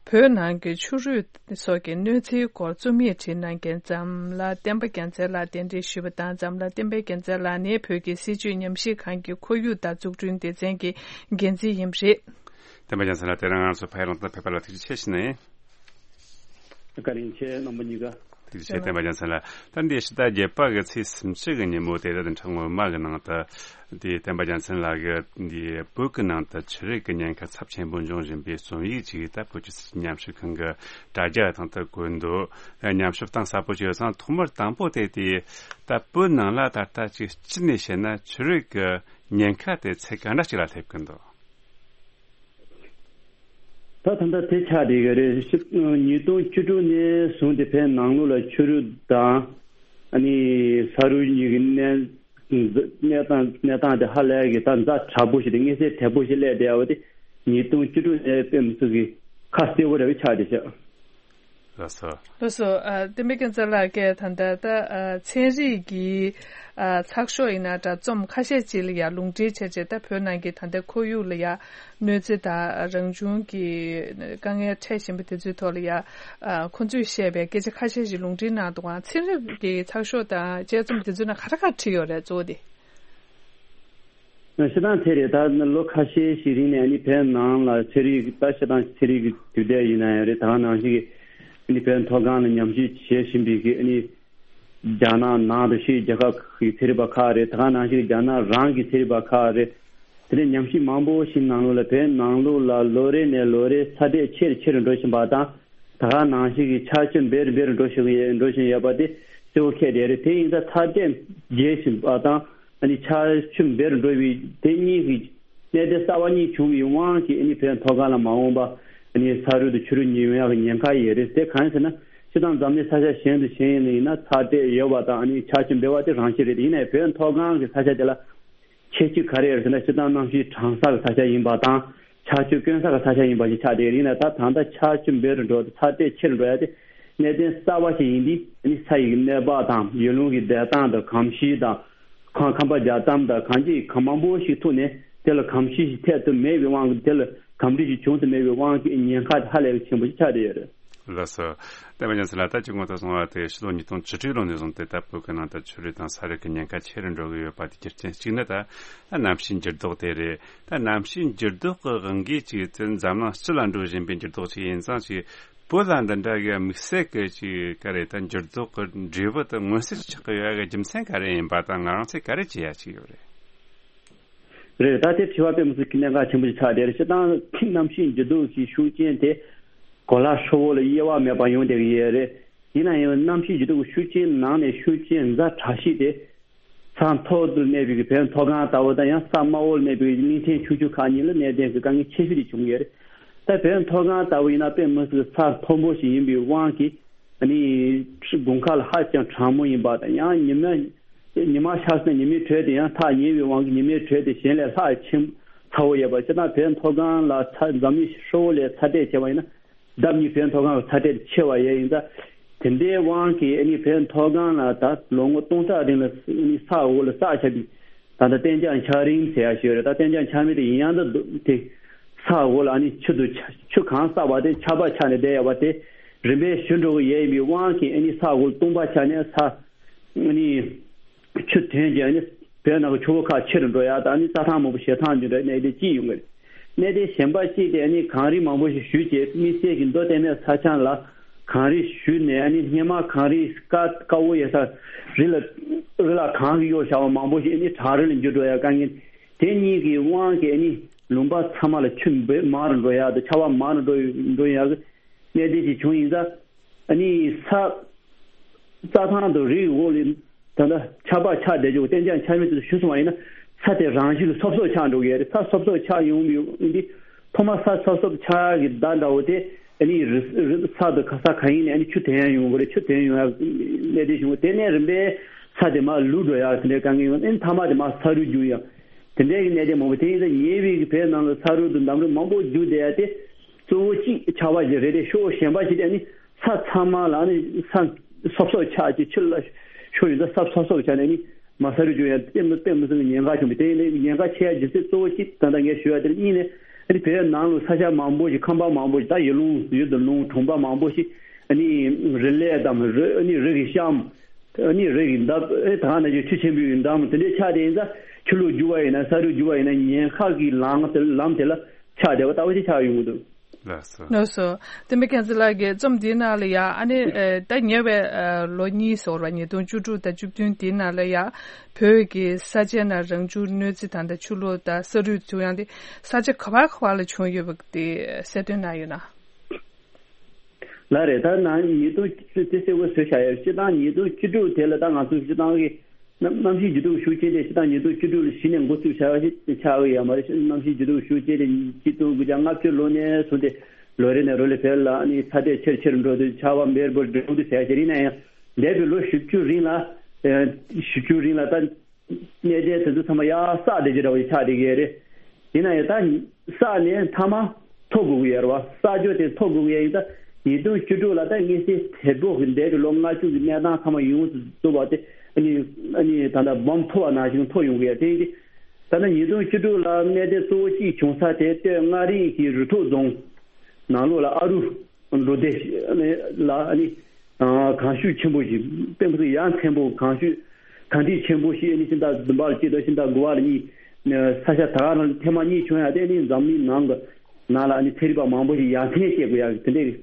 བོད་ནང་གི་ཆུ་རུད་སོགས་ཀྱི་གནོད་འཚེའི་སྐོར་རྩོམ་ཡིག་བྲིས་གནང་མཁན་འཛམ་ལྷ་བསྟན་པ་རྒྱལ་མཚན་ལགས་གདན་འདྲེན་ཞུས་པ་དང་། འཛམ་ལྷ་བསྟན་པ་རྒྱལ་མཚན་ལགས་ནི་བོད་ཀྱི་སྲིད་བྱུས་ཉམས་ཞིབ་ཁང་གི་ཁོར་ཡུག་དང་འཛུགས་སྐྲུན་སྡེ་ཚན་གྱི་འགན་འཛིན་ཡིན་པ་རེད། བསྟན་པ་རྒྱལ་མཚན་ལགས། དེ་རིང་ང་ཚོ་ཕ་ཡུལ་གླེང་སྟེགས་ཕེབས་པ་ལ་ཐུགས་རྗེ་ཆེ་ཞུ་ནི་ཡིན། བཀའ་དྲིན་ཆེ། རྣམ་པ་གཉིས་ཀ། ཐུགས་རྗེ་ཆེ། བསྟན་པ་རྒྱལ་མཚན་ལགས། ད་འདི་ཕྱི་ཟླ་བརྒྱད་པ་གི་ཚེས་སུམ་ཅུ་གི་ཉིན་མོ་དེ་རེད། འཕྲལ་སྔོན་མ་གི་ནང་དུ་འདི་བསྟན་པ་རྒྱལ་མཚན་ལགས་ཀྱིས་འདི་བོད་ཀྱི་ནང་དུ་ཆུ་རུད་ཀྱི་ཉེན་ཁ་ཚབས་ཆེན་པོ་འབྱུང་བཞིན་པའི་རྩོམ་ཡིག་ཅིག་ད་བོད་ཀྱི་སྲིད་བྱུས་ཉམས་ཞིབ་ཁང་གི་དྲ་རྒྱ་སྟེང་དུ་བཀོད་འདུག་ཉམས་ཞིབ་གཏིང་ཟབ་པོ་ཅིག་ཡོད་ཙང་། ཐོག་མར་དང་པོ་དེ་དེ་ད་བོད་ནང་ལ་ད་ལྟ་ཅིག་སྤྱི་ནས་བཤད་ན་ཆུ་རུད་ཀྱི་ཉེན་ཁ་དེ་ཚད་ག་འདྲ་ཅིག་ལ་སླེབས་ཀྱི་འདུག་ད་ད་ལྟ་དེ་ཆགས་བསྡད་ཡོད་རེད། ཤི- ཉིས་སྟོང་བཅུ་དྲུག་ནས་བཟུང་སྟེ་བོད་ནང་ལོགས་ལ་ཆུ་རུད་དང་ཨ་ནི་ས་རུད་གཉིས་ཀྱི་གནས- གནས་སྟངས- གནས་སྟངས་དེ་ཧ་ལས་ཀྱི་ད་ཛ་དྲག་པོ་ཞིག་དང་མངོན་གསལ་དོད་པོ་ཞིག་སླེབས་བསྡད་ཡོད་པ་དེ་ཉིས་སྟོང་བཅུ་དྲུག་ནས་དཔེ་མི་སྲིད་ཀྱི་ཁ་གསལ་པོ་རེད་པ་ཆགས་བསྡད་ཤག་ལགས་སོ། ལགས་སོ། ཨ། བསྟན་པའི་རྒྱལ་མཚན་ལགས་ཀྱིས་ད་ལྟ་ད་ཨ་ཚན་རིག་གི་ཨ་ཚགས་ཤོག་ཡིན་ན་འདྲ། རྩོམ་ཁ་ཤས་ཅིག་ལ་ཡང་ལུང་འདྲེན་བྱས་རྗེས། ད་བོད་ནང་གི་ད་ལྟའི་ཁོར་ཡུག་ལ་ཡང་གནོད་འཚེ་དང་རང་བྱུང་གི་དཀའ་ངལ་འཕྲད་བཞིན་པ་དེ་ཚོའི་ཐོག་ལ་ཡང་ཨ་ཁོང་ཚོས་བཤད་པའི་སྐད་ཆ་ཁ་ཤས་ཤིག་ལུང་འདྲེན་གནང་འདུག་ག་ཚན་རིག་གི་ཚགས་ཤོག་དང་དཔྱད་རྩོམ་དེ་ཚོའི་ནང་ག་རེ་ག་རེ་བྲིས་ཡོད་རེད། གཙོ་བོ་དེ། སྤྱིར་བཏང་དེ་རེད། ད་ལོ་ཁ་ཤས་ཤིག་རིང་ནས་ཨ་ནི་བོད་ནང་ལ་ཚན་རིག་ད་སྤྱིར་བཏང་ཚན་རིག་གི་དུས་དེབ་ཡིན་ན་ཡང་རེད། ད་ག་ནང་བཞིན་གྱི་ཨ་ནི་བོད་མཐོ་སྒང་ལ་ཉམས་ཞིབ་བྱེད་བཞིན་པའི་གི་ཨ་ནི་རྒྱ་ནག་ནང་དུ་ཕྱིའི་རྒྱལ་ཁབ་ཀྱི་ཚན་རིག་པ་ཁག་རེད། ད་ག་ནང་བཞིན་གྱི་རྒྱ་ནག་རང་གི་ཚན་རིག་པ་ཁག་རེད། དེ་ནས་ཉམས་ཞིབ་མང་པོ་ཞིག་ནང་ལོགས་ལ་བོད་ནང་ལོགས་ལ་ལོ་རེ་ནས་ལོ་རེ་ཚ་དྲོད་ཆེ་རུ་ཆེ་རུ་འགྲོ་བཞིན་པ་དང་། ད་ག་ནང་བཞིན་གྱི་ཆར་ཆུ་འབེལ་རུ་འབེལ་རུ་འགྲོ་བཞིན་ཡོད- འགྲོ་བཞིན་ཡོད་པ་དེ་གཙོ་བོ་གལ་ཆེ་རེད། དེ་ཡིན་ཙང་ཚ་དྲོད་རྒྱས་བཞིན་པ་དང་ཨ་ནི་ཆར་ཆུ་འབེལ་རུ་འགྲོ་བའི་དེ་གཉིས་ཀྱི་གནད་དོན་གསར་པ་གཉིས་བྱུང་བའི་དབང་གིས་ཨ་ནི་བོད་མཐོ་སྒང་ལ་མ་འོངས་པ་ཨ་ནི་ས་རུད་དང་ཆུ་རུད་གཉིས་ཡོང་ཡག་གི་ཉེན་ཁ་ཡོད་རེད། དེ་གང་ཡིན་ཟེར་ན་སྤྱིར་བཏང་འཛམ་གླིང་ས་ཆ་གཞན་དང་གཞན་ཡིན་ན་ཚ་དྲོད་ཡོད་པ་དང་ཨ་ནི་ཆར་ཆུ་འབེལ་བ་དེ་རང་བཞིན་རེད། ཡིན་ནའི་བོད་མཐོ་སྒང་གི་ས་ཆ་དེ་ལ་ཁྱད་ཆོས་ག་རེ་ཡོད་ཟེར་ན་སྤྱིར་བཏང་གནམ་གཤིས་གྲང་ས་གི་ས་ཆ་ཡིན་པ་དང་། ཆར་ཆུ་དཀོན་ས་གི་ས་ཆ་ཡིན་པ་ཞིག་ཆགས་བསྡད་ཡོད། ཡིན་ན་ད་ད་ལྟ་ཆར་ཆུ་འབེལ་རུ་འགྲོ་དང་ཚ་དྲོད་ཆེ་རུ་འགྲོ་ཡ་དེ་གནད་དོན་གསར་པ་ཞིག་ཡིན་དུས་ཨ་ནི་ས་ཡི་གནས་བབ་དང་ཡུལ་ལུང་གི་བདེ་ཐང་དང་གོམས་གཤིས་དང་ཁམས་ཁམས་པ་རྒྱག་གཏམ་དང་གང་ཅི་གང་མང་པོ་ཞིག་ཐུག་ནས་དེ་ལ་གོམས་གཤིས་ཤིག་འཐད་དུ་མེད་པའི་དབང་གིས་དེ་ལ་གོམས་འདྲིས་ཤིག་བྱུང་དུ་མེད་པའི་དབང་གིས་ཉེན་ཁ་དེ་ཧ་ལས་པའི་ཆེན་པོ་ཞིག་ཆགས་བསྡད་ཡོད་རེད། ལགས་སོ། བསྟན་པ་རྒྱལ་མཚན་ལགས། ད་ཅིག་སྔོན་དུ་སོང་བ་དེ་ཕྱི་ལོ་ཉིས་སྟོང་བཅུ་དྲུག་ལོ་ནས་བཟུང་སྟེ་ད་བོད་ཀྱི་ནང་དུ་ཆུ་རུད་དང་ས་རུད་ཀྱི་ཉེན་ཁ་ཆེ་རུ་འགྲོ་གི་ཡོད་པ་དེ་རྒྱུ་རྐྱེན་གཅིག་ནི་ད་ད་གནམ་གཤིས་འགྱུར་ལྡོག་དེ་རེད། ད་གནམ་གཤིས་འགྱུར་ལྡོག་གི་དབང་གིས་ཅིག་དེ་འཛམ་གླིང་སྤྱི་ལ་འགྲོ་བཞིན་པའི་འགྱུར་ལྡོག་ཅིག་ཡིན་ཙང་ཅིག་བོད་ལ་འདི་འདྲ་གི་དམིགས་བསལ་གྱི་ཅིག་ག་རེ་ད་འགྱུར་ལྡོག་གི་འབྲས་བུ་དེ་མངོན་གསལ་ཆགས་ཀྱི་ཡོད་ཡ་གི་རྒྱུ་མཚན་ག་རེ་ཡིན་པ་དང་ང་རང་ཚོས་ག་རེ་བྱེད་ཡ་ཅིག་ཡོད་རེད། རེད། ད་དེ་དྲི་བ་དཔེ་མི་སྲིད་ཀྱི་གནད་འགག་ཆེན་པོ་ཞིག་ཆགས་བསྡད་རེད། སྤྱིར་བཏང་གནམ་གཤིས་འགྱུར་ལྡོག་གི་ཤུགས་རྐྱེན་དེ་གོ་ལ་ཧྲིལ་བོ་ལ་དབྱེ་བ་མེད་པར་ཡོང་བསྡད་ཀྱི་ཡོད་རེད། ཡིན་ན་ཡང་གནམ་གཤིས་འགྱུར་ལྡོག་གི་ཤུགས་རྐྱེན་ནང་ནས་ཤུགས་རྐྱེན་ཛ་དྲག་ཤོས་དེ་ས་མཐོ་དུ་གནས་པའི་བོད་མཐོ་སྒང་ལྟ་བུ་དང་ཡང་ས་དམའ་བོ་ལ་གནས་པའི་གླིང་ཕྲན་ཆུང་ཆུང་ཁག་གཉིས་ལ་གནད་དོན་གྱི་དཀའ་ངལ་ཆེ་ཤོས་དེ་བྱུང་ཡོད་རེད། ད་བོད་མཐོ་སྒང་ལྟ་བུ་ཡིན་ན་དཔེ་མི་སྲིད་ས་མཐོན་པོ་ཞིག་ཡིན་པའི་དབང་གིས་ ཨ་ནི་དགུན་ཁ་ལ་ཧ་ཅང་གྲང་མོ་ཡིན་པ་དང་། ཡང་ཉི་མ་ཉི་མ་ཤར་ཚེ་ཉི་མའི་དྲོད་དེ་ཡང་ཐག་ཉེ་བའི་དབང་གིས་ཉི་མའི་དྲོད་དེ་གཞན་ལས་ལྷག་ཆེན་ཚ་བོ་ཡོད་པ། སྤྱིར་བཏང་བོད་མཐོ་སྒང་ལ་ཚ་འཛམ་གླིང་ཧྲིལ་བོ་ལས་ཚ་དྲོད་ཆེ་བ་ཡིན་ན། ལྡབ་གཉིས་བོད་མཐོ་སྒང་གི་ཚ་དྲོད་ཆེ་བ་ཡོད་ཡིན་ཙང་། དེ་འདྲའི་དབང་གིས་ཨ་ནི་བོད་མཐོ་སྒང་ལ་ད་ལོ་ངོ་སྟོང་ཕྲག་རིང་ལ་ཨ་ནི་ས་འོག་ལ་བསགས་བཞག་པའི་ད་ལྟ་གཏན་འཇགས་འཁྱགས་རོམ་ཟེར་ཡ་ཞིག་ཡོད་རེད། ད་གཏན་འཇགས་འཁྱགས་རོམ་དེ་ཡིན་ཡང་ད་དེ་ས་འོག་ལ་ཨ་ནི་ཆུ་དུ་ཆུ་གང་བསགས་པ་དེ་ཆར་པ་ཆགས་ནས་བསྡད་ཡོད་པ་དེ་རིམ་པས་ཞུ་འགྲོ་གི་ཡོད་ཡིན་པའི་དབང་གིས་ཨ་ནི་ས་འོག་ལ་སྟོང་པ་ཆགས་ནས་ས་ཨ་ནི། ཆུ་ཐོན་རྗེས་ནི་བོད་ནང་གི་ཆུ་བོ་ཁག་ཆེ་རུ་འགྲོ་ཡག་དང་ནི་རྩྭ་ཐང་མང་པོ་ཞེ་ཐང་འགྱུར་འགྲོ་གནད་དོན་གཅིག་ཡོང་གི་རེད། གནད་དོན་གཞན་པ་གཅིག་དེ་ནི་གངས་རི་མང་པོ་ཞིག་ཞུ་རྗེས་དམིགས་བསལ་གྱི་མདོ་སྟོད་སྨད་ས་ཆ་ལ་གངས་རི་ཞུ་ནས་ནི་སྔོན་མ་གངས་རི་དཀར་དཀར་པོ་ཡོད་ས་རི་ལ་རི་ལ་གངས་ཀྱིས་གཡོགས་བཞག་པ་མང་པོ་ཞིག་ནི་བྲག་རི་ལ་འགྱུར་འགྲོ་ཡག་དཀའ་ངལ་དེ་གཉིས་ཀྱི་དབང་གིས་ནི་ལུང་པ་ཚང་མ་ལ་ཆུ་འབེབས་མང་རུ་འགྲོ་ཡག་དང་ཆར་པ་མང་རུ་འགྲོ་འགྲོ་ཡག་གི་གནད་དོན་ཅིག་བྱུང་ཡིན་ཙང་། ཨ་ནི་ས་རྩྭ་ཐང་དང་རི་འོག་ལ་ད་ལྟ་ཆར་པ་ཆགས་བསྡད་རྒྱུ་གཏན་འཇགས་འཁྱགས་རོམ་དེ་ཚོ་ཞུ་སོང་བ་ཡིན་ན་ས་དེ་རང་བཞིན་གྱིས་སོབ་སོབ་ཆགས་འགྲོ་གི་ཡོད་རེད། ས་སོབ་སོབ་ཆགས་ཡོང་གི་ཡོད་འདི་ཐོག་མ་ས་སོབ་སོབ་ཆགས་ཀྱི་བརྡ་འདྲ་བོ་དེ་ཨ་ནི་རི་རི་ས་དང་ཁ་ས་གང་ཡིན་ནས་ཨ་ནི་ཆུ་དེད་ཡག་ཡོང་གི་རེད། ཆུ་དེད་ཡོང་ཡག་གནད་དོན་བྱུང་གི་དེ་ནས་རིམ་པས་ས་དེ་མར་ལུད་འགྲོ་ཡག་དེ་འདྲའི་དཀའ་ངལ་ཡོང་ཨ་ནི་མཐའ་མ་དེ་མར་ས་རུད་རྒྱུག་ཡག་དེ་འདྲའི་གི་གནད་དོན་མང་པོ་དེ་ཡིན་ཙང་ཉེ་བའི་གི་བོད་ནང་ལ་ས་རུད་དང་འདམ་རུད་མང་པོ་རྒྱུག་བསྡད་ཡག་དེ། གཙོ་བོ་གཅིག་ཆར་པ་ཞིག་རེད་དེ་ཤོག་གཞན་པ་ཞིག་དེ་ནི་ས་ཚང་མ་ལ་ནི་ས་སོབ་སོབ་ཆགས་ཀྱི་ཆུ་ལ་ཤོར་ཡོང་ཙང་ས་སོབ་སོབ་ཆགས་ནས་ནི་མར་ས་རུད་རྒྱུག་ཡག་དཔེ་མི་དཔེ་མི་སྲིད་པའི་ཉེན་ཁ་བྱུང་བས་དེ་ཡིན་ནའི་ཉེན་ཁ་ཆེ་ཡག་རྒྱུ་མཚན་གཙོ་བོ་གཅིག་ད་ལྟ་ངས་ཞུ་ཡག་དེ་ནི་གཉིས་ནས་ཨ་ནི་བོད་ནང་ལ་ས་ཆ་མང་པོ་ཞིག་ཁང་པ་མང་པོ་ཞིག་ད་ཡུལ་ལུང་ཡུལ་དུ་ལུང་གྲོང་པ་མང་པོ་ཞིག་ཨ་ནི་རི་ལས་དང་རི་ཨ་ནི་རི་གི་གཤམ། ཨ་ནི་རི་གི་འདབས་ཨེ་ད་ག་ནང་བཞིན་ཆུ་ཆེན་པོའི་འདམ་དེ་འདྲའི་ཆགས་དེ་ཡིན་ཙང་ཆུ་ལུད་རྒྱུག་པ་ཡིན་ན་ས་རུད་རྒྱུག་པ་ཡིན་ན་ཉེན་ཁ་གི་ལམ་དེ་ལམ་དེ་ལ་ཆགས་བསྡད་པ་ལྟ་བུ་ཞིག་ཆགས་ཡོང་གི་འདུག་ལགས་སོ། ལགས་སོ། བསྟན་པའི་མཁྱེན་བརྩེ་ལགས་ཀྱིས་རྩོམ་འདིའི་ནང་ལ་ཡང་ཨ་ནི་ཨེ་ད་ཉེ་བའི་ཨ་ལོ་གཉིས་སོང་བ་ཉིས་སྟོང་བཅུ་དྲུག་དང་བཅུ་བདུན་དེའི་ནང་ལ་ཡང་བོད་ཀྱི་ས་ཆའི་ནང་རང་བྱུང་གནོད་འཚེ་དང་ད་ཆུ་ལོག་དང་ས་རུད་བྱུང་ཡང་དེ་ས་ཆ་ག་བ་ག་བ་ལ་བྱུང་ཡོད་པ་དེ་གསལ་སྟོན་གནང་ཡོད་ན། ལགས་རེད། ད་ནང་ཉིས་སྟོང་བཅུ་དེ་གསལ་པོ་བཟོས་བཞག་ཡོད། སྤྱིར་བཏང་ཉིས་སྟོང་བཅུ་དྲུག་དེ་ལ་ད་ང་ཚོ་སྤྱིར་བཏང་གི་གནམ་གནམ་གཤིས་འགྱུར་ལྡོག་ཤུགས་ཆེ་དེ་སྤྱིར་བཏང་ཉིས་སྟོང་བཅུ་དྲུག་ལ་གཞི་ནས་འགོ་ཚུགས་བཞག་པ་ཞིག་ཆགས་ཀྱི་ཡོད་མ་རེད། གནམ་གཤིས་འགྱུར་ལྡོག་ཤུགས་ཆེ་དེ་གཅིག་སྟོང་དགུ་བརྒྱ་ལྔ་བཅུ་ལོ་ནས་བཟུང་སྟེ་ལོ་རེ་ནས་ལོ་ལ་བོད་ལ་ཨ་ནི་ཚ་དྲོད་ཆེར་ཆེར་འགྲོ་དུས་ཆར་པ་འབེར་འབེར་འགྲོ་དུས་ཟེར་ཡ་ཞིག་རེད། ཡིན་ན་ཡང་འདས་པའི་ལོ་བཞི་བཅུ་རིང་ལ་ཨ་བཞི་བཅུ་རིང་ལ་ད། གནད་དོན་དེ་ཚོ་ཚང་མ་ཡར་བསགས་བསྡད་ཀྱི་འདྲ་བ་ཞིག་ཆགས་བསྡད་ཀྱི་རེད། ཡིན་ན་ཡང་ད་བསགས་ནས་མཐའ་མ་ཐོ་དགོས་ཀྱི་ཡོད་རེད་བ། བསགས་རྒྱུ་དེ་ཐོ་དགོས་ཀྱི་ཡོད་ཡིན་ད། ཉིས་སྟོང་བཅུ་དྲུག་ལ་ད་དངོས་གཞི་དལ་པོ་གི་འདས་པའི་ལོ་ལྔ་བཅུ་གི་གནས་སྟངས་ཚང་མ་ཡོངས་སུ་རྫོགས་པ་དེ་ཨ་ནི་ཨ་ནི་ད་ལྟ་སྦོམ་ཐོ་བ་ནང་བཞིན་ཐོ་ཡོང་གི་ཡོད་དེ་ཡིན་གྱི། ད་ནི་ཉིས་སྟོང་བཅུ་དྲུག་ལ་གནད་དོན་གཙོ་བོ་གཅིག་བྱུང་ས་དེ་སྟོད་མངའ་རིས་ཀྱི་རུ་ཐོག་རྫོང་ནང་ལོགས་ལ་ཨ་རུ། འགྲོ་སྡེ་ལ་ཨ་ནི་གངས་ཤུགས་ཆེན་པོ་ཞིག་དཔེ་མི་སྲིད་ཡ་མཚན་པོ་གངས་ཤུགས་གངས་འདྲེན་ཆེན་པོ་ཞིག་ཨ་ནི་ཕྱི་ཟླ་བདུན་པ་ལ་གཅིག་དང་ཕྱི་ཟླ་དགུ་པ་ལ་གཉིས་ས་ཆ་ད་ག་རང་ཐེངས་མ་གཉིས་བྱུང་ཡ་དེ་ཨ་ནི་འཛམ་གླིང་ནང་གི་ནང་ལ་ཨ་ནི་ཚན་རིག་པ་མང་པོ་ཞིག་ཡ་མཚན་བཤད་དགོས་ཡ་དེ་འདྲའི་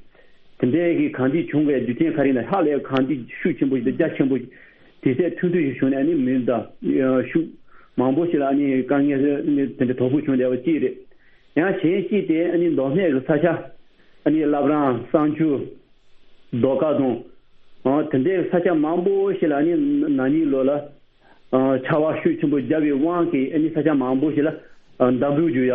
དེ་འདྲའི་གི་གངས་འདྲེན་བྱུང་བའི་རྒྱུ་རྐྱེན་ག་རེ་ཡིན་ན་ཧ་ལས་གངས་འདྲེན་ཤུགས་ཆེན་པོ་ཞིག་དང་རྒྱ་ཆེན་པོ་ཞིག་དུས་ཚོད་ཐུང་ཐུང་ཞིག་བྱུང་ནས་ཨ་ནི་མི་དང་ཤུགས་མང་པོ་ཞིག་ལ་ཨ་ནི་དཀའ་ངལ་དེ་འདྲ་དོ་ཕོག་བྱུང་བསྡད་པ་གཅིག་རེད། ཡང་གཞན་གཅིག་དེ་ཨ་ནི་མདོ་སྨད་ཀྱི་ས་ཆ་ཨ་ནི་བླ་བྲང་བསང་ཆུ། རྡོ་དཀར་དང་། ཨ་དེ་འདྲའི་ས་ཆ་མང་པོ་ཞིག་ལ་ཨ་ནི་ན་ནིང་ལོ་ལ་ཨ་ཆར་པ་ཤུགས་ཆེན་པོ་བརྒྱབ་པའི་དབང་གིས་ཨ་ནི་ས་ཆ་མང་པོ་ཞིག་ལ་ཨ་འདམ་རུད་རྒྱུག་ཡ།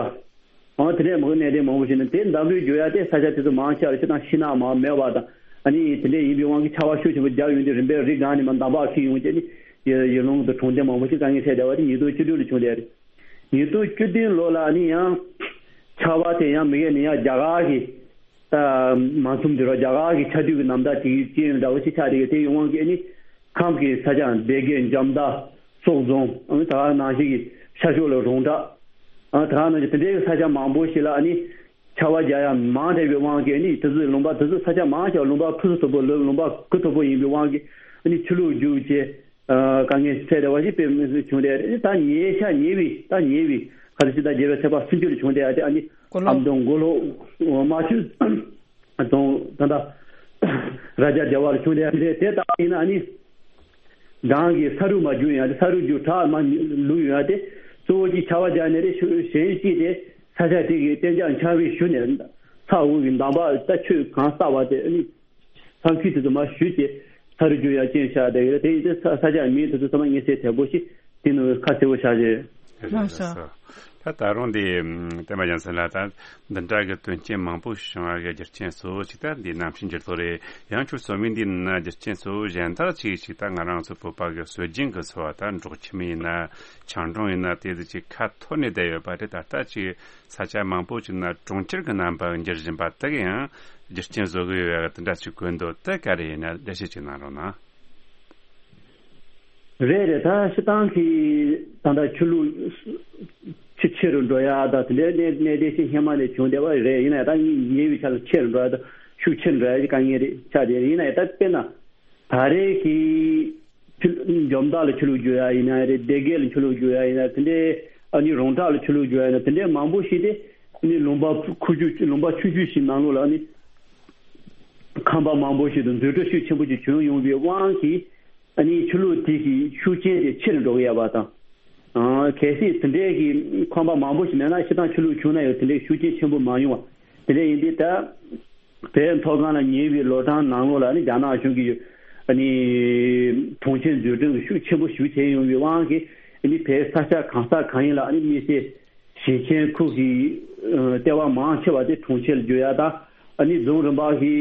ཨ་དེ་འདྲའི་མང་གནད་དོན་མང་པོ་ཞིག་ནི་དེ་འདམ་རུད་རྒྱུག་ཡ་དེ་ས་ཆ་དེ་ཚོ་མང་ཆེ་བ་ལ་སྤྱིར་བཏང་ཤིང་ནགས་མང་མེད་པ་དང་ཨ་ནི་དེ་འདྲའི་ཡིན་པའི་དབང་གིས་ཆར་པ་ཤུགས་ཆེན་པོ་བརྒྱབ་ཡོང་དུས་རིམ་པས་རི་སྒང་ནས་མར་འདམ་བག་འཁྱེར་ཡོང་བྱས་ནི་ཡུལ་ལུང་དང་གྲོང་རྡལ་མང་པོ་ཞིག་དཀའ་ངལ་འཕྲད་བསྡད་པ་དེ་ཉིས་སྟོང་བཅུ་དྲུག་ལ་བྱུང་བསྡད་རེད། ཉིས་སྟོང་བཅུ་བདུན་ལོ་ལ་ནི་ཡང་ཆར་པ་དེ་ཡང་མི་སྒེར་ནས་ཡང་རྒྱ་གར་གྱི་ད་མ་འཛོམས་དུས་ར་རྒྱ་གར་གྱི་ཆར་དུས་ཀྱི་ནམ་ཟླ་དེ་གི་རྐྱེན་འདྲ་བོ་ཞིག་ཆགས་བསྡད་ཀྱི་དེ་ཡི་དབང་གིས་ནི་ཁམས་ཀྱི་ས་ཆ་སྡེ་དགེ་འཇམ་མདའ་སོག་རྫོང་ཨ་ནི་ད་ག་ནང་བཞིན་གྱི་ཤར་ཕྱོགས་ལ་རོང་བྲག་ཨ་ད་ག་ནང་བཞིན་དེ་འདྲའི་ས་ཆ་མང་པོ་ཞིག་ལ་ཨ་ནི་ཆར་པ་རྒྱག་ཡ་མང་དྲགས་པའི་དབང་གིས་ནི་དེ་ཚོའི་ལུང་པ་དེ་ཚོ་ས་ཆ་མང་ཆེ་བ་ལུང་པ་ཕུ་སུ་དོ་པོ་ལུང་པ་གུ་དོ་པོ་ཡིན་པའི་དབང་གིས་ནི་ཆུ་ལུད་རྒྱུག་བྱས། དཀའ་ངལ་འཕྲད་བསྡད་པ་ཞིག་དཔེ་མི་སྲིད་བྱུང་བསྡད་རེད། ད་ཉེ་ཆར་ཉེ་བའི་ད་ཉེ་བའི་ཁ་སང་ཕྱི་ཟླ་བརྒྱད་པའི་ཚེས་པ་སུམ་ཅུ་ལ་བྱུང་བསྡད་ཡ་དེ་ཨ་ནི་མགོ་ལོག་ཨ་མདོ་མགོ་ལོག་རྨ་ཆུ་རྫོང་ད་ལྟ་རྭ་རྒྱ་སྡེ་བ་ལ་བྱུང་བསྡད་ཡ་དེ་དེ་ལྟ་བ་ཡིན་ན་ཨ་ནི་རང་གི་ས་རུད་མར་རྒྱུག་ཡོང་ཡ་དེ་ས་རུད་རྒྱུག་བྲག་མར་ལུད་ཡོང་ཡ་དེ་གཙོ་བོ་གཅིག་ཆར་པ་རྒྱག་ནས་རེད། གཞན་གཅིག་དེ་ས་ཆ་དེ་གི་གཏན་འཇགས་འཁྱགས་རོམ་ཞུ་ནས་ས་འོག་གི་འདམ་བག་ད་ཆུ་གང་བསགས་པ་དེ་ཨ་ནི། ས་ཁུལ་དེ་ཚོ་མར་ཞུས་ཏེ་ས་རུད་རྒྱུག་ཡ་རྐྱེན་བཞག་བསྡད་ཡོད། དེ་ཡིན་ཚེ་ས་ས་ཆ་མིང་དེ་ཚོ་ཚང་མ་མངོན་གསལ་དོད་པོ་ཞིག་དེ་ནང་ཁ་གསལ་པོ་བཞག་བྱས། ལགས་སོ། ད་ད་རུང་འདི་ཨམ་བསྟན་པ་རྒྱལ་མཚན་ལགས། ད་འདི་འདྲ་གི་དོན་རྐྱེན་མང་པོ་བྱུང་བ་གི་རྒྱུ་རྐྱེན་གཙོ་བོ་ཅིག་ད་འདི་གནམ་གཤིས་འགྱུར་ལྡོག་རེད། ཡང་ཁྱོད་གསུངས་མིན་འདི་ན་རྒྱུ་རྐྱེན་གཙོ་བོ་གཞན་དག་ཅིག་ཅིག་ད་ང་རང་ཚོ་བོད་པ་གི་སྲོལ་རྒྱུན་གི་འཚོ་བ་ད་འབྲོག་ཁྱིམ་ཡིན་ན་ཆང་འབྲོང་ཡིན་ན་དེ་ཚོ་ཅིག་ཁ་འཐོར་ནས་བསྡད་ཡོད་པ་རེད། ད་ལྟ་ཅིག་ས་ཆ་མང་པོ་ཅིག་ན་གྲོང་ཁྱེར་གི་རྣམ་པ་འགྱུར་བཞིན་པ་དེ་གི་ཡང་རྒྱུ་རྐྱེན་བཟོ་གི་ཡོད་ཡ་གི་དེ་འདྲ་ཅིག་གོ་འདུག་དེ་ག་རེ་ཡིན་ན་འགྲེལ་བཤད་ཅིག་གནང་རོགས་གནང་། རེད་རེད། ད་སྤྱིར་བཏང་གི་ད་ལྟ་ཆུ་ལོག་ཆུ་ཆེ་རུ་འགྲོ་ཡ་ད་དེ་འདྲའི་གནས་གནས་དེ་ཤི་ཧེ་མ་ནས་བྱུང་བསྡད་པ་རེད། ཡིན་ན་ད་ངས་ཉེ་བའི་ཆར་ལ་ཆེ་རུ་འགྲོ་ཡ་ད་ཤུགས་ཆེ་རུ་འགྲོ་ཡ་གི་དཀའ་ངལ་རེད་ཆགས་བསྡད་རེད། ཡིན་ན་ཡང་ད་དཔེར་ན་ད་རེས་ཀྱི་ཆུ་འཇོ་མདའ་ལ་ཆུ་ལོག་རྒྱུག་ཡ་ཡིན་ན་རེད། སྡེ་དགེ་ལ་ཆུ་ལོག་རྒྱུག་ཡ་ཡིན་ན་དེ་འདྲའི་ཨ་ནི་རོང་བྲག་ལ་ཆུ་ལོག་རྒྱུག་ཡ་ཡིན་ན་དེ་འདྲའི་མང་པོ་ཞིག་དེ་ཨ་ནི་ལུང་པ་ཁུག་ཀྱོག་ལུང་པ་ཆུང་ཆུང་ཞིག་ནང་ལོགས་ལ་ཨ་ནི་ཁང་པ་མང་པོ་ཞིག་ཏུ་འཛུལ་འགྲོ་ཤུགས་ཆེན་པོ་ཞིག་བྱུང་ཡོང་བའི་དབང་གིས་ཨ་ནི་ཆུ་ལོག་དེ་གི་ཤུགས་རྐྱེན་དེ་ཆེ་རུ་འགྲོ་གི་ཡོད་པ་དང་། ཨང་། གལ་སྲིད་དེ་འདྲའི་གི་ཁང་པ་མང་པོ་ཞིག་མེད་ན་སྤྱིར་བཏང་ཆུ་ལོག་བྱུང་ན་ཡང་དེ་འདྲའི་ཤུགས་རྐྱེན་ཆེན་པོ་མ་ཡོང་བ་དེ་འདྲ་ཡིན་དུས་ད་བོད་མཐོ་སྒང་ལ་ཉེ་བའི་ལོ་གྲངས་ནང་ལོགས་ལ་ནི་རྒྱ་ནག་གཞུང་གིས་ཨ་ནི་གྲོང་ཁྱེར་འཛུགས་སྐྲུན་གྱི་ཤུགས་ཆེན་པོ་ཞིག་བྱས་ཡོང་བའི་དབང་གིས་ཨ་ནི་བོད་ས་ཆ་གང་ས་གང་ཡིན་ལ་ཨ་ནི་དམིགས་བསལ་ཞིང་ཆེན་ཁུལ་གྱི་ལྟེ་བ་མང་ཆེ་བ་དེ་གྲོང་ཁྱེར་བསྒྱུར་ཡ་དང་། ཨ་ནི་རྫོང་རིམ་པ་གི་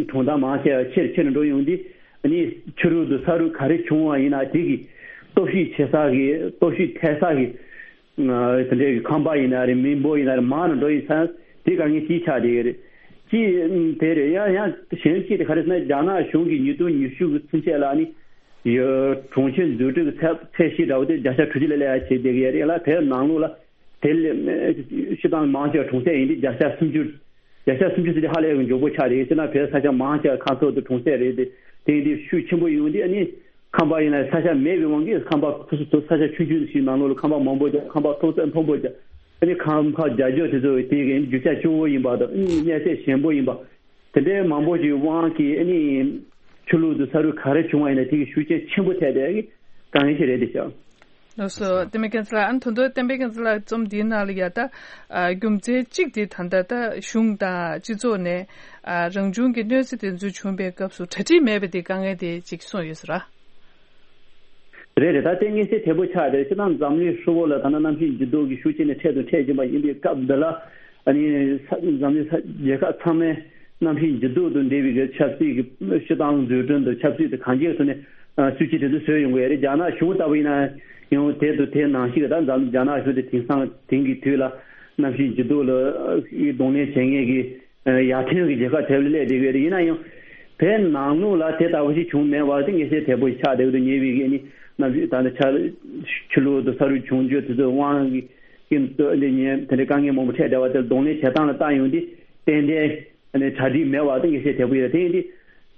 གྲོང་རྡལ་མང་ཆེ་བ་ཆེར་ཆེར་འགྲོ་ཡོང་དུས་ཨ་ནི་ཆུ་རུད་དུ་ས་རུད་ག་རེ་བྱུང་བ་ཡིན་ན་དེ་གི་སྟོབས་ཤུགས་ཆེ་ས་གི་སྟོབས་ཤུགས་འཕེལ་ས་གི་དེ་འདྲའི་གི་ཁང་པ་ཡིན་ན་རེད། མི་འབོར་ཡིན་ན་རེད། མང་རུ་འགྲོ་ཡིན་ཙང་དེ་དཀའ་ངལ་གཅིག་ཆགས་བསྡད་ཡོད་རེད། གཅིག་དེ་རེད། ཡང་ཡང་གཞན་གཅིག་དེ་ག་རེ་ཟེར་ན་རྒྱ་ནག་གཞུང་གི་ཉིས་སྟོང་ཉི་ཤུ་གི་ཚུན་ཆད་ལ་ཨ་ནི་ཡོད་གྲོང་ཁྱེར་འཛུགས་སྐྲུན་གྱི་ཚད་ཚད་གཞི་འདྲ་བོ་དེ་བརྒྱ་ཆ་དྲུག་ཅུ་ལ་སླེབས་ཡ་བྱས་བསྡད་ཀྱི་ཡོད་རེད་ལ། དེའི་ནང་ལོགས་ལ་དེ་ལས་སྤྱིར་བཏང་མང་ཆེ་བ་གྲོང་གསེབ་ཡིན་དུས་བརྒྱ་ཆ་སུམ་ཅུ། བརྒྱ་ཆ་སུམ་ཅུ་ཟེར་དུས་ཧ་ལས་ཀྱི་མགྱོགས་པོ་ཆགས་རེད། སྤྱིར་ན་བོད་ས་ཆ་མང་ཆེ་བ་ཁ་ཐོར་དུ་གྲོང་གསེབ་རེད་དེ། དེ་ཡིན་དུས་ཤུགས་ཆེན་པོ་ཡོང་དུས་ཨ་ནི་ཁང་པ་ཡིན་ན་ས་ཆ་མེད་པའི་དབང་གིས་ཁང་པ་ཁོ་ཚོ་ས་ཆ་ཆུང་ཆུང་ཞིག་ནང་ལོགས་ལ་ཁང་པ་མང་པོ་རྒྱག་ཁང་པ་མཐོ་ས་མཐོན་པོ་རྒྱག་ཨ་ནི་ཁང་པ་རྒྱ་སྐྱོར་དེ་ཚོ་དེ་གའི་རྒྱུ་ཆ་སྐྱོ་བོ་ཡིན་པ་དང་ཨ་ནི་གནས་ཚད་ཞན་པོ་ཡིན་པ། དེ་འདྲའི་མང་པོ་ཞིག་དབང་གིས་ཨ་ནི་ཆུ་ལོག་དང་ས་རུད་ག་རེ་བྱུང་བ་ཡིན་ན་དེ་གི་ཤུགས་རྐྱེན་ཆེན་པོ་ཐེབས་བསྡད་ཀྱི་དཀའ་ངལ་ཞིག་རེད་དེ་ཤག་ལགས་སོ། བསྟན་པའི་རྒྱལ་མཚན་ལགས། ཨ་ནི་ད་དུང་བསྟན་པའི་རྒྱལ་མཚན་ལགས་རྩོམ་འདིའི་ནང་ལ་ཡ་ད་ཨ་རྒྱུ་མཚན་གཅིག་དེ་ད་ལྟ་ད་གཞུང་དང་སྤྱི་ཚོགས་ནས་ཨ་རང་བྱུང་གི་གནོད་འཚེ་དེ་ཚོ་བྱུང་བའི་སྐབས་སུ་གྲ་སྒྲིག་མེད་པ་དེ་དཀའ་ངལ་དེ་གཅིག་གསུངས་ཡོད་ཟེར་ར། རེད་རེད། ད་ལྟའི་དངོས་གནས་དེ་པོ་ཆགས་རེད། སྤྱིར་བཏང་འཛམ་གླིང་ཧྲིལ་བོ་ལ་ད་ལྟ་གནམ་གཤིས་འགྱུར་ལྡོག་གི་ཤུགས་རྐྱེན་ནི་འཕྲད་དང་འཕྲད་བཞིན་པ་ཡིན་པའི་སྐབས་འདི་ལ་ཨ་ནི་ས་འཛམ་གླིང་ས་རྒྱལ་ཁབ་ཚང་མས་གནམ་གཤིས་འགྱུར་ལྡོག་དང་འབྲེལ་བའི་གི་ཆབ་སྲིད་ཀྱི་སྤྱིར་བཏང་འཛུགས་སྐྲུན་དང་ཆབ་སྲིད་དང་གང་ཅིའི་ཐོག་ནས་སྲིད་ཇུས་དེ་ཚོ་བཟོས་ཡོང་གི་ཡོད་རེད། རྒྱ་ནག་གཞུང་ལྟ་བུ་ཡིན་ན་ཡང་དེ་དང་དེ་ནང་བཞིན་གྱི་ད་འཛམ་རྒྱ་ནག་གཞུང་དེ་དེང་སང་དེང་གི་དུས་ལ་གནམ་གཤིས་འགྱུར་ལྡོག་ལ་གདོང་ལེན་བྱེད་མཁན་གྱི་ཡར་ཐོན་གྱི་རྒྱལ་ཁབ་དེ་ལ་སླེབས་བསྡད་ཡོད་རེད། ཡིན་ན་ཡང་བོད་ནང་ལོགས་ལ་དེ་ལྟ་བུ་ཞིག་བྱུང་མེད་པ་དེ་དངོས་གནས་དེ་པོ་ཞིག་ཆགས་བསྡད་ཡོད་དུ་ཉེ་བའི་གི་ནི་གནམ་གཤིས་ད་ནི་ཆ་ཆུ་ལོག་དང་ས་རུད་བྱུང་རྒྱུ་དེ་ཚོའི་དབང་གིས་ཀྱི་འདི་ཉེ་དེ་འདྲའི་དཀའ་ངལ་མང་པོ་འཕྲད་བསྡད་པ་དེ་ལ་གདོང་ལེན་བྱེད་སྟངས་ལ་བལྟ་ཡོང་དུས་ཏན་ཏན་ཨ་ནི་གྲ་སྒྲིག་མེད་པ་དེ་དངོས་གནས་དེ་པོ་ཡོད་རེད། དེ་ཡིན་དུས་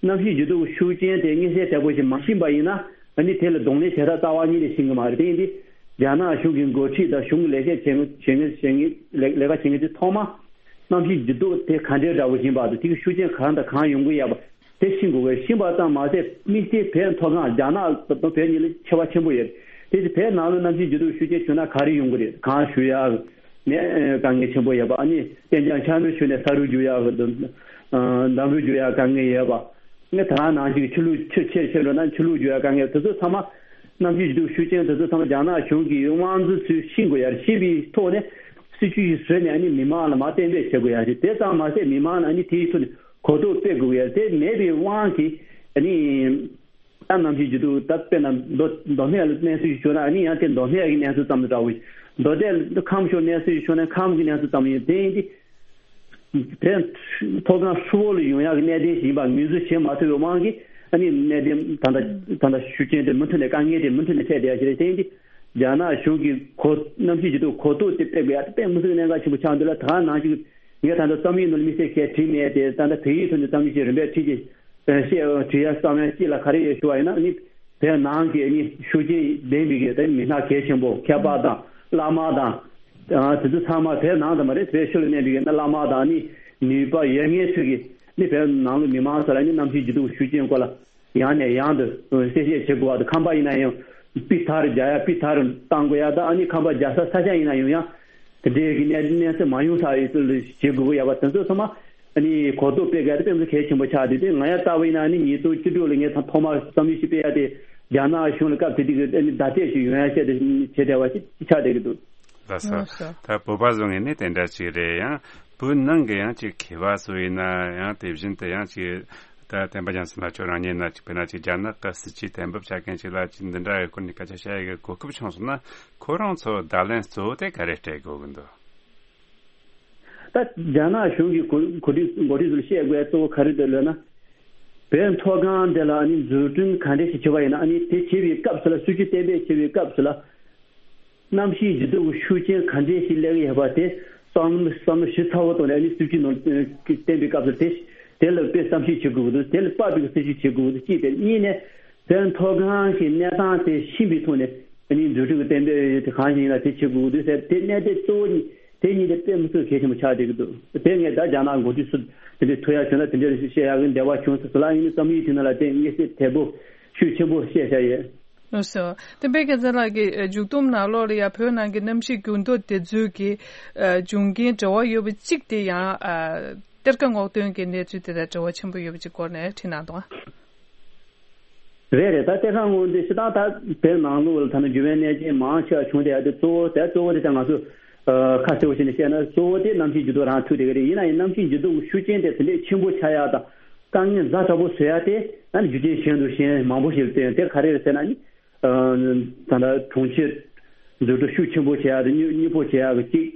གནམ་གཤིས་འགྱུར་ལྡོག་གི་ཤུགས་རྐྱེན་དེ་དངོས་གནས་དེ་པོ་ཞིག་མ་ཤེས་པ་ཡིན་ན་ཨ་ནི་དེ་ལ་གདོང་ལེན་བྱེད་སྟངས་རྩ་བ་ཉིད་ནས་ཤེས་ཀྱི་མ་རེད། དེ་ཡིན་དུས་རྒྱ་ནག་གཞུང་གི་འགོ་ཁྲིད་དང་གཞུང་གི་ལས་བྱེད་བྱེད་མཁན་བྱེད་མཁན་བྱེད་མཁན་ལས་ལས་ཀ་བྱེད་མཁན་དེ་ཐོག་མ་གནམ་གཤིས་འགྱུར་ལྡོག་དེ་ག་འདྲའི་འདྲ་བོ་ཡིན་པ་དང་དེ་གི་ཤུགས་རྐྱེན་གང་དང་གང་ཡོང་གི་ཡོད་པ་དེ་ཤེས་དགོས་པས། ཤེས་པ་ཙམ་མ་ཟད་དམིགས་བསལ་བོད་མཐོ་སྒང་རྒྱ་ནག་དང་བོད་གཉིས་ལ་ཁྱད་པར་ཆེན་པོ་ཡོད། དེ་ཚེ་བོད་ནང་ལ་གནམ་གཤིས་འགྱུར་ལྡོག་ཤུགས་རྐྱེན་བྱུང་ན་ག་རེ་ཡོང་གི་རེད། གངས་ཞུ་ཡག་ནས་དཀའ་ངལ་ཆེན་པོ་ཡོད་པ། ཨ་ནི་གཏན་འཇགས་འཁྱགས་རོམ་ཤུགས་ནས་ས་རུད་རྒྱུག་ཡག་གི་འདམ་རུད་རྒྱུག་ཡག་དཀའ་ངལ་ཡོད་པ། ངས་ད་ག་ནང་བཞིན་ཆུ་ལུད་ཆུ་ཆེར་ཆེར་འགྲོ་ན་ཆུ་ལུད་རྒྱུག་ཡག་དཀའ་ངལ་དེ་ཚོ་ཚང་མ་གནམ་གཤིས་འགྱུར་ལྡོག་ཤུགས་རྐྱེན་དེ་ཚོ་ཚང་མ་རྒྱ་ནག་གཞུང་གི་དབང་འཛིན་ཚོས་ཤེས་དགོས་ཡ་རེད། ཤེས་པའི་ཐོག་ནས་སྲིད་ཇུས་ཤིག་བཟོས་ནས་ཨ་ནི་མི་མང་ལ་མར་གཏན་འབེབས་བྱེད་དགོས་ཡ་རེད། དེ་ཙམ་མ་ཟད་མི་མང་ལ་ཨ་ནི་དེའི་ཐོག་ནས་གོ་རྟོགས་སྤེལ་དགོས་ཡ་རེད། དེ་མེད་པའི་དབང་གིས་ཨ་ནི་ད་གནམ་གཤིས་འགྱུར་ལྡོག་ད་དཔེར་ན་མདོ་མདོ་སྨད་ལ་གནས་ཚུལ་ཞིག་བྱུང་ན་ཨ་ནི་ཡང་དེ་མདོ་སྨད་ཀྱི་གནས་ཚུལ་ཙམ་དུ་འདྲ་བོ་ཞིག་མདོ་སྟོད་ཁམས་ཕྱོགས་གནས་ཚུལ་ཞིག་བྱུང་ན་ཁམས་ཀྱི་གནས་ཚུལ་ཙམ་ཡིན། དེ་ཡིན་དུས། དེ་མཐོ་སྒང་ཧྲིལ་བོ་ལ་ཡོང་ཡག་གི་གནད་དོན་ཞིག་ཡིན་པ་ངོས་འཛིན་བྱེད་མ་ཐུབ་པའི་དབང་གིས་ཨ་ནི་གནད་དོན་ད་ལྟ་ད་ལྟ་ཤུགས་རྐྱེན་དེ་མུ་མཐུད་ནས་དཀའ་ངལ་དེ་མུ་མཐུད་ནས་འཕྲད་བསྡད་ཡ་ཞིག་རེད། དེ་ཡིན་དུས་རྒྱ་ནག་གཞུང་གིས་གོ་གནམ་གཤིས་འགྱུར་ལྡོག་གོ་རྟོགས་དེ་སྤེལ་དགོས་ཡ་དེ་དཔེ་མི་སྲིད་གནད་འགག་ཆེན་པོ་ཆགས་འདུག་ལ། ད་ག་ནང་བཞིན་ངས་ད་ལྟ་རྩོམ་ཡིག་ནང་ལ་དམིགས་བསལ་གང་ཡང་བྲིས་མེད་དེ། ད་ལྟ་བོད་ཡིག་ཐོག་ནས་རྩོམ་ཡིག་ཅིག་རིམ་པས་བྲིས་ཏེ། བཤད་བྲིས་ཡ་བསམ་ཡ་སྐྱིད་ལ་ག་རེ་ཡོད་ཞུ་བ་ཡིན་ན་ནི་བོད་ནང་གི་ནི་ཤུགས་རྐྱེན་ལྡན་པའི་གི་ད་མི་སྣ་གལ་ཆེན་པོ་མཁས་པ་དང་བླ་མ་དང་དེ་ཚོ་ཚང་མ་བོད་ནང་དུ་མ་རེད། བོད་ཕྱི་ལ་གནས་པའི་གི་བླ་མ་དང་ནི་ནུས་པ་ཡོད་མཁན་ཚོས་གི་ནི་བོད་ནང་ལ་མི་མང་ཚོ་ལ་ནི་གནམ་གཤིས་འགྱུར་ལྡོག་ཤུགས་རྐྱེན་སྐོར་ལ་ཡང་ནས་ཡང་དུ་གསལ་བཤད་བྱེད་དགོས་པ་དང་། ཁང་པ་ཡིན་ན་ཡང་དཔེ་མཐར་རྒྱག་ཡ་དཔེ་མཐར་བཏང་དགོས་ཡ་དང་། ཨ་ནི་ཁང་པ་རྒྱག་ས་ས་ཆ་ཡིན་ན་ཡང་ཡང་དེ་འདྲའི་གི་གནས་གནས་ཚུལ་མ་ཡོང་ས་ཡི་ཚུལ་བྱེད་དགོས་ཀྱི་ཡོད་པ་དེ་ཚོ་ཚང་མ་ཨ་ནི་གོ་རྟོགས་སྤེལ་དགོས་ཡ་དེ་དཔེ་མི་སྲིད་གལ་ཆེན་པོ་ཆགས། དེ་དེ་ང་ཡ་ལྟ་བུ་ཡིན་ན་ཨ་ནི་ཉིས་སྟོང་བཅུ་དྲུག་ལ་ངས་ཐོག་མར་བསམ་ཡུལ་ཞིག་སྤེལ་ཡ་དེ་རྒྱ་ནག་གཞུང་ལ་སྐབས་དེ་དུས་ཀྱི་ཨ་ནི་བརྡ་སྤྲོད་ཞིག་ཡོང་ཡ་བཤད་དེ་བྱེད་བསྡད་པ་ཞིག་ཆགས་བསྡད་ཀྱི་འདུག་ལགས་སོ། ལགས་སོ། ད་བོད་པ་བཟོ་ངེས་ནས་དེ་འདྲ་ཅིག་རེད། ཡང་བོད་ནང་གི་ཡང་ཅིག་མཁས་པ་ཚོ་ཡིན་ན་ཡང་དེ་བཞིན་དུ་ཡང་ཅིག་ད་བསྟན་པ་རྒྱ་མཚོ་ལགས་ཁྱོད་རང་ཉིད་ན་ཅིག་དཔེར་ན་ཅིག་རྒྱ་ནག་གི་སྲིད་ཇུས་གཏན་འབེབས་བྱ་མཁན་ཅིག་ལ་ཅིག་འདི་འདྲ་ཡི་སྐོར་ནས་སྐད་ཆ་བཤད་ཡ་གི་གོ་སྐབས་བྱུང་སོང་ན། ཁོ་རང་ཚོ་བརྡ་ལན་གཙོ་བོ་དེ་ག་རེ་སྤྲད་དགོས་ཀྱི་འདུག་ད་རྒྱ་ནག་གཞུང་གིས་གོ་གོ་སྒྲིག་འགོ་ཁྲིད་ཚོར་བཤད་དགོས་གཙོ་བོ་ག་རེ་འདུག་ལབ་ན། བོད་མཐོ་སྒང་འདི་ལ་ཨ་ནི་འཛུགས་སྐྲུན་ག་འདྲས་ཤིག་བྱེད་པ་ཡིན་ན། ཨ་ནི་དེ་བྱེད་པའི་སྐབས་སུ་ལ་སྲིད་ཇུས་གཏན་འབེབས་བྱེད་པའི་སྐབས་སུ་ལ། གནམ་གཤིས་འགྱུར་ལྡོག་གི་ཤུགས་རྐྱེན་ག་འདྲས་ཤིག་སླེབས་ཀྱི་ཡོད་པ་དེ་བསམ་བསམ་བློ་ཞིབ་ཚགས་པོ་བཏང་ནས། ཨ་ནི་སྲིད་ཇུས་ནང་གཏན་འབེབས་སྐབས་སུ་དེ་དེ་ལ་དཔེ་བསམ་གཞིག་བྱེད་དགོས་ཀྱི་འདུག་དེ་ལ་དཔག་པའི་སྲིད་ཇུས་བྱེད་དགོས་ཀྱི་འདུག་གཅིག་དེ། གཉིས་ནས་བོད་མཐོ་སྒང་གི་གནས་སྟངས་དེ་ཤེས་པའི་ཐོག་ནས། ཨ་ནི་འཛུགས་སྐྲུན་གྱི་གཏན་འབེབས་དེ་གང་ཞིག་ཡིན་ན་དེ་བྱེད་དགོས་ཀྱི་འདུག་ཟེར། དེ་གནད་དོན་གཙོ་བོ་གཉིས་དེ་གཉིས་དེ་དཔེ་མི་སྲིད་གལ་ཆེན་པོ་ཆགས་བསྡད་ཀྱི་འདུག་དེ་ངས་ད་རྒྱ་ནག་འགོ་ཁྲིད་ཚོ་དེ་འདྲའི་ཐུག་ཡག་བྱུང་ན་དེ་འདྲའི་བཤད་ཡག་གི་འདོད་པ་བྱུང་སོང་ཟེར་ལ། ཡིན་ནའི་བསམ་ཡུལ་དེ་ནང་ལ་དེ་དངོས་གནས་དལ་པོ་ཤུགས་ཆེན་པོ་བཤད་བཞག་ཡོད། ལགས་སོ། བསྟན་པའི་རྒྱལ་མཚན་ལགས་ཀྱིས་མཇུག་བསྡོམས་ནང་ལོགས་ལ་ཡང་བོད་ནང་གི་གནམ་གཤིས་འགྱུར་ལྡོག་དེ་ཚོའི་གི་ཨ་འབྱུང་རྐྱེན་འབྲེལ་བ་ཡོད་པ་གཅིག་དེ་ཡང་ཨ་གཏེར་ཁ་སྔོག་འདོན་གྱི་གནས་ཚུལ་དེ་དང་འབྲེལ་བ་ཆེན་པོ་ཡོད་པ་གཅིག་སྐོར་ནས་བྲིས་གནང་འདུག་རེད་རེད། ད་གཏེར་ཁ་སྔོག་འདོན་སྤྱིར་བཏང་ད་བོད་ནང་ལོགས་ལ་ད་ནི་འགྱུར་བའི་གནས་རྐྱེན་མང་ཆེ་བ་བྱུང་བསྡད་ཡ་དེ་གཙོ་བོ་དེ་གཙོ་བོ་དེ་ད་ང་ཚོ་ཨ་ཁ་གསལ་པོ་བྱས་ནས་བཤད་ན་གཙོ་བོ་དེ་གནམ་གཤིས་འགྱུར་ལྡོག་རང་ཐུག་བསྡད་ཀྱི་རེད། ཡིན་ན་ཡང་གནམ་གཤིས་འགྱུར་ལྡོག་གི་ཤུགས་རྐྱེན་དེ་དེ་འདྲའི་ཆེན་པོ་ཆགས་ཡ་དང་དཀའ་ངལ་ཛ་དྲག་པོ་བཟོ་ཡ་དེ་ཨ་ནི་རྒྱུ་རྐྱེན་གཞན་དང་གཞན་མང་པོ་ཞིག་ལ་བརྟེན། དེ་ག་རེ་རེད་ཟེར་ན་ནི། ད་ལྟ་གྲོང་ཁྱེར་འཛུགས་སྐྲུན་ཤུགས་ཆེན་པོ་བྱེད་ཡག་དང་མྱུར་མྱུར་པོ་བྱེད་ཡག་གི་གཅིག་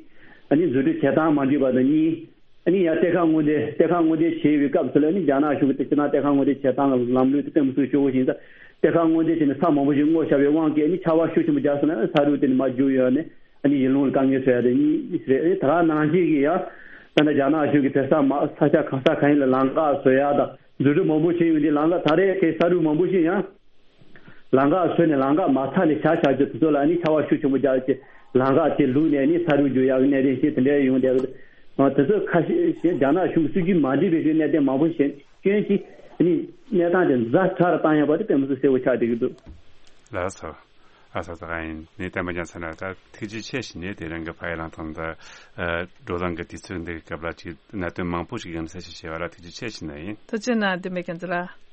ཨ་ནི་འཛུགས་སྐྲུན་བྱེད་སྟངས་མ་འགྲིག་པ་དང་གཉིས། ཨ་ནི་ཡང་གཏེར་ཁ་སྔོག་འདོན་གཏེར་ཁ་སྔོག་འདོན་བྱེད་པའི་སྐབས་སུ་ལ་ནི་རྒྱ་ནག་གཞུང་གི་སྤྱིར་བཏང་གཏེར་ཁ་སྔོག་འདོན་བྱེད་སྟངས་ལམ་ལུགས་དེ་དཔེ་མི་སྲིད་སྐྱོ་བོ་ཞིག་ཡིན་ཙང་། གཏེར་ཁ་སྔོག་འདོན་བྱས་ནས་ས་མང་པོ་ཞིག་སྔོག་བཞག་པའི་དབང་གིས་ཨ་ནི་ཆར་པ་ཤུགས་ཆེན་པོ་རྒྱག་སོང་ན་ས་རུད་དེ་ནི་མར་རྒྱུག་ཡོང་ནས་ཨ་ནི་ཡུལ་ལུང་ལ་དཀའ་ངལ་བཟོ་ཡག་དེ་གཉིས་རེད། ད་ག་ནང་བཞིན་གྱི་ཡང་ད་ལྟ་རྒྱ་ནག་གཞུང་གིས་བོད་ས་མ་ས་ཆ་གང་ས་གང་ཡིན་ལ་ལམ་འགག་བཟོ་ཡག་དང་འཛུགས་སྐྲུན་མང་པོ་བྱས་ཡོང་དུས་ལམ་འགག་ད་རེས་ཀྱི་ས་རུད་མང་པོ་ཞིག་ཡང་། ལམ་འགག་བཟོས་ནས་ལམ་འགག་མ་ཚར་ནས་བྱ་བྱ་རྒྱུ་དེ་ཚོ་ལ་ནི་ཆར་པ་ཤུགས་ཆེན་པོ་རྒྱག་བྱས་ལམ་འགག་དེ་ལུག་ནས་ནི་ས་རུད་རྒྱུག་ཡག་གི་གནད་དོན་ཞིག་དེ་འདྲ་ཡོང་བསྡད་ཡོད། དེ་ཚོ་ཁ་ཤས་ཤིག་རྒྱ་ནག་གཞུང་གི་སྲིད་ཇུས་མ་འགྲིག་པའི་གནད་དོན་མང་པོ་ཞིག་སྐྱོན་གྱིས་ནི་གནས་སྟངས་དེ་ཛ་དྲག་ཏུ་བཏང་ཡོད་པ་དེ་དཔེ་མི་སྲིད་གསལ་པོ་ཆགས་བསྡད་ཀྱི་འདུག་ལགས་སོ། ཨ་ས་ས་ཨ་ཡིན་ནི་བསྟན་པ་རྒྱ་མཚན་ལགས་ད་ཐུགས་རྗེ་ཆེ་ཞུ་ནས་དེ་རིང་གི་ཕ་ཡི་ལང་ཐང་ད་བགྲོ་གླེང་གི་དུས་ཚོད་འདི་གི་སྐབས་ལ་ཅིག་གནད་དོན་མང་པོ་ཞིག་ཡང་གསལ་བཤད་བྱས་པ་ལ་ཐུགས་རྗེ་ཆེ་ཞུ་ནི་ཡིན། ཐུགས་རྗེ་གནང་བསྟན་པའི་རྒྱ་མཚན་ལགས།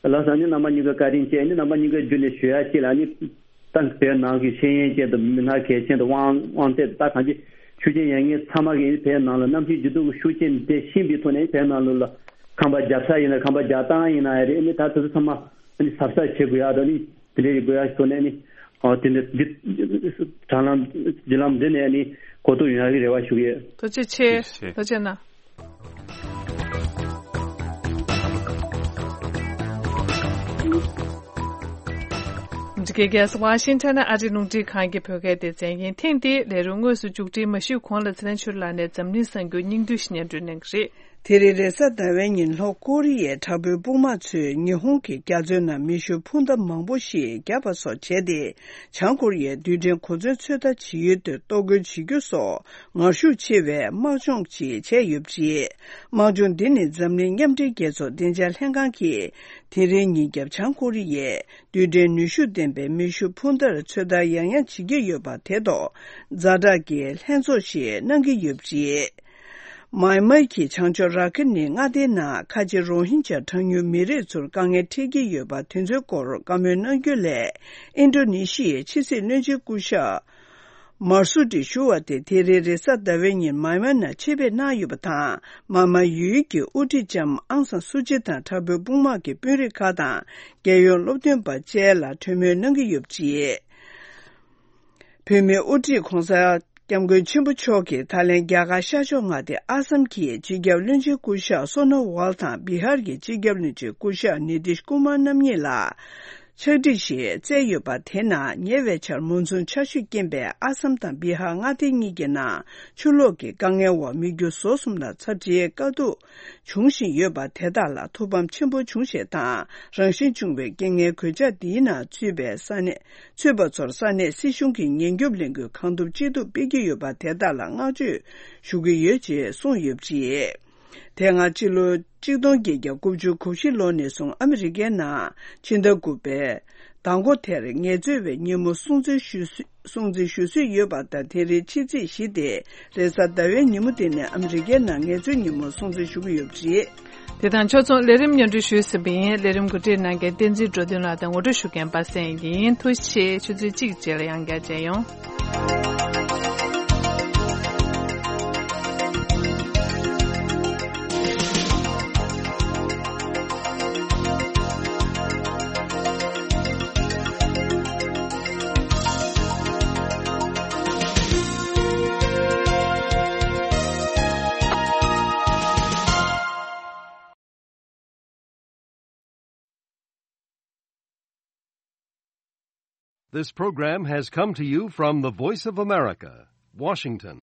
ལགས་སོ། ཨ་ནི་རྣམ་པ་གཉིས་ཀ་བཀའ་དྲིན་ཆེ། ཨ་ནི་རྣམ་པ་གཉིས་ཀ་བརྒྱུད་ནས་ཞུ་ཡ་གཅིག་ལ་ཨ་ནི་ད་བོད་ནང་གི་ཤེས་ཡོན་ཅན་དང་མི་སྣ་གལ་ཆེན་དང་དབང་དབང་ཚད་དང་ད་གང་ཅི་ཤུགས་རྐྱེན་ཡོད་མཁན་ཚང་མ་གིས་བོད་ནང་ལ་གནམ་གཤིས་འགྱུར་ལྡོག་གི་ཤུགས་རྐྱེན་དེ་ཤེས་པའི་ཐོག་ནས་བོད་ནང་ལོགས་ལ་ཁང་པ་རྒྱབ་ས་ཡིན་ན་ཁང་པ་རྒྱག་སྟངས་ཡིན་ན་ཡང་རེད། ཨ་ནི་ད་དེ་ཚོ་ཚང་མ་ཨ་ནི་གཟབ་གཟབ་བྱེད་དགོས་ཡ་དང་ཨ་ནི་དེ་འདྲའི་དགོས་ཡ་ཐོག་ནས་ཨ་ནི་ཨ་དེ་འདྲ་འདི་དྲ་ལམ་བརྒྱུད་ལམ་འདི་ནས་ཨ་ནི་གོ་རྟོགས་ཡོང་ཡ་གི་རེ་བ་ཞུ་གི་ཡོད། ཐུགས་རྗེ་ཆེ། ཐུགས་རྗེ་ཆེ། ཐུགས་རྗེ་གནང་། འདི་གའི་རྒྱལ་ས་ཝ་ཤིང་ཊོན་ཨ་རིའི་རླུང་འཕྲིན་ཁང་གི་བོད་སྐད་སྡེ་ཚན་ཡིན། ཐེངས་འདིའི་ལས་རིམ་དངོས་སུ་མཇུག་སྒྲིལ་མ་ཞུས་གོང་ལ་ཚེ་རིང་ཆོས་ལགས་ནས་འཛམ་གླིང་གསར་འགྱུར་སྙིང་བསྡུས་ཤིག་སྙན་སྒྲོན་གནང་གི་རེད། དེ་རིང་རེས་གཟའ་ཟླ་བའི་ཉིན་ལྷོ་ཀོ་རི་ཡའི་དྲག་པོའི་དཔུང་དམག་ཚོས་ཉི་ཧོང་གི་རྒྱ་མཚོའི་ནང་མེ་ཤུགས་འཕུར་མདའ་མང་པོ་ཞིག་བརྒྱབ་པ་སོགས་བྱས་ཏེ། བྱང་ཀོ་རི་ཡའི་རྡུལ་ཕྲན་གོ་མཚོན་ཚོད་ལྟ་བྱེད་ཡུལ་དུ་གཏོར་རྒོལ་བྱེད་རྒྱུ་སོགས་ངར་ཤུགས་ཆེ་བའི་དམག་སྦྱོང་ཅིག་བྱས་ཡོད་པ་རེད། དམག་སྦྱོང་འདི་ནི་འཛམ་གླིང་མཉམ་འབྲེལ་རྒྱལ་ཚོགས་བདེ་འཇགས་ལྷན་ཁང་གིས་དེ་རིང་ཉིན་རྒྱབ་བྱང་ཀོ་རི་ཡས་རྡུལ་ཕྲན་ནུས་ཤུགས་ལྡན་པའི་མེ་ཤུགས་འཕུར་མདའ་ཚོད་ལྟ་ཡང་ཡང་བྱེད་ཀྱི་ཡོད་པ་དེ་ཐོག་ཛ་དྲག་གི་ལྷན་ཚོགས་ཤིག་གནང་གི་ཡོད་པ་རེད། མཱ་ཡན་མར་གྱི་བྱང་ཕྱོགས་ར་ཁིན་ནི་མངའ་སྡེའི་ནང་ཁ་ཆེ་རོ་ཧིན་ཇཱ་གྲངས་ཉུང་མི་རིགས་ཚོར་དཀའ་ངལ་འཕྲད་ཀྱི་ཡོད་པ་དེ་ཚོའི་སྐོར་བཀའ་མོལ་གནང་རྒྱུ་སླད་ཨིན་ཌོ་ནེ་ཤི་ཡའི་ཕྱི་སྲིད་བློན་ཆེན་སྐུ་ཞབས་མར་སུ་ཏི་ཞུ་བ་དེ་དེ་རིང་རེས་གཟའ་ཟླ་བའི་ཉིན་མཱ་ཡན་མར་ནང་ཆེད་ཕེབས་གནང་ཡོད་པ་དང་། མཱ་མ་ཡུལ་གྱི་དབུ་ཁྲིད་ལྕམ་ཨང་སང་སུ་ཅི་དང་དྲག་པོའི་དཔུང་དམག་གི་དཔོན་རིགས་ཁག་དང་རྒྱལ་ཡོངས་སློབ་སྟོན་པ་བཅས་ལ་གྲོས་མོལ་གནང་གི་ཡོད་པ་རེད། བོད་མིའི་དབུ་ཁྲིད་༧གོང་ས་༧སྐྱབས་མགོན་ཆེན་པོ་མཆོག་གིས་ད་ལན་རྒྱ་གར་ཤར་ཕྱོགས་མངའ་སྡེ་ཨ་སམ་གྱི་སྤྱི་ཁྱབ་བློན་ཆེན་སྐུ་ཞབས་སོ་ནོ་ཝལ་དང་བི་ཧར་གྱི་སྤྱི་ཁྱབ་བློན་ཆེན་སྐུ་ཞབས་ནི་ཏིཤ་ཀུ་མར་རྣམ་གཉིས་ལ་ཕྱག་བྲིས་ཤིག་བསྩལ་ཡོད་པ་དེ་ནང་ཉེ་བའི་ཆར་མོན་སུན་ཆར་ཆུས་རྐྱེན་པས་ཨ་སམ་དང་བི་ཧར་མངའ་སྡེ་གཉིས་ཀྱི་ནང་ཆུ་ལོག་གི་དཀའ་ངལ་འོག་མི་རྒྱུ་ཟོག་གསུམ་ལ་ཚབས་ཆེའི་དཀའ་སྡུག་འབྱུང་བཞིན་ཡོད་པ་དེ་དག་ལ་ཐུགས་ཕམ་ཆེན་པོ་བྱུང་ཞེས་དང་། རང་བཞིན་བྱུང་བའི་རྐྱེན་ངན་གོད་ཆག་འདིའི་ནང་ཚུད་པའི་ས་གནས་ཚུད་པ་ཚོར་ས་གནས་སྲིད་གཞུང་གིས་ཉེན་སྐྱོབ་ལས་འགུལ་གང་ཐུབ་ཅི་ཐུབ་སྤེལ་གྱི་ཡོད་པ་དེ་དག་ལ་བསྔགས་བརྗོད་ཞུ་གི་ཡོད་ཅེས་གསུངས་ཡོད་པ་རེད། དེ་སྔ་སྤྱི་ལོ་གཅིག་སྟོང་བརྒྱད་བརྒྱ་དགུ་བཅུ་གོ་བཞི་ལོ་ནས་བཟུང་ཨ་མི་རི་ཀའི་ནང་ཕྱི་ཟླ་དགུ་པའི་ཟླ་མགོ་དེར་ངལ་རྩོལ་བའི་ཉིན་མོ་སྲུང་བརྩི་ཞུ་སྲོལ་སྲུང་བརྩི་ཞུ་སྲོལ་ཡོད་པ་དང་། དེ་རིང་ཕྱི་ཚེས་བཞི་སྟེ་རེས་གཟའ་ཟླ་བའི་ཉིན་མོ་དེ་ནི་ཨ་མི་རི་ཀའི་ནང་ངལ་རྩོལ་ཉིན་མོ་སྲུང་བརྩི་ཞུ་གི་ཡོད་པ་རེད། དེ་དང་ཕྱོགས་མཚུངས་ལས་རིམ་སྙན་སྒྲོན་ཞུས་ཟིན་པ་ཡིན། ལས་རིམ་གོ་སྒྲིག་གནང་མཁན་བསྟན་འཛིན་འགྲོ་དོན་ལགས་དང་ངོ་སྤྲོད་ཞུ་མཁན་པ་སངས་ཡིན། ཐུགས་རྗེ་ཆེ། ཆུ་ཚོད་གཅིག་རྗེས་ལ་ཡང་བསྐྱར་མཇལ་ཡོང་། This program has come to you from the Voice of America, Washington.